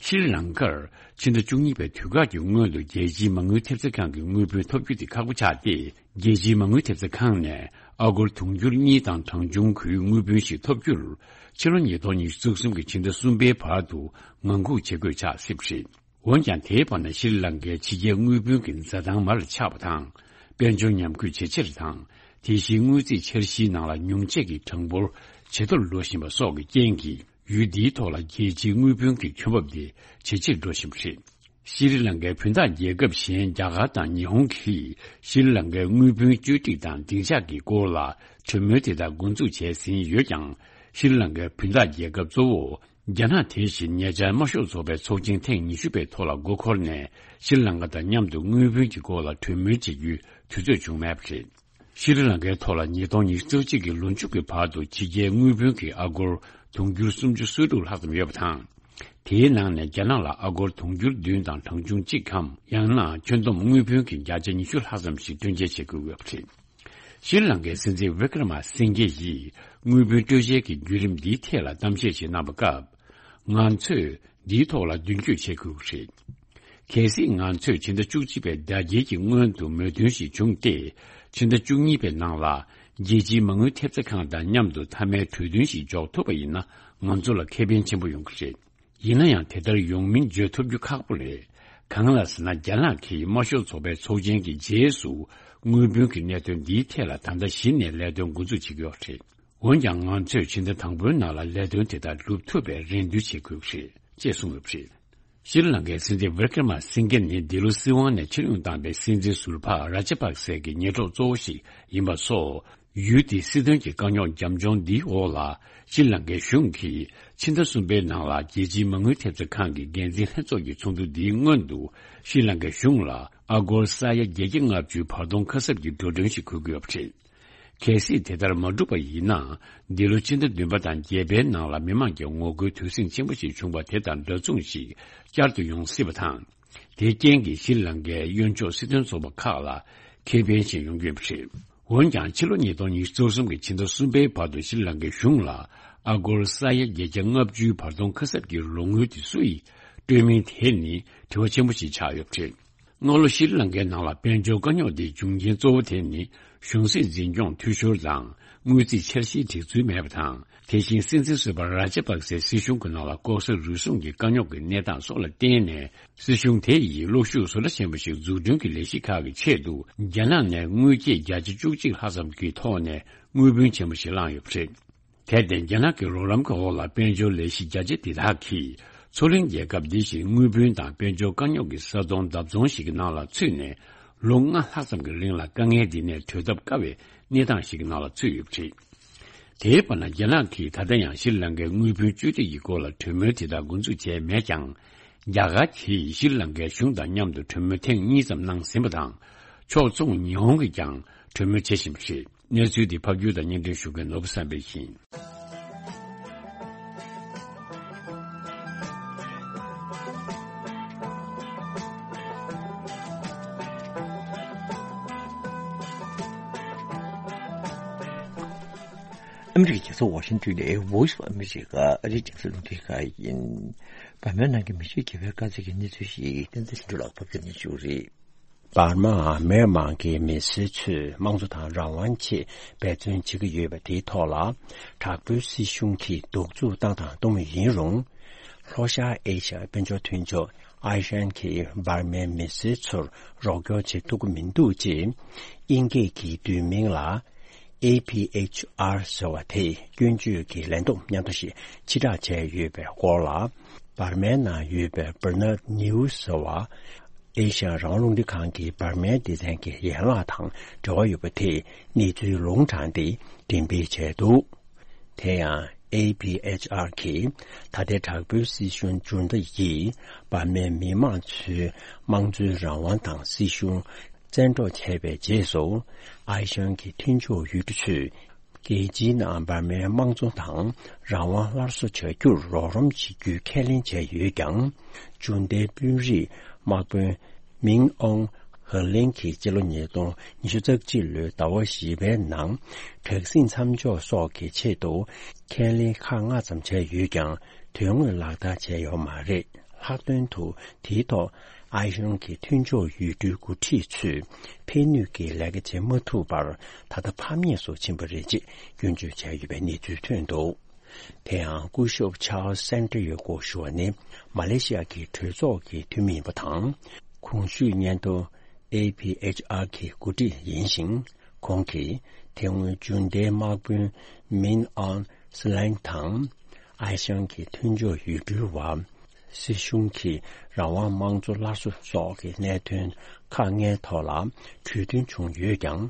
ཤྲི་ལང་ཀར་ཕྱི་ཟླ་བཅུ་གཉིས་པའི་དུས་བཀག་གི་སྔོན་དུ་རྒྱལ་སྤྱིའི་མ་དངུལ་ཐེབས་རྩ་ཁང་གི་དངུལ་བུན་ཐོབ་རྒྱུ་དེ་ཁག་པོ་ཆགས་ཏེ། རྒྱལ་སྤྱིའི་མ་དངུལ་ཐེབས་རྩ་ཁང་ནས་ཨ་སྒོར་དུང་ཕྱུར་གཉིས་དང་གྲངས་ཆུང་གི་དངུལ་བུན་ཞིག་ཐོབ་རྒྱུར། ཕྱི་ལོ་ཉིས་སྟོང་ཉི་ཤུ་རྩ་གསུམ་གྱི་ཕྱི་ཟླ་གསུམ་པའི་བར་དུ་ངང་སྒུག་བྱེད་དགོས་ཆགས་སྲིད་པ་རེད། འོན་ཀྱང་། དེའི་བར་ན་ཤྲི་ལང་ཀའི་ཕྱི་རྒྱལ་དངུལ་བུན་གྱི་འཛའ་ཐང་མར་ཆག་པ་དང་། དཔལ་འབྱོར་ཉམས་རྒུད་ཇེ་ཆེར་དང་། དེ་བཞིན་དངུལ་རྩིས་འཆར་གཞིའི་ནང་ལ་ཉུང་ཆད་ཀྱི་གྲངས་འབོར་ཇེ་མཐོར་འགྲོ་བཞིན་པ་སོགས་ཀྱི་རྐྱེན་གྱིས། ཡུལ་འདིའི་ཐོག་ལ་རྒྱལ་སྤྱིའི་དངུལ་བུན་གྱི་ཁྱོན་འབབ་དེ་ཇེ་ཆེར་འགྲོ་བཞིན་པ་རེད། ཤྲི་ལང་ཀའི་བུན་བདག་རྒྱལ་ཁབ་གཞན་རྒྱ་གར་དང་ཉི་ཧོང་གིས་ཤྲི་ལང་ཀའི་དངུལ་བུན་བཅོས་སྒྲིག་དང་སྡིངས་ཆ་གི་སྐོར་ལ་གྲོས་མོལ་དེ་དག་འགོ་འཛུགས་བྱས་ཟིན་ཡོད་ཀྱང་། ཤྲི་ལང་ཀའི་བུན་བདག་རྒྱལ་ཁབ་གཙོ་བོ། རྒྱ་ནག་དེ་བཞིན་ཉེ་ཆར་དམར་ཤོག་ཚོགས་པའི་ཚོགས་ཆེན་ཐེངས་ཉི་ཤུ་པའི་ཐོག་ལ་མགོ་འཁོར་ནས་ཤྲི་ལང་ཀ་དང་མཉམ་དུ་དངུལ་བུན་གྱི་སྐོར་ལ་གྲོས་མོལ་བྱེད་རྒྱུའི་དུས་ཚོད་བྱུང་མེད་པ་རེད། ཤྲི་ལང་ཀའི་ཐོག་ལ་ཉིས་སྟོང་ཉི་ཤུ་རྩ་གཅིག་གི་ལོ་མཇུག་གི་བར་དུ་ཕྱི་རྒྱལ་དངུལ་བུན་གྱི་ཨ་སྒོར་དུང་ཕྱུར་སུམ་ཅུ་སོ་དྲུག་ལྷག་ཙམ་ཡོད་པ་དང་། དེའི་ནང་ནས་རྒྱ་ནག་ལ་ཨ་སྒོར་དུང་ཕྱུར་བདུན་དང་གྲངས་ཆུང་གཅིག་གམ། ཡང་ན་ཁྱོན་བསྡོམས་དངུལ་བུན་གྱི་བརྒྱ་ཆ་ཉི་ཤུ་ལྷག་ཙམ་ཞིག་སྤྲོད་འཇལ་བྱེད་དགོས་ཡོད་པ་རེད། ཤྲི་ལང་ཀའི་སྲིད་འཛིན་བི་ཀྲ་མ་སིང་གེ་ཡིས་དངུལ་བུན་སྤྲོད་འཇལ་གྱི་བརྒྱུད་རིམ་འདིའི་ཐད་ལ་གཏམ་བཤད་ཞིག་གནང་བའི་སྐབས། ང་ཚོས་འདིའི་ཐོག་ལ་མདུན་སྐྱོད་བྱེད་དགོས་ཀྱི་རེད། གལ་སྲིད་ང་ཚོས་ཕྱི་ཟླ་བཅུ་གཅིག་པའི་ཟླ་རྒྱལ་གྱི་སྔོན་དུ་མོས་མཐུན་ཞིག་བྱུང་སྟེ། ཕྱི་ཟླ་བཅུ་གཉིས་པའི་ནང་ལ་རྒྱལ་སྤྱིའི་མ་དངུལ་ཐེབས་རྩ་ཁང་དང་མཉམ་དུ་མཐའ་མའི་གྲོས་མཐུན་ཞིག་འཇོག་ཐུབ་པ་ཡིན་ན། ང་ཚོ་ལ་ཁེ་ཕན་ཆེན་པོ་ཡོང་གི་རེད། ཡིན་ན་ཡང་། དེ་ལྟར་ཡོང་མིན་བརྗོད་ཐུབ་རྒྱུ་ཁག་པོ་རེད། གང་ལགས་ཟེར་ན། རྒྱ་ནག་གིས་དམར་ཤོག་ཚོགས་པའི་ཚོགས་ཆེན་གྱི་རྗེས་སུ་དངུལ་བུན་གྱི་གནད་དོན་འདིའི་ཐད་ལ་ད་ལྟ་གཞི་ནས་ལས་དོན་འགོ་འཛུགས་བྱེད་ཀྱི་ཡོད་རེད། འོན་ཀྱང་། ང་ཚོས་ཕྱི་ཟླ་དང་པོའི་ནང་ལ་ལས་དོན་དེ་དག་སྒྲུབ་ཐུབ་པའི་རེ་འདུན་བྱེད་དགོས་ཀྱི་རེད་ཅེས་གསུངས་ཡོད་པ་རེད། ཤྲི་ལང་ཀའི་སྲིད་འཛིན་བི་ཀྲ་མ་སིང་གེ་ནི་འདི་ལོ་སྲིད་དབང་ནས་ཕྱིར་འོང་བཏང་པའི་སྲིད་འཛིན་ཟུར་པ་ར་ཇ་པག་སེ་གི་ཉེ་གྲོགས་གཙོ་བོ་ཞིག་ཡིན་པ་སོགས། ཡུལ་དེའི་སྲིད་དོན་གྱི་དཀའ་རྙོག་རྒྱབ་ལྗོངས་འདིའི་འོག་ལ། ཤྲི་ལང་ཀའི་གཞུང་གིས་ཕྱི་ཟླ་གསུམ་པའི་ནང་ལ་རྒྱལ་སྤྱིའི་མ་དངུལ་ཐེབས་རྩ་ཁང་གི་འགན་འཛིན་ལྷན་ཚོགས་ཀྱི་ཚོགས་འདུ་འདིའི་སྔོན་དུ། ཤྲི་ལང་ཀའི་གཞུང་ལ་ཨ་སྒོར་ས་ཡ་བརྒྱད་བརྒྱ་ལྔ་བཅུའི་བར་སྟོང་ཁ་གསབ་ཀྱི་འགྲོ་གྲོན་ཞིག་འཁུར་གྱི་ཡོད་པ་རེད། གལ་སྲིད་དེ་ལྟར་མ་བསྒྲུབས་པ་ཡིན་ན། འདི་ལོ་ཕྱི་ཟླ་བདུན་པ་དང་བརྒྱད་པའི་ནང་ལ་མི་མང་གི་ངོ་རྒོལ་དུས་ཟིང་ཆེན་པོ་ཞིག་བྱུང་བ་དེ་དང་འདྲ་མཚུངས་ཤིག་བསྐྱར་དུ་ཡོང་སྲིད་པ་དང་། དེའི་རྐྱེན་གྱིས་ཤྲི་ལང་ཀའི་གཡོན་ཕྱོགས་སྲིད་དོན་ཚོགས་པ་ཁག་ལ་ཁེ་ཕན་ཞིག་ཡོང་གི་ཡོད་པ་རེད། འོན་ཀྱང་ཕྱི་ལོ་ཉིས་སྟོང་ཉི་ཤུ་རྩ་གསུམ་གྱི་ཕྱི་ཟླ་གསུམ་པའི་བར་དུ་ཤྲི་ལང་ཀའི་གཞུང་ལ་ཨ་སྒོར་ས་ཡ་བརྒྱད་བརྒྱ་ལྔ་བཅུའི་བར་སྟོང་ཁ་གསབ་ཀྱི་ལོ་ངོ་དེ་སུ་ཡིས་སྤྲོད་མིན་དེ་ནི་དྲི་བ་ཆེན་པོ་ཞིག་ཆགས་ཡོད་པ་རེད། སྔ་ལོ་ཤྲི་ལང་ཀའི་ནང་ལ་དཔལ་འབྱོར་དཀའ་རྙོག་དེའི་འབྱུང་རྐྱེན་གཙོ་བོ་དེ་ནི་གཞུང་སྲིད་འཛིན་སྐྱོང་འཐུས་ཤོར་དང་། དངུལ་རྩིས་འཆར་གཞིའི་སྒྲིག་ཚུལ་མེད་པ་དང་། དེ་བཞིན་སྲིད་འཛིན་ཟུར་པ་ར་ཇ་པག་སེ་སྲིད་གཞུང་གི་ནང་ལ་ལྐོག་ཟ་རུལ་སུངས་ཀྱི་དཀའ་རྙོག་གི་གནས་སྟངས་སོགས་ལ་བརྟེན་ནས། སྲིད་གཞུང་དེ་ཡིས་གློག་ཤུགས་བཟོ་གྲྭ་ཆེན་པོ་ཞིག་འཛུགས་སྐྲུན་གྱི་ལས་གཞི་ཁག་གི་ཆེད་དུ་རྒྱ་ནག་ནས་དངུལ་སྐྱེད་བརྒྱ་ཆ་བཅུ་གཅིག་ལྷག་ཙམ་གྱི་ཐོག་ནས་དངུལ་བུན་ཆེན་པོ་ཞིག་བླངས་ཡོད་པ་རེད། དེར་བརྟེན་རྒྱ་ནག་གི་རོགས་རམ་གྱི་འོག་ལ་དཔལ་འབྱོར་ལས་གཞི་རྒྱ་ཆེ་འདི་དག་གིས་མཚོ་གླིང་རྒྱལ་ཁབ་འདི་བཞིན་དངུལ་བུན་དང་དཔལ་འབྱོར་དཀའ་རྙོག་གི་ས་སྟོང་བརྡབ་ཚོང་ཞིག་གི་ནང་ལ་ཚུད་ནས་ལོ་ལྔ་ལྷག་ཙམ་གྱི་རིང་ལ་དཀའ་ངལ་འདི་ནས་གྲོལ་ཐབས་དཀའ་བའི་གནས་སྟངས་ཤིག་གི་ནང་ལ་ཚུད་ཡོད་པ་རེད། དེའི་བར་ན་རྒྱ་ནག་གིས་ད་ལྟ་ཡང་ཤྲི་ལང་ཀའི་དངུལ་བུན་བཅོལ་སྒྲིག་གི་སྐོར་ལ་གྲོས་མོལ་དེ་དག་འགོ་འཛུགས་བྱས་མེད་ཀྱང་། རྒྱ་གར་གྱིས་ཤྲི་ལང་ཀའི་གཞུང་དང་མཉམ་དུ་གྲོས་མོལ་ཐེངས་གཉིས་ཙམ་གནང་ཟིན་པ་དང་། ཕྱོགས་མཚུངས་ཉི་ཧོང་གིས་ཀྱང་གྲོས་མོལ་བྱེད་བཞིན་པ་རེད། གནས་ཚུལ་འདི་ཕབ་སྒྱུར་དང་སྙན་སྒྲོན་ཞུ་མཁན་ནོར་བུ་བསམ་འཕེལ་ཡིན། ཨ་མི་རི་ཀའི་རྒྱལ་ས་ཝ་ཤིང་ཏོན་ནས་Voice of America ཨ་རིའི་རྒྱང་སྲིང་རླུང་འཕྲིན་ཁང་ཡིན། འབར་མའི་ནང་གི་མི་ཤི་རྒྱལ་བའི་དཀའ་ཚེགས་ཀྱི་གནས་ཚུལ་ཞིག་བསྟན་འཛིན་ལྷུན་གྲུབ་ལགས་ཕབ་སྒྱུར་གནང་ཞུ་རེད། འབར་མ་མི་དམངས་ཀྱི་མི་སེར་ཚོས་དམངས་གཙོ་དང་རང་དབང་ཆེད་འབད་བརྩོན་བྱེད་ཀྱི་ཡོད་པ་དེའི་ཐོག་ལ། དྲག་པོའི་སྲིད་གཞུང་གིས་གདུག་རྩུབ་བཏང་དང་གཏོང་མུས་ཡིན་རུང་། ལྷོ་ཤར་ཨེ་ཤ་ཡའི་དཔལ་འབྱོར་མཐུན་ཕྱོགས་ཨའི་ཤན་གྱིས་འབར་མའི་མི་སེར་ཚོར་རོགས་སྐྱོར་བྱེད་ཐུབ་ཀྱི་མི་འདུག་ཅེས། དབྱིན་སྐད་ཀྱི་བསྡུས་མིང་ལ། ཨེ་ཕི་ཨེཆ་ཨར་ཟེར་བ་དེས་སྐྱོན་བརྗོད་ཀྱི་ལན་ཐོབ་མཉམ་དུ་ཞིག་ཕྱིར་བསྒྲགས་བྱས་ཡོད་པའི་སྐོར་ལ། འབར་མའི་ནང་ཡོད་པའི་Bernard News ཟེར་བ། ཨེ་ཤ་ཡ་རང་དབང་རླུང་འཕྲིན་ཁང་གི་འབར་མའི་སྡེ་ཚན་གྱི་ཡན་ལག་དང་འབྲེལ་བ་ཡོད་པ་དེས་གནས་ཚུལ་ལུང་དྲངས་ཏེ་འགྲེམས་སྤེལ་བྱས་འདུག་དེ་ཡང་ཨེ་ཕི་ཨེཆ་ཨར་གྱིས་ད་ལྟའི་དྲག་པོའི་སྲིད་གཞུང་འཇུ་མདའ་ཡིས་འབར་མའི་མི་དམངས་ཚོའི་དམངས་གཙོའི་རང་དབང་དང་སྲིད་གཞུང་བཙན་འཕྲོག་བྱས་པའི་རྗེས་སུ། ཨའི་ཤན་གྱི་མཐུན་ཕྱོགས་ཡུལ་གྲུ་ཚོས་རྒྱལ་སྤྱིའི་ནང་འབར་མའི་དམངས་གཙོ་དང་རང་དབང་སླར་གསོ་བྱ་རྒྱུར་རོགས་རམ་བྱེད་རྒྱུའི་ཁས་ལེན་བྱས་ཡོད་ཀྱང་། འཇུ་མདའི་དཔོན་རིགས་དམག་དཔོན་མིང་ཨོང་ཧ་ལིང་གིས་སྤྱི་ལོ་ཉིས་སྟོང་ཉི་ཤུ་རྩ་གཅིག་ལོའི་ཟླ་བ་བཞི་པའི་ནང་དྲག་ཟིང་མཚམས་འཇོག་སོགས་ཀྱི་ཆེད་དུ་ཁས་ལེན་ཁག་ལྔ་ཙམ་བྱས་ཡོད་ཀྱང་དོན་དངོས་ལག་བསྟར་བྱས་ཡོད་མ་རེད། ལྷག་དོན་དུ་དེའི་ཐོག་ཨའི་ཤན་གྱི་མཐུན་ཕྱོགས་ཡུལ་གྲུའི་འགོ་ཁྲིད་ཚོས་ཕན་ནུས་ཀྱི་ལས་ཀ་བྱེད་མ་ཐུབ་པར་ད་ལྟ་ཕམ་ཉེས་སུ་ཕྱིན་པ་རེད་ཅེས་སྐྱོན་བརྗོད་བྱས་ཡོད་པའི་གནས་ཚུལ་ཐོན་འདུག་དེ་ཡང་སྐུ་ཞབས་Charles Santiago ཞུ་བ་ནི་མ་ལེ་ཤི་ཡ་གི་གྲོས་ཚོགས་ཀྱི་འཐུས་མི་ཡིན་པ་དང་། གོང་ཞུས་སྙན་ཐོ་ཨེ་ཕི་ཨེཆ་ཨར་གྱི་འགོ་ཁྲིད་ཡིན་ཞིང་། ཁོང་གིས་དེ་སྔོན་འཇུ་མདའི་དམག་དཔོན་མིན་ཨོན་སི་ལེང་དང་། ཨའི་ཤན་གྱི་མཐུན་ཕྱོགས་ཡུལ་གྲུའི་བར། སྲིད་གཞུང་གིས་རང་དབང་དམངས་གཙོ་སླར་གསོ་སོགས་ཀྱི་གནད་དོན་ཁག་ལྔའི་ཐོག་ལ་གྲོས་མཐུན་བྱུང་ཡོད་ཀྱང་།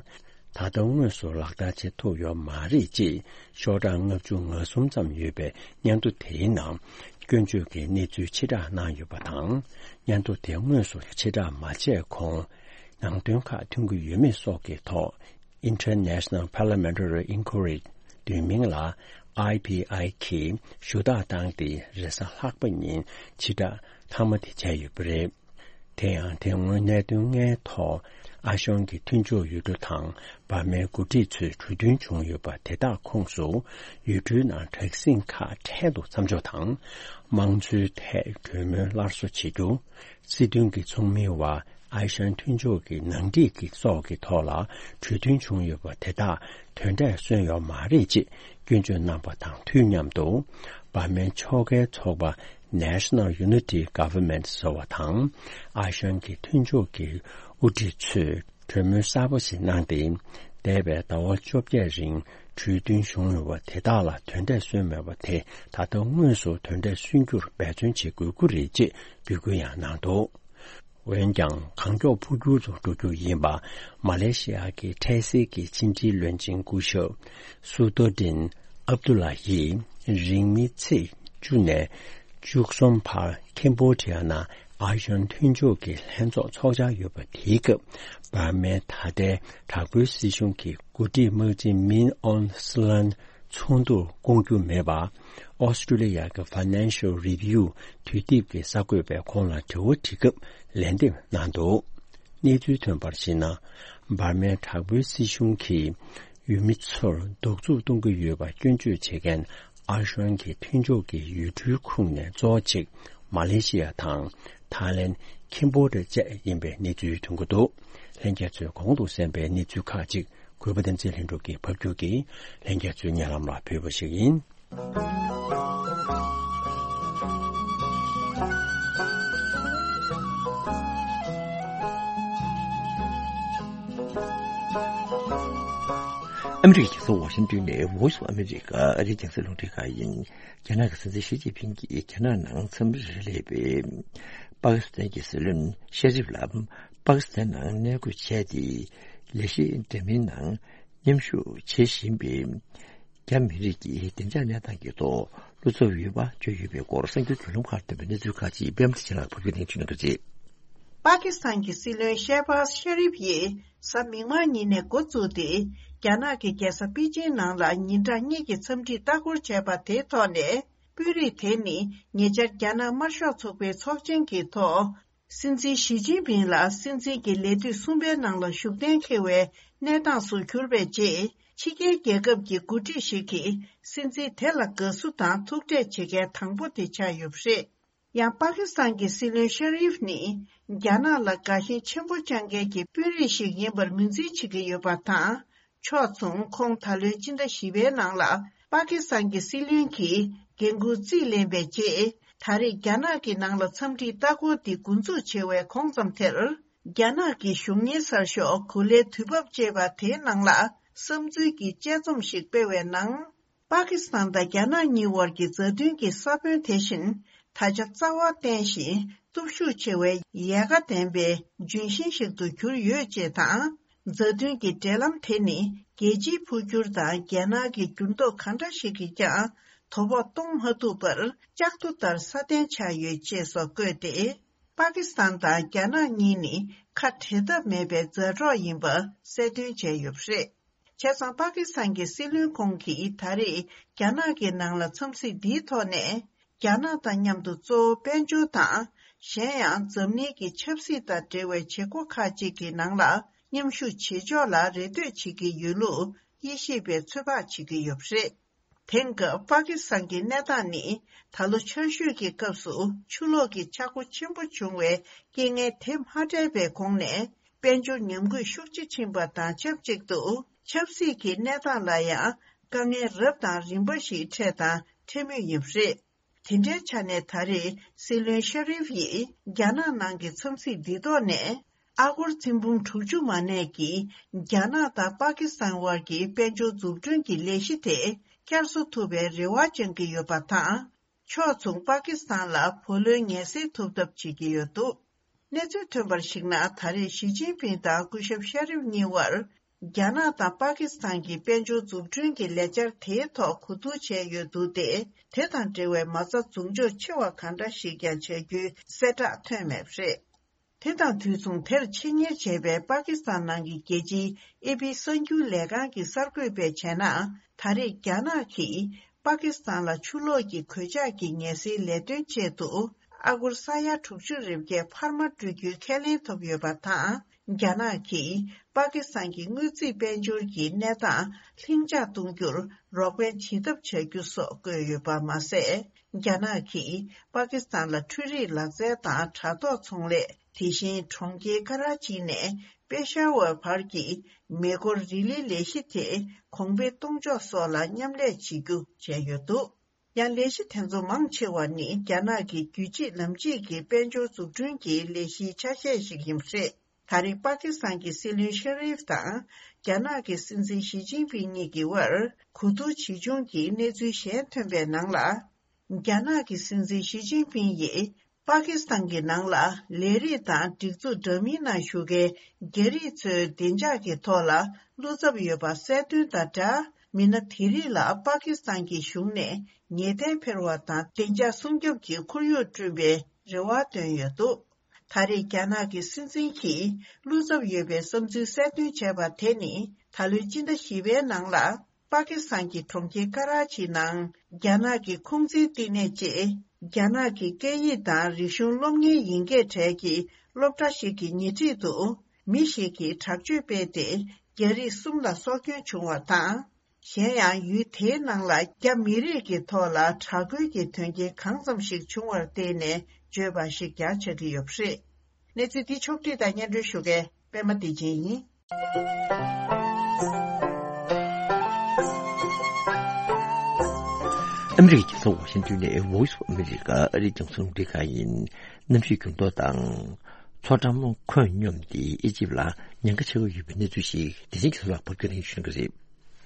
ད་ལྟ་དངོས་སུ་ལག་བསྟར་བྱེད་ཐུབ་ཡོད་མ་རེད་ཅེས་ཤོག་གྲངས་ལྔ་བཅུ་ང་གསུམ་ཙམ་ཡོད་པའི་སྙན་ཐོ་དེའི་ནང་སྐྱོན་བརྗོད་ཀྱི་གནས་ཚུལ་ཕྱིར་བསྒྲགས་གནང་ཡོད་པ་དང་། སྙན་ཐོ་དེ་དངོས་སུ་ཕྱིར་བསྒྲགས་མ་བྱས་གོང་ནང་དོན་ཁག་ཐོན་གྱི་ཡོད་མེད་སོགས་ཀྱི་ཐོག International Parliamentary Inquiry བསྡུས་མིང་ལ་ཨའི་པི་ཨའི་གིས་ཞུ་དག་བཏང་སྟེ་རེས་གཟའ་ལྷག་པ་ཉིན་ཕྱིར་བསྒྲགས་མཐའ་མ་དེ་བྱས་ཡོད་པ་རེད། དེ་ཡང་དེ་སྔོན་གནད་དོན་ལྔའི་ཐོག་ཨ་ཤོང་གི་མཐུན་ཕྱོགས་ཡུལ་གྲུ་དང་འབར་མའི་འགོ་ཁྲིད་ཚོས་གྲོས་མཐུན་བྱུང་ཡོད་པ་དེ་དག་ཁོངས་སུ་ཡུལ་གྲུའི་ནང་དྲག་ཟིང་ཁག་འཕྲལ་དུ་མཚམས་འཇོག་དང་། དམངས་གཙོའི་ཐད་གྲོས་མོལ་སླར་གསོ་བྱེད་རྒྱུ། སྲིད་དོན་གྱི་ཚོགས་མིའི་བར་ཨའི་ཤན་མཐུན་ཕྱོགས་ཀྱི་ནང་འགྲིག་གི་སོགས་ཀྱི་ཐོག་ལ་གྲོས་མཐུན་བྱུང་ཡོད་པ་དེ་དག་དོན་འབྲས་སོན་ཡོད་མ་རེད་ཅེས་སྐྱོན་བརྗོད་གནང་པ་དང་དུས་མཉམ་དུ། འབར་མའི་ཕྱོགས་འགལ་ཚོགས་པ་National Unity Government ཟེར་བ་དང་། ཨའི་ཤན་གྱི་མཐུན་ཕྱོགས་ཀྱི་དབུ་ཁྲིད་ཚོས་གྲོས་མོལ་གསར་པ་ཞིག་གནང་སྟེ། འདས་པའི་ཟླ་བ་བཅོ་བརྒྱད་རིང་གྲོས་མཐུན་བྱུང་ཡོད་པ་དེ་དག་ལ་དོན་འབྲས་སོན་མེད་པ་དེ་ད་ལྟ་དངོས་སུ་དོན་འབྲས་སོན་རྒྱུར་འབད་བརྩོན་བྱེད་དགོས་ཀྱི་རེད་ཅེས་འབོད་སྐུལ་ཡང་གནང་འདུག་འོན་ཀྱང་གང་མགྱོགས་འཕོ་འགྱུར་དུ་འགྲོ་རྒྱུ་ཡིན་པ་མ་ལེ་ཤི་ཡ་གི་འཕྲལ་སེལ་གྱི་ཕྱི་འབྲེལ་བློན་ཆེན་སྐུ་ཞབས་སུ་ཏོ་ཏིན་ཨབ་དུ་ལ་ཡིས་རིང་མིན་ཚེས་བཅུ་ནས་བཅུ་གསུམ་བར་ཁེམ་བྷོ་ཌི་ཡ་ནང་ ཨ་ཤོན་མཐུན་ཕྱོགས་ཀྱི་ལྷན་ཚོགས་ཚོགས་འཆར་ཡོད་པ་དེའི་སྐབས། འབར་མའི་ད་ལྟའི་དྲག་པོའི་སྲིད་གཞུང་གི་འགོ་ཁྲིད་དམག་སྤྱི་མིན་ཨོན་སི་ལན་ཚོགས་འདུར་བསྐོང་རྒྱུ་མེད་པར། ཨོ་སི་ཀྲུ་ལི་ཡ་གི་Financial Review དུས་དེབ་ཀྱི་གསར་འགོད་པས་ཁོང་ལ་དྲི་བ་དྲིས་སྐབས་ལན་འདེབས་གནང་འདུག་གནས་ཚུལ་ཐོན་པར་གཞིགས་ན། འབར་མའི་དྲག་པོའི་སྲིད་གཞུང་གིས་ཡུལ་མི་ཚོར་གདུག་རྩུབ་གཏོང་གི་ཡོད་པ་སྐྱོན་བརྗོད་བྱེད་མཁན་ཨ་ཤོན་གྱི་མཐུན་ཕྱོགས་ཀྱི་ཡུལ་གྲུའི་ཁོངས་ནས་གཙོ་བོ་གཅིག་མ་ལེ་ཤི་ཡ་དང་ཐའི་ལེན། ཁེམ་བྷོ་ཌི་ཡ་བཅས་ཡིན་པའི་གནས་ཚུལ་ཐོན་གྱི་འདུག་ལྷན་རྒྱས་ཚོས་གོང་དུ་གསན་པའི་གནས་ཚུལ་ཁག་ཅིག་གུས་པ་བསྟན་འཛིན་ལྷུན་གྲུབ་ཀྱིས་ཕབ་སྒྱུར་གྱིས་ལྷན་རྒྱས་ཚོའི་སྙན་ལམ་ལ་ཕུལ་བ་ཞིག་ཡིན། ཨ་མི་རི་ཀའི་རྒྱལ་ས་ཝ་ཤིང་ཏོན་ནས་Voice of America ཨ་རིའི་རྒྱང་སྲིང་རླུང་འཕྲིན་ཁང་ཡིན། རྒྱ་ནག་གི་སྲིད་འཛིན་ཞི་ཅིན་ཕིང་གིས་རྒྱ་ནག་ནང་འཚམས་འདྲིར་སླེབས་པའི་པ་ཀི་སི་ཐན་གྱི་སྲིད་བློན་ཤ་རིབ་ལ་པ་ཀི་སི་ཐན་ནང་གནས་སྐོས་བྱས་ཏེ། ལས་གཞི་འདྲ་མིན་ནང་མཉམ་ཞུགས་བྱེད་བཞིན་པའི་རྒྱ་མི་རིགས་ཀྱི་བདེ་འཇགས་གནས་སྟངས་ཀྱི་ཐོག་བློ་འཚབ་ཡོད་པ་བརྗོད་ཡོད་པའི་སྐོར་གསར་འགྱུར་བརྒྱུད་ལམ་ཁག་ཐོན་པའི་གནས་ཚུལ་ཁག་ཅིག་པད་མ་བདེ་ཆེན་ལགས་ཕབ་སྒྱུར་ནས་བསྡུས་གནང་གི་རེད། པ་ཀི་སི་ཐན་གྱི་སྲིད་བློན་ཤེ་བྷ་ཟ་ཤ་རིབ་ཡིས་གཟའ་མིག་དམར་ཉིན་ནས་འགོ་བཙུགས་ཏེ། རྒྱ་ནག་གི་རྒྱལ་ས་པེ་ཅིང་ནང་ལ་ཉིན་གྲངས་གཉིས་ཀྱི་འཚམས་འདྲིའི་ལྟ་སྐོར་བྱས་པ་དེའི་ཐོག་ནས། དཔོན་རིགས་དེ་ནི་ཉེ་ཆར་རྒྱ་ནག་དམར་ཤོག་ཚོགས་པའི་ཚོགས་ཆེན་གྱི་ཐོག་སྲིད་འཛིན་ཞི་ཅིན་ཕིང་ལ་སྲིད་འཛིན་གྱི་ལས་དུས་གསུམ་པའི་ནང་ལ་བཞུགས་གཏན་འཁེལ་བའི་གནས་སྟངས་སུ་གྱུར་པའི་རྗེས། ཕྱི་རྒྱལ་རྒྱལ་ཁབ་ཀྱི་འགོ་ཁྲིད་ཞིག་གིས་སྲིད་འཛིན་དེ་ལ་དགའ་བསུ་དང་ཐུག་འཕྲད་བྱེད་མཁན་དང་པོ་དེ་ཆགས་ཡོད་པ་རེད། ཡང་པ་ཀི་སི་ཐན་གྱི་སྲིད་བློན་ཤ་རིབ་ནི་རྒྱ་ནག་ལ་དགའ་ཞེན་ཆེན་པོ་བཅངས་མཁན་གྱི་དཔོན་རིགས་ཤིག་ཡིན་པར་ངོས་འཛིན་བྱེད་ཀྱི་ཡོད་པ་དང་། ཕྱོགས་མཚུངས། ཁོང་ད་ལོའི་སྤྱི་ཟླ་བཞི་པའི་ནང་ལ་པ་ཀི་སི་ཐན་གྱི་སྲིད་བློན་གྱི་འགན་འཁུར་རྩིས་ལེན་པའི་རྗེས། ད་རེས་རྒྱ་ནག་གི་ནང་ལ་འཚམས་འདྲིའི་ལྟ་སྐོར་འདི་འགོ་འཛུགས་བྱེད་པའི་གོང་ཙམ་དེར། རྒྱ་ནག་གི་གཞུང་གཉེར་གསར་ཤོག་གོ་ལའི་དུས་བབ་ཅེས་པ་དེའི་ནང་ལ་བསམ་ཚུལ་གྱི་དཔྱད་རྩོམ་ཞིག་སྤེལ་བའི་ནང་། པ་ཀི་སི་ཐན་དང་རྒྱ་ནག་གཉིས་དབར་གྱི་མཛའ་མཐུན་གྱི་ས་བོན་དེ་བཞིན་ད་ཆ་རྩ་བ་བརྟན་ཞིང་སྟོབས་ཤུགས་ཆེ་བའི་ཡལ་ག་ལྡན་པའི་ལྗོན་ཤིང་ཞིག་ཏུ་གྱུར་ཡོད་ཅེས་དང་། མཛའ་མཐུན་གྱི་འབྲེལ་ལམ་དེ་ནི་རྒྱལ་སྤྱིའི་འཕོ་འགྱུར་དང་རྒྱ་ནག་གི་འགྱུར་ལྡོག་གང་འདྲ་ཞིག་གིས་ཀྱང་དོ་ཕོག་གཏོང་མ་ཐུབ་པར་ལྕགས་རྡོ་ལྟར་སྲ་བརྟན་ཆགས་ཡོད་ཅེས་སོགས་བཀོད་དེ། པ་ཀི་སི་ཐན་དང་རྒྱ་ནག་གཉིས་ནི་ཁ་བྲལ་ཐབས་མེད་པའི་མཛའ་གྲོགས་ཡིན་པ་གསལ་སྟོན་བྱས་ཡོད་པ་རེད། བྱས་ཙང་པ་ཀི་སི་ཐན་གྱི་སྲིད་བློན་ཁོང་གིས་ད་རེས་རྒྱ་ནག་གི་ནང་ལ་འཚམས་གཟིགས་འདིའི་ཐོག་ནས། རྒྱ་ནག་དང་མཉམ་དུ་གཙོ་བོ་དཔལ་འབྱོར་དང་། གཞན་ཡང་འཛམ་གླིང་གི་ཆབ་སྲིད་དང་འབྲེལ་བའི་བྱེད་སྒོ་ཁག་ཅིག་གི་ནང་ལ་མཉམ་ཞུགས་བྱེད་ཕྱོགས་ལ་རེ་ལྟོས་བྱེད་ཀྱི་ཡོད་ལུགས་དབྱེ་ཞིབ་པས་ཚོད་དཔག་བྱེད་ཀྱི་ཡོད་པ་རེད། དེང་སྐབས་པ་ཀི་སི་ཐན་གྱི་གནས་སྟངས་ནི་ད་ལོ་ཆར་ཞོད་ཀྱི་སྐབས་སུ་ཆུ་ལོག་གི་ཆག་སྒོ་ཆེན་པོ་བྱུང་བའི་རྐྱེན་ངན་དེ་མ་འཕྲད་པའི་གོང་ནས། དཔལ་འབྱོར་ཉམས་རྒུད་ཤུགས་ཆེ་ཕྱིན་པ་དང་ཆབས་ཅིག་ཏུ། ཆབ་སྲིད་ཀྱི་གནས་སྟངས་ལ་ཡང་དཀའ་ངལ་རབ་དང་རིམ་པ་ཞིག་འཕྲད་དང་འཕྲད་མུས་ཡིན་པ་རེད། དེ་འདྲའི་ཆ་ནས་ད་རེས་སྲིད་བློན་ཤ་རིབ་ཡིས་རྒྱ་ནག་ནང་གི་འཚམས་གཟིགས་འདི་ཐོག་ནས། ཨ་སྒོར་ཐེར་འབུམ་དྲུག་ཅུ་མ་གནས་ཀྱིས་རྒྱ་ནག་དང་པ་ཀི་སི་ཐན་དབར་གྱི་དཔལ་འབྱོར་འཛུགས་སྐྲུན་གྱི་ལས་གཞི་དེ་བསྐྱར་གསོ་ཐུབ་པའི་རེ་བ་བཅངས་ཀྱི་ཡོད་པ་དང་། ཕྱོགས་མཚུངས་པ་ཀི་སི་ཐན་ལ་བུ་ལོན་ངེས་སེལ་ཐུབ་ཐབས་བྱེད་ཀྱི་ཡོད་འདུག་གནས་ཚུལ་ཐོན་པར་གཞིགས་ན། ད་རེས་ཞི་ཅིན་ཕིང་དང་སྐུ་ཞབས་ཤ་རིབ་གཉིས་དབར། རྒྱ་ནག་དང་པ་ཀི་སི་ཐན་གྱི་དཔལ་འབྱོར་འཛུགས་སྐྲུན་གྱི་ལས་འཆར་དེའི་ཐོག་གོ་བསྡུར་བྱས་ཡོད་འདུག་སྟེ། དེ་དང་འབྲེལ་བའི་མ་རྩ་འཛུགས་འཇོག་ཆེ་བ་གང་འདྲ་ཞིག་ཀྱང་བྱ་རྒྱུའི་གསལ་བསྒྲགས་ཐོན་མེད་པ་རེད། དེ་དང་དུས་མཚུངས། དེར་ཆེད་གཉེར་བྱས་པའི་པ་ཀི་སི་ཐན་ནང་གི་རྒྱལ་སྤྱིའི་ཨེ་པི་གསར་འགྱུར་ལས་ཁང་གི་གསར་འགོད་པས་བྱས་ན། ད་རེས་རྒྱ་ནག་གིས་པ་ཀི་སི་ཐན་ལ་ཆུ་ལོག་གི་གོད་ཆག་གི་ངལ་སེལ་ལས་དོན་ཆེད་དུ་ཨ་སྒོར་ས་ཡ་དྲུག་ཅུ་རེ་བརྒྱད་འཕར་མ་སྤྲོད་རྒྱུའི་ཁས་ལེན་ཐོབ་ཡོད་པ་དང་། རྒྱ་ནག་གིས་པ་ཀི་སི་ཐན་གྱི་དངུལ་རྩིས་དཔལ་འབྱོར་གྱི་གནས་སྟངས་ལྷིང་འཇགས་གཏོང་རྒྱུར་རོགས་ཕན་བྱེད་ཐབས་བྱ་རྒྱུ་སོགས་བཀོད་ཡོད་པ་མ་ཟད། རྒྱ་ནག་གིས་པ་ཀི་སི་ཐན་ལ་འཕྲུལ་རིག་ལག་རྩལ་དང་དྲ་ཐོག་ཚོང་ལས། དེ་བཞིན་གྲོང་ཁྱེར་ཀ་ར་ཅི་ནས་པེ་ཤ་ཝར་བར་གྱི་མེ་འཁོར་རི་ལི་ལས་གཞི་དེ་གོང་འཕེལ་གཏོང་ཕྱོགས་སོགས་ལ་མཉམ་ལས་བྱེད་རྒྱུ་བྱས་ཡོད་འདུག་ཡང་ལས་གཞི་དེ་ཚོ་མང་ཆེ་བ་ནི་རྒྱ་ནག་གི་རྒྱུད་གཅིག་ལམ་གཅིག་གི་དཔལ་འབྱོར་འཛུགས་སྐྲུན་གྱི་ལས་གཞིའི་ཆ་ཤས་ཤིག་ཡིན་པ་རེད། ད་རེས་པ་ཀི་སི་ཐན་གྱི་སྲིད་བློན་ཤ་རིབ་དང་རྒྱ་ནག་གི་སྲིད་འཛིན་ཞི་ཅིན་ཕིང་གཉིས་ཀྱི་དབར་གོ་བསྡུར་ཇི་བྱུང་གི་གནས་ཚུལ་གཞན་ཐོན་པའི་ནང་ལ། རྒྱ་ནག་གི་སྲིད་འཛིན་ཞི་ཅིན་ཕིང་ཡིས་པ་ཀི་སི་ཐན་གྱི་ནང་ལ་ལས་རིགས་དང་སྒྲིག་འཛུགས་འདྲ་མིན་ནང་ཞུགས་མཁན་རྒྱ་རིགས་ཚོའི་བདེ་འཇགས་ཀྱི་ཐོག་ལ་བློ་འཚབ་ཡོད་པ་གསལ་སྟོན་དང་སྦྲགས། མི་སྣ་དེ་རིགས་ལ་པ་ཀི་སི་ཐན་གྱི་གཞུང་ནས་ཉེས་དོན་འཕེར་བ་དང་བདེ་འཇགས་སྲུང་སྐྱོབ་ཀྱི་ཁོར་ཡུག་བསྐྲུན་པའི་ རེ་བ་བཏོན་ཡོད་འདུག་ད་རེས་རྒྱ་ནག་གི་སྲིད་འཛིན་གྱིས་བློ་འཚབ་ཡོད་པའི་བསམ་ཚུལ་གསལ་སྟོན་བྱས་པ་དེ་ནི། ད་ལོའི་སྤྱི་ཟླ་བཞི་པའི་ནང་ལ། པ་ཀི་སི་ཐན་གྱི་གྲོང་ཁྱེར་ཀ་ར་ཆི་ནང་རྒྱ་ནག་གི་ཁུང་ཙི་བསྟི་གནས་ཅེས། རྒྱ་ནག་གི་སྐད་ཡིག་དང་རིག་གཞུང་སློབ་གཉེར་ཡིན་སྐད་གྲས་ཀྱི་སློབ་གྲྭ་ཞིག་གི་ཉེ་འཁྲིས་དུ། མི་ཞིག་གིས་དྲག་སྤྱོད་སྤེལ་ཏེ། རྒྱ་རིགས་གསུམ་ལ་སྲོག་སྐྱོན་བྱུང་བ་དང་། གཞན་ཡང་། ཡུལ་དེའི་ནང་ལ་རྒྱ་མི་རིགས་ཀྱི་ཐོག་ལ་དྲག་རྒོལ་གྱི་དོན་རྐྱེན་གང་ཙམ་ཞིག་བྱུང་བར་བརྟེན་ནས་བརྗོད་པ་ཞིག་ཀྱང་ཆགས་ཀྱི་ཡོད་པ་རེད། གནས་ཚུལ་འདི་ཕྱོགས་བསྒྲིགས་དང་སྙན་སྒྲོན་ཞུ་མཁན་པད་མ་བདེ་ཆེན་ཡིན། ཨ་མི་རི་ཀའི་རྒྱལ་ས་ཝ་ཤིང་ཏོན་ནས་Voice of America ཨ་རིའི་རྒྱང་སྲིང་རླུང་འཕྲིན་ཁང་ཡིན། གནམ་གཤིས་འགྱུར་ལྡོག་དང་། མཚོ་འགྲམ་ཁོད་སྙོམས་ཏེ་ཨེ་ཅིབ་ལ་ཉེན་ཁ་ཆེ་བ་ཡོད་པའི་གནས་ཚུལ་ཞིག་བདེ་ཆེན་རྒྱ་མཚོ་ལགས་ཕབ་སྒྱུར་ཞུ་གནང་གི་རེད།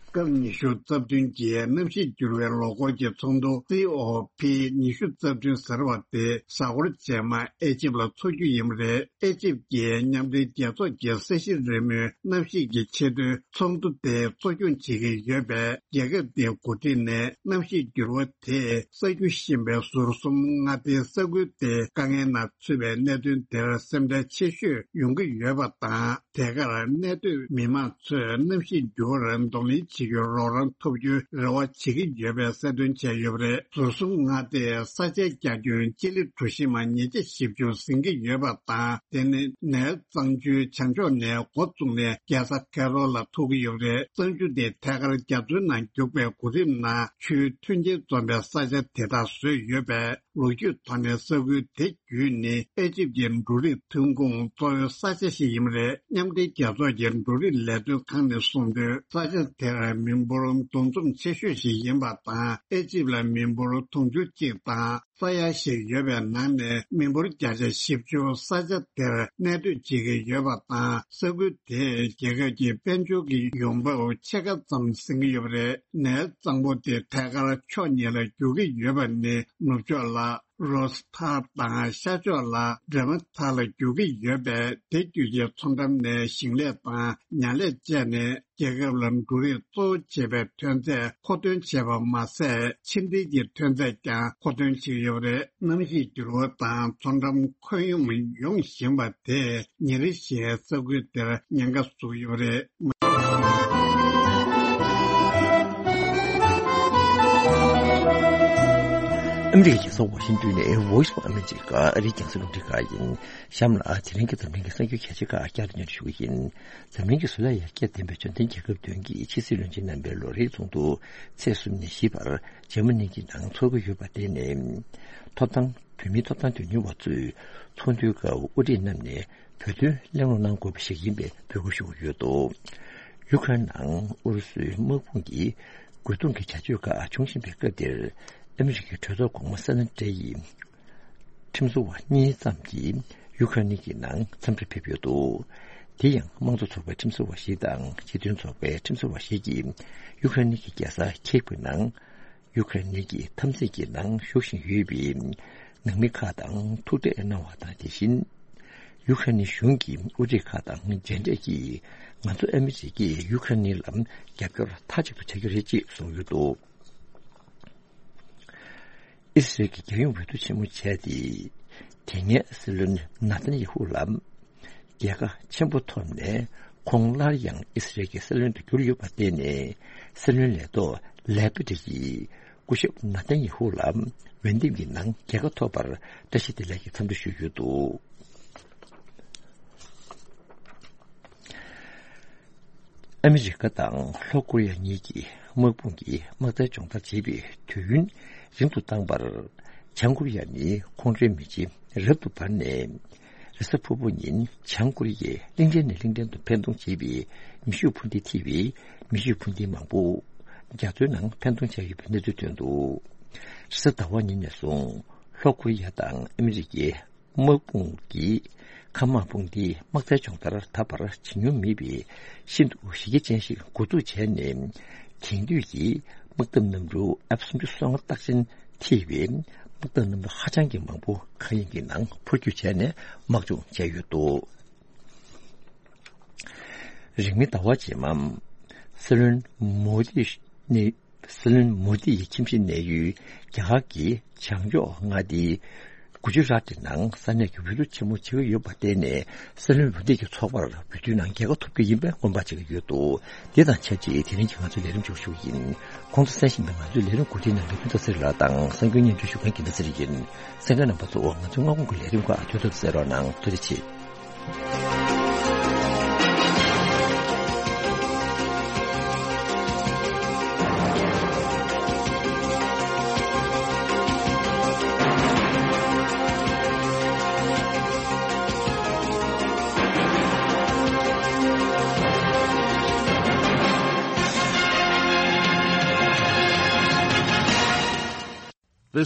སྐབས་ཉི་ཤུ་རྩ་བདུན་གྱི་གནམ་གཤིས་འགྱུར་བའི་ལོ་འཁོར་གྱི་ཚོགས་འདུ་སི་ཨོ་ཕི་ཉི་ཤུ་རྩ་བདུན་ཟེར་བ་དེ་གཟའ་འཁོར་རྗེས་མ་ཨེ་ཅིབ་ལ་འཚོགས་རྒྱུ་ཡིན་པ་རེད། ཨེ་ཅིབ་ཀྱི་མཉམ་འབྲེལ་རྒྱལ་ཚོགས་ཀྱི་ས་གཞི་རི་མོའི་གནམ་གཤིས་ཀྱི་ཆེས་མཐོའི་ཚོགས་འདུ་དེ་གཙོ་སྐྱོང་བྱེད་ཀྱི་ཡོད་པས། རྒྱལ་ཁབ་དེའི་འགོ་ཁྲིད་ནས་གནམ་གཤིས་འགྱུར་བ་དེས་གསར་འགྱུར་བཞིན་པའི་ཟུར་གསུམ་མངའ་སྡེའི་ས་ཁུལ་དེ་དཀའ་ངལ་ནང་ཚུད་པའི་གནད་དོན་དེར་སེམས་ཁྲལ་ཆེ་ཤོས་ཡོང་གི་ཡོད་པ་དང་། དེ་གར་གནས་སྡོད་མི་མང་ཚོས་གནམ་གཤིས་འགྱུར་བར་གདོང་ལེན་བྱེད་རྒྱུའི་རོགས་རམ་ཐོབ་རྒྱུའི་རེ་བ་བྱེད་ཀྱི་ཡོད་པའི་གསལ་སྟོན་བྱས་ཡོད་པ་རེད། ཟུར་གསུམ་མངའ་སྡེའི་ས་ཆའི་རྒྱ་ཁྱོན་ཅི་ལི་གྲུ་བཞི་མ་ཉིས་བརྒྱ་བཞི་བཅུ་ཟིན་གྱི་ཡོད་པ་དང་། དེ་ནི་ནེལ་གཙང་ཆུའི་བྱང་ཕྱོགས་ནས་འགོ་བཙུགས་ནས་རྒྱལ་ས་ཁེ་རོ་ལ་ཐུག་གི་ཡོད་པ་རེད། གཙང་ཆུ་དེ་ཐད་ཀར་རྒྱ་མཚོའི་ནང་རྒྱུག་པའི་གོ་རིམ་ནང་ཆུའི་མཐུན་རྐྱེན་འཛོམས་པའི་ས་ཆ་དེ་དག་བཟོས་ཡོད་པས། ལོ་རྒྱུས་ཐོག་ནས་ས་ཁུལ་དེ་བརྒྱུད་ནི་ཨེ་ཅིབ་ཀྱི་འབྲུ་རིགས་ཐོན་ཁུངས་གཙོ་བོའི་ས་ཆ་ཞིག་ཡིན་པ་རེད། མཉམ་འབྲེལ་རྒྱལ་ཚོགས་ཀྱི་འབྲུ་རིགས་ལས་དོན་ཁང་ནས་གསུངས་དོན། ས་ཆ་དེར་མི་འབོར་འདུ་འཛོམས་ཆེ་ཤོས་ཤིག་ཡིན་པ་དང་། ཨེ་ཅིབ་ལ་མི་འབོར་དུང་ཕྱུར་གཅིག་དང་ས་ཡ་ཞིག་ཡོད་པའི་ནང་ནས་མི་འབོར་བརྒྱ་ཆ་བཞི་བཅུ་ས་ཆ་དེར་གནས་སྡོད་བྱེད་ཀྱི་ཡོད་པ་དང་། ས་ཁུལ་དེས་རྒྱལ་ཁབ་ཀྱི་དཔལ་འབྱོར་གྱི་ཡོང་འབབ་ཕྱེད་ཀ་ཙམ་ཟིན་གྱི་ཡོད་པ་རེད། ནེལ་གཙང་པོ་དེ་ཐད་ཀར་ཕྱོགས་གཉིས་ལ་རྒྱུག་གི་ཡོད་པ་ནི། ནུབ་ཕྱོགས་ལ་རོས་ཐར་དང་ཤར་ཕྱོགས་ལ་འབྲེ་མ་ཐར་ལ་རྒྱུག་གི་ཡོད་པས། དེ་བརྒྱུད་ཀྱི་མཚོ་འགྲམ་ནས་ཞིང་ལས་དང་ཉ་ལས་བཅས་ནས་རྒྱལ་ཁབ་ལ་འབྲུ་རིགས་གཙོ་བོ་བྱེད་པའི་ཐོན་རྫས་མཁོ་འདོན་བྱས་པ་མ་ཟད། ཕྱི་འབྲེལ་གྱི་ཐོན་རྫས་ཀྱང་མཁོ་འདོན་བྱེད་ཀྱི་ཡོད་པ་རེད། གནམ་གཤིས་འགྱུར་བ་དང་མཚོ་འགྲམ་ཁོད་སྙོམས་ཡོང་བཞིན་པ་དེས་ཉིན་རེ་བཞིན་ས་ཁུལ་དེར་ཉེན་ཁ་བཟོ་གི་ཡོད་པ་རེད། ཨ་མི་རི་ཀའི་རྒྱལ་ས་ཝ་ཤིང་ཏོན་ནས་Voice of America ཨ་རིའི་རྒྱང་སྲིང་རླུང་འཕྲིན་ཁང་ཡིན། གཤམ་ལ་དེ་རིང་གི་འཛམ་གླིང་གི་གསར་འགྱུར་གལ་ཆེ་ཁག་བསྐྱར་དུ་སྙན་སྒྲོན་ཞུ་གི་ཡིན། འཛམ་གླིང་གི་བཟོ་ལས་ཡར་རྒྱས་ལྡན་པའི་འབྱོར་ལྡན་རྒྱལ་ཁབ་བདུན་གྱི་ཕྱི་སྲིད་བློན་ཆེན་རྣམ་པའི་ལོ་རེའི་ཚོགས་འདུ་ཚེས་གསུམ་ནས་བཞི་བར་འཇར་མ་ནི་གི་ནང་འཚོགས་ཀྱི་ཡོད་པ། དེ་ནི་ཐོབ་ཐང་། བོད་མིའི་ཐོབ་ཐང་དོན་གཉེར་བ་ཚོས་ཚོགས་འདུའི་སྐབས་དབུ་ཁྲིད་རྣམས་ནས་བོད་དོན་གླེང་སློང་གནང་དགོས་པ་ཞིག་ཡིན་པའི་འབོད་སྐུལ་ཞུ་གི་ཡོད་འདུག་ཡུ་ཁ་རེན་ནང་ཨུ་རུ་སུའི་དམག་དཔུང་གིས་རྒོལ་རྡུང་གི་བྱ་སྤྱོད་ཁག་འབྱུང་བཞིན་པའི་སྐབས་འདིར། ཨ་མི་རི་ཀའི་གྲོས་ཚོགས་གོང་མ་སེ་ན་ཏྲེ་ཡི་ཁྲིམས་བཟོ་བ་གཉིས་ཙམ་གྱིས་ཡུ་ཁ་རེན་གྱི་ནང་འཚམས་འདྲིར་ཕེབས་ཡོད་འདུག་དེ་ཡང་དམངས་གཙོ་ཚོགས་པའི་ཁྲིམས་བཟོ་བ་ཞིག་དང་སྤྱི་མཐུན་ཚོགས་པའི་ཁྲིམས་བཟོ་བ་ཞིག་གིས་ཡུ་ཁ་རེན་གྱི་རྒྱལ་ས་ཁིབ་ཀྱི་ནང་། ཡུ་ཁ་རེན་གྱི་འཐབ་འཛིང་གི་ནང་ཞུགས་བཞིན་ཡོད་པའི་ནང་མི་ཁག་དང་ཐུག་འཕྲད་གནང་བ་དང་། དེ་བཞིན་ཡུ་ཁ་རེན་གཞུང་གི་དབུ་ཁྲིད་ཁག་དང་མཇལ་འཕྲད་ཀྱིས། ང་ཚོ་ཨ་མི་རི་ཀས་ཡུ་ཁ་རེན་ལ་རྒྱབ་སྐྱོར་མཐའ་གཅིག་ཏུ་བྱ་རྒྱུ་རེད་ཅེས་གསུངས་ཡོད་འདུག་ཨི་སི་རལ་གྱི་རྒྱལ་ཡོངས་འོས་བསྡུ་ཆེན་མོ་བྱས་ཏེ། དེ་སྔའི་སྲིད་བློན་ནཱ་ཐན་ཡེ་ཧུ་ལ་རྒྱལ་ཁ་ཆེན་པོ་ཐོབ་ནས། ཁོང་སླར་ཡང་ཨི་སི་རལ་གྱི་སྲིད་བློན་དུ་གྱུར་ཡོད་པར་བརྟེན་ནས། སྲིད་བློན་ལས་ཐོག་ལེ་པི་ཏྲི་ཡིས་སྐུ་ཞབས་ནཱ་ཐན་ཡེ་ཧུ་ལ་འོས་འདེམས་ཀྱི་ནང་རྒྱལ་ཁ་ཐོབ་པར་བཀྲ་ཤིས་བདེ་ལེགས་ཀྱི་འཚམས་འདྲི་ཞུས་ཡོད་འདུག་ཨ་མི་རི་ཀ་དང་ལྷོ་ཀོ་རི་ཡ་གཉིས་ཀྱི་དམག་དཔུང་གིས་དམག་རྩལ་སྦྱོང་བརྡར་བྱེད་པའི་དུས་ཡུན་རིང་དུ་བཏང་བར། བྱང་ཀོ་རི་ཡ་ནི་ཁོང་ཁྲོའི་མེ་ལྕེ་རབ་ཏུ་འབར་ནས། རེས་གཟའ་ཕུར་བུ་ཉིན་བྱང་ཀོ་རི་ཡས་གླིང་ཕྲན་ནས་གླིང་ཕྲན་དུ་འཕེན་གཏོང་བྱས་པའི་མེ་ཤུགས་འཕུར་མདེལ་ཐེ་བའི་མེ་ཤུགས་འཕུར་མདེལ་མང་པོ་རྒྱ་མཚོའི་ནང་འཕེན་གཏོང་བྱས་ཡོད་པའི་གནས་ཚུལ་ཐོན་འདུག་རེས་གཟའ་ཟླ་བ་ཉིན་ནས་བཟུང་ལྷོ་ཀོ་རི་ཡ་དང་ཨ་མི་རི་ཀའི་དམག་དཔུང་གིས་མཁའ་དམག་དཔུང་སྡེའི་དམག་རྩལ་སྦྱོང་བརྡར་ད་བར་བྱེད་མྱོང་མེད་པའི་ཤིན་ཏུ་གཞི་རྒྱ་ཅན་ཞིག་འགོ་འཛུགས་བྱས་ནས། དེང་དུས་ཀྱི་དམག་འཐབ་གནམ་གྲུ་ཨེཕ་སུམ་ཅུ་སོ་ལྔ་རྟགས་ཅན་ཐེ་བའི་དམག་འཐབ་གནམ་གྲུ་ཧ་ཅང་གི་མང་པོ་མཁའ་དབྱིངས་ཀྱི་ནང་འཕུར་སྐྱོད་བྱས་ནས་དམག་སྦྱོང་བྱས་ཡོད་འདུག་རིང་མིན་ཟླ་བ་རྗེས་མ་སྲིད་བློན་མོ་དི་ནས། སྲིད་བློན་མོ་དི་ཡི་ཁྱིམ་གཞིས་གནས་ཡུལ་རྒྱ་གར་གྱི་བྱང་ཕྱོགས་མངའ་སྡེའི་ གུ་ཇི་རཱཏ་ནང་ས་གནས་ཀྱི་འོས་བསྡུ་ཆེན་མོ་བྱེད་ཀྱི་ཡོད་པར་བརྟེན་ནས། སྲིད་བློན་འོས་བསྡུ་གི་ཚོགས་པར་འོས་བསྡུའི་ནང་རྒྱལ་ཁ་ཐོབ་རྒྱུ་ཡིན་པའི་སྔོན་དཔག་བྱེད་ཀྱི་ཡོད་འདུག་དེ་དང་ཆབས་ཅིག་དེ་རིང་གི་ང་ཚོའི་ལས་རིམ་མཇུག་ཞུ་ཡིན། གོང་དུ་གསན་བཞིན་པའི་ང་ཚོའི་ལས་རིམ་གོ་སྒྲིག་གནང་མཁན་ཀུན་བཟང་ཚེ་རིང་ལགས་དང་གསར་འགྱུར་སྙན་སྒྲོན་ཞུ་མཁན་དགེ་འདུན་ཚེ་རིང་ཡིན། གསན་མཁན་རྣམ་པ་ཚོ་ང་ཚོའི་སྔ་དགོང་གི་ལས་རིམ་ཁག་ཐུགས་ཚོད་གསན་རོགས་གནང་། ཐུགས་རྗེ་ཆེ།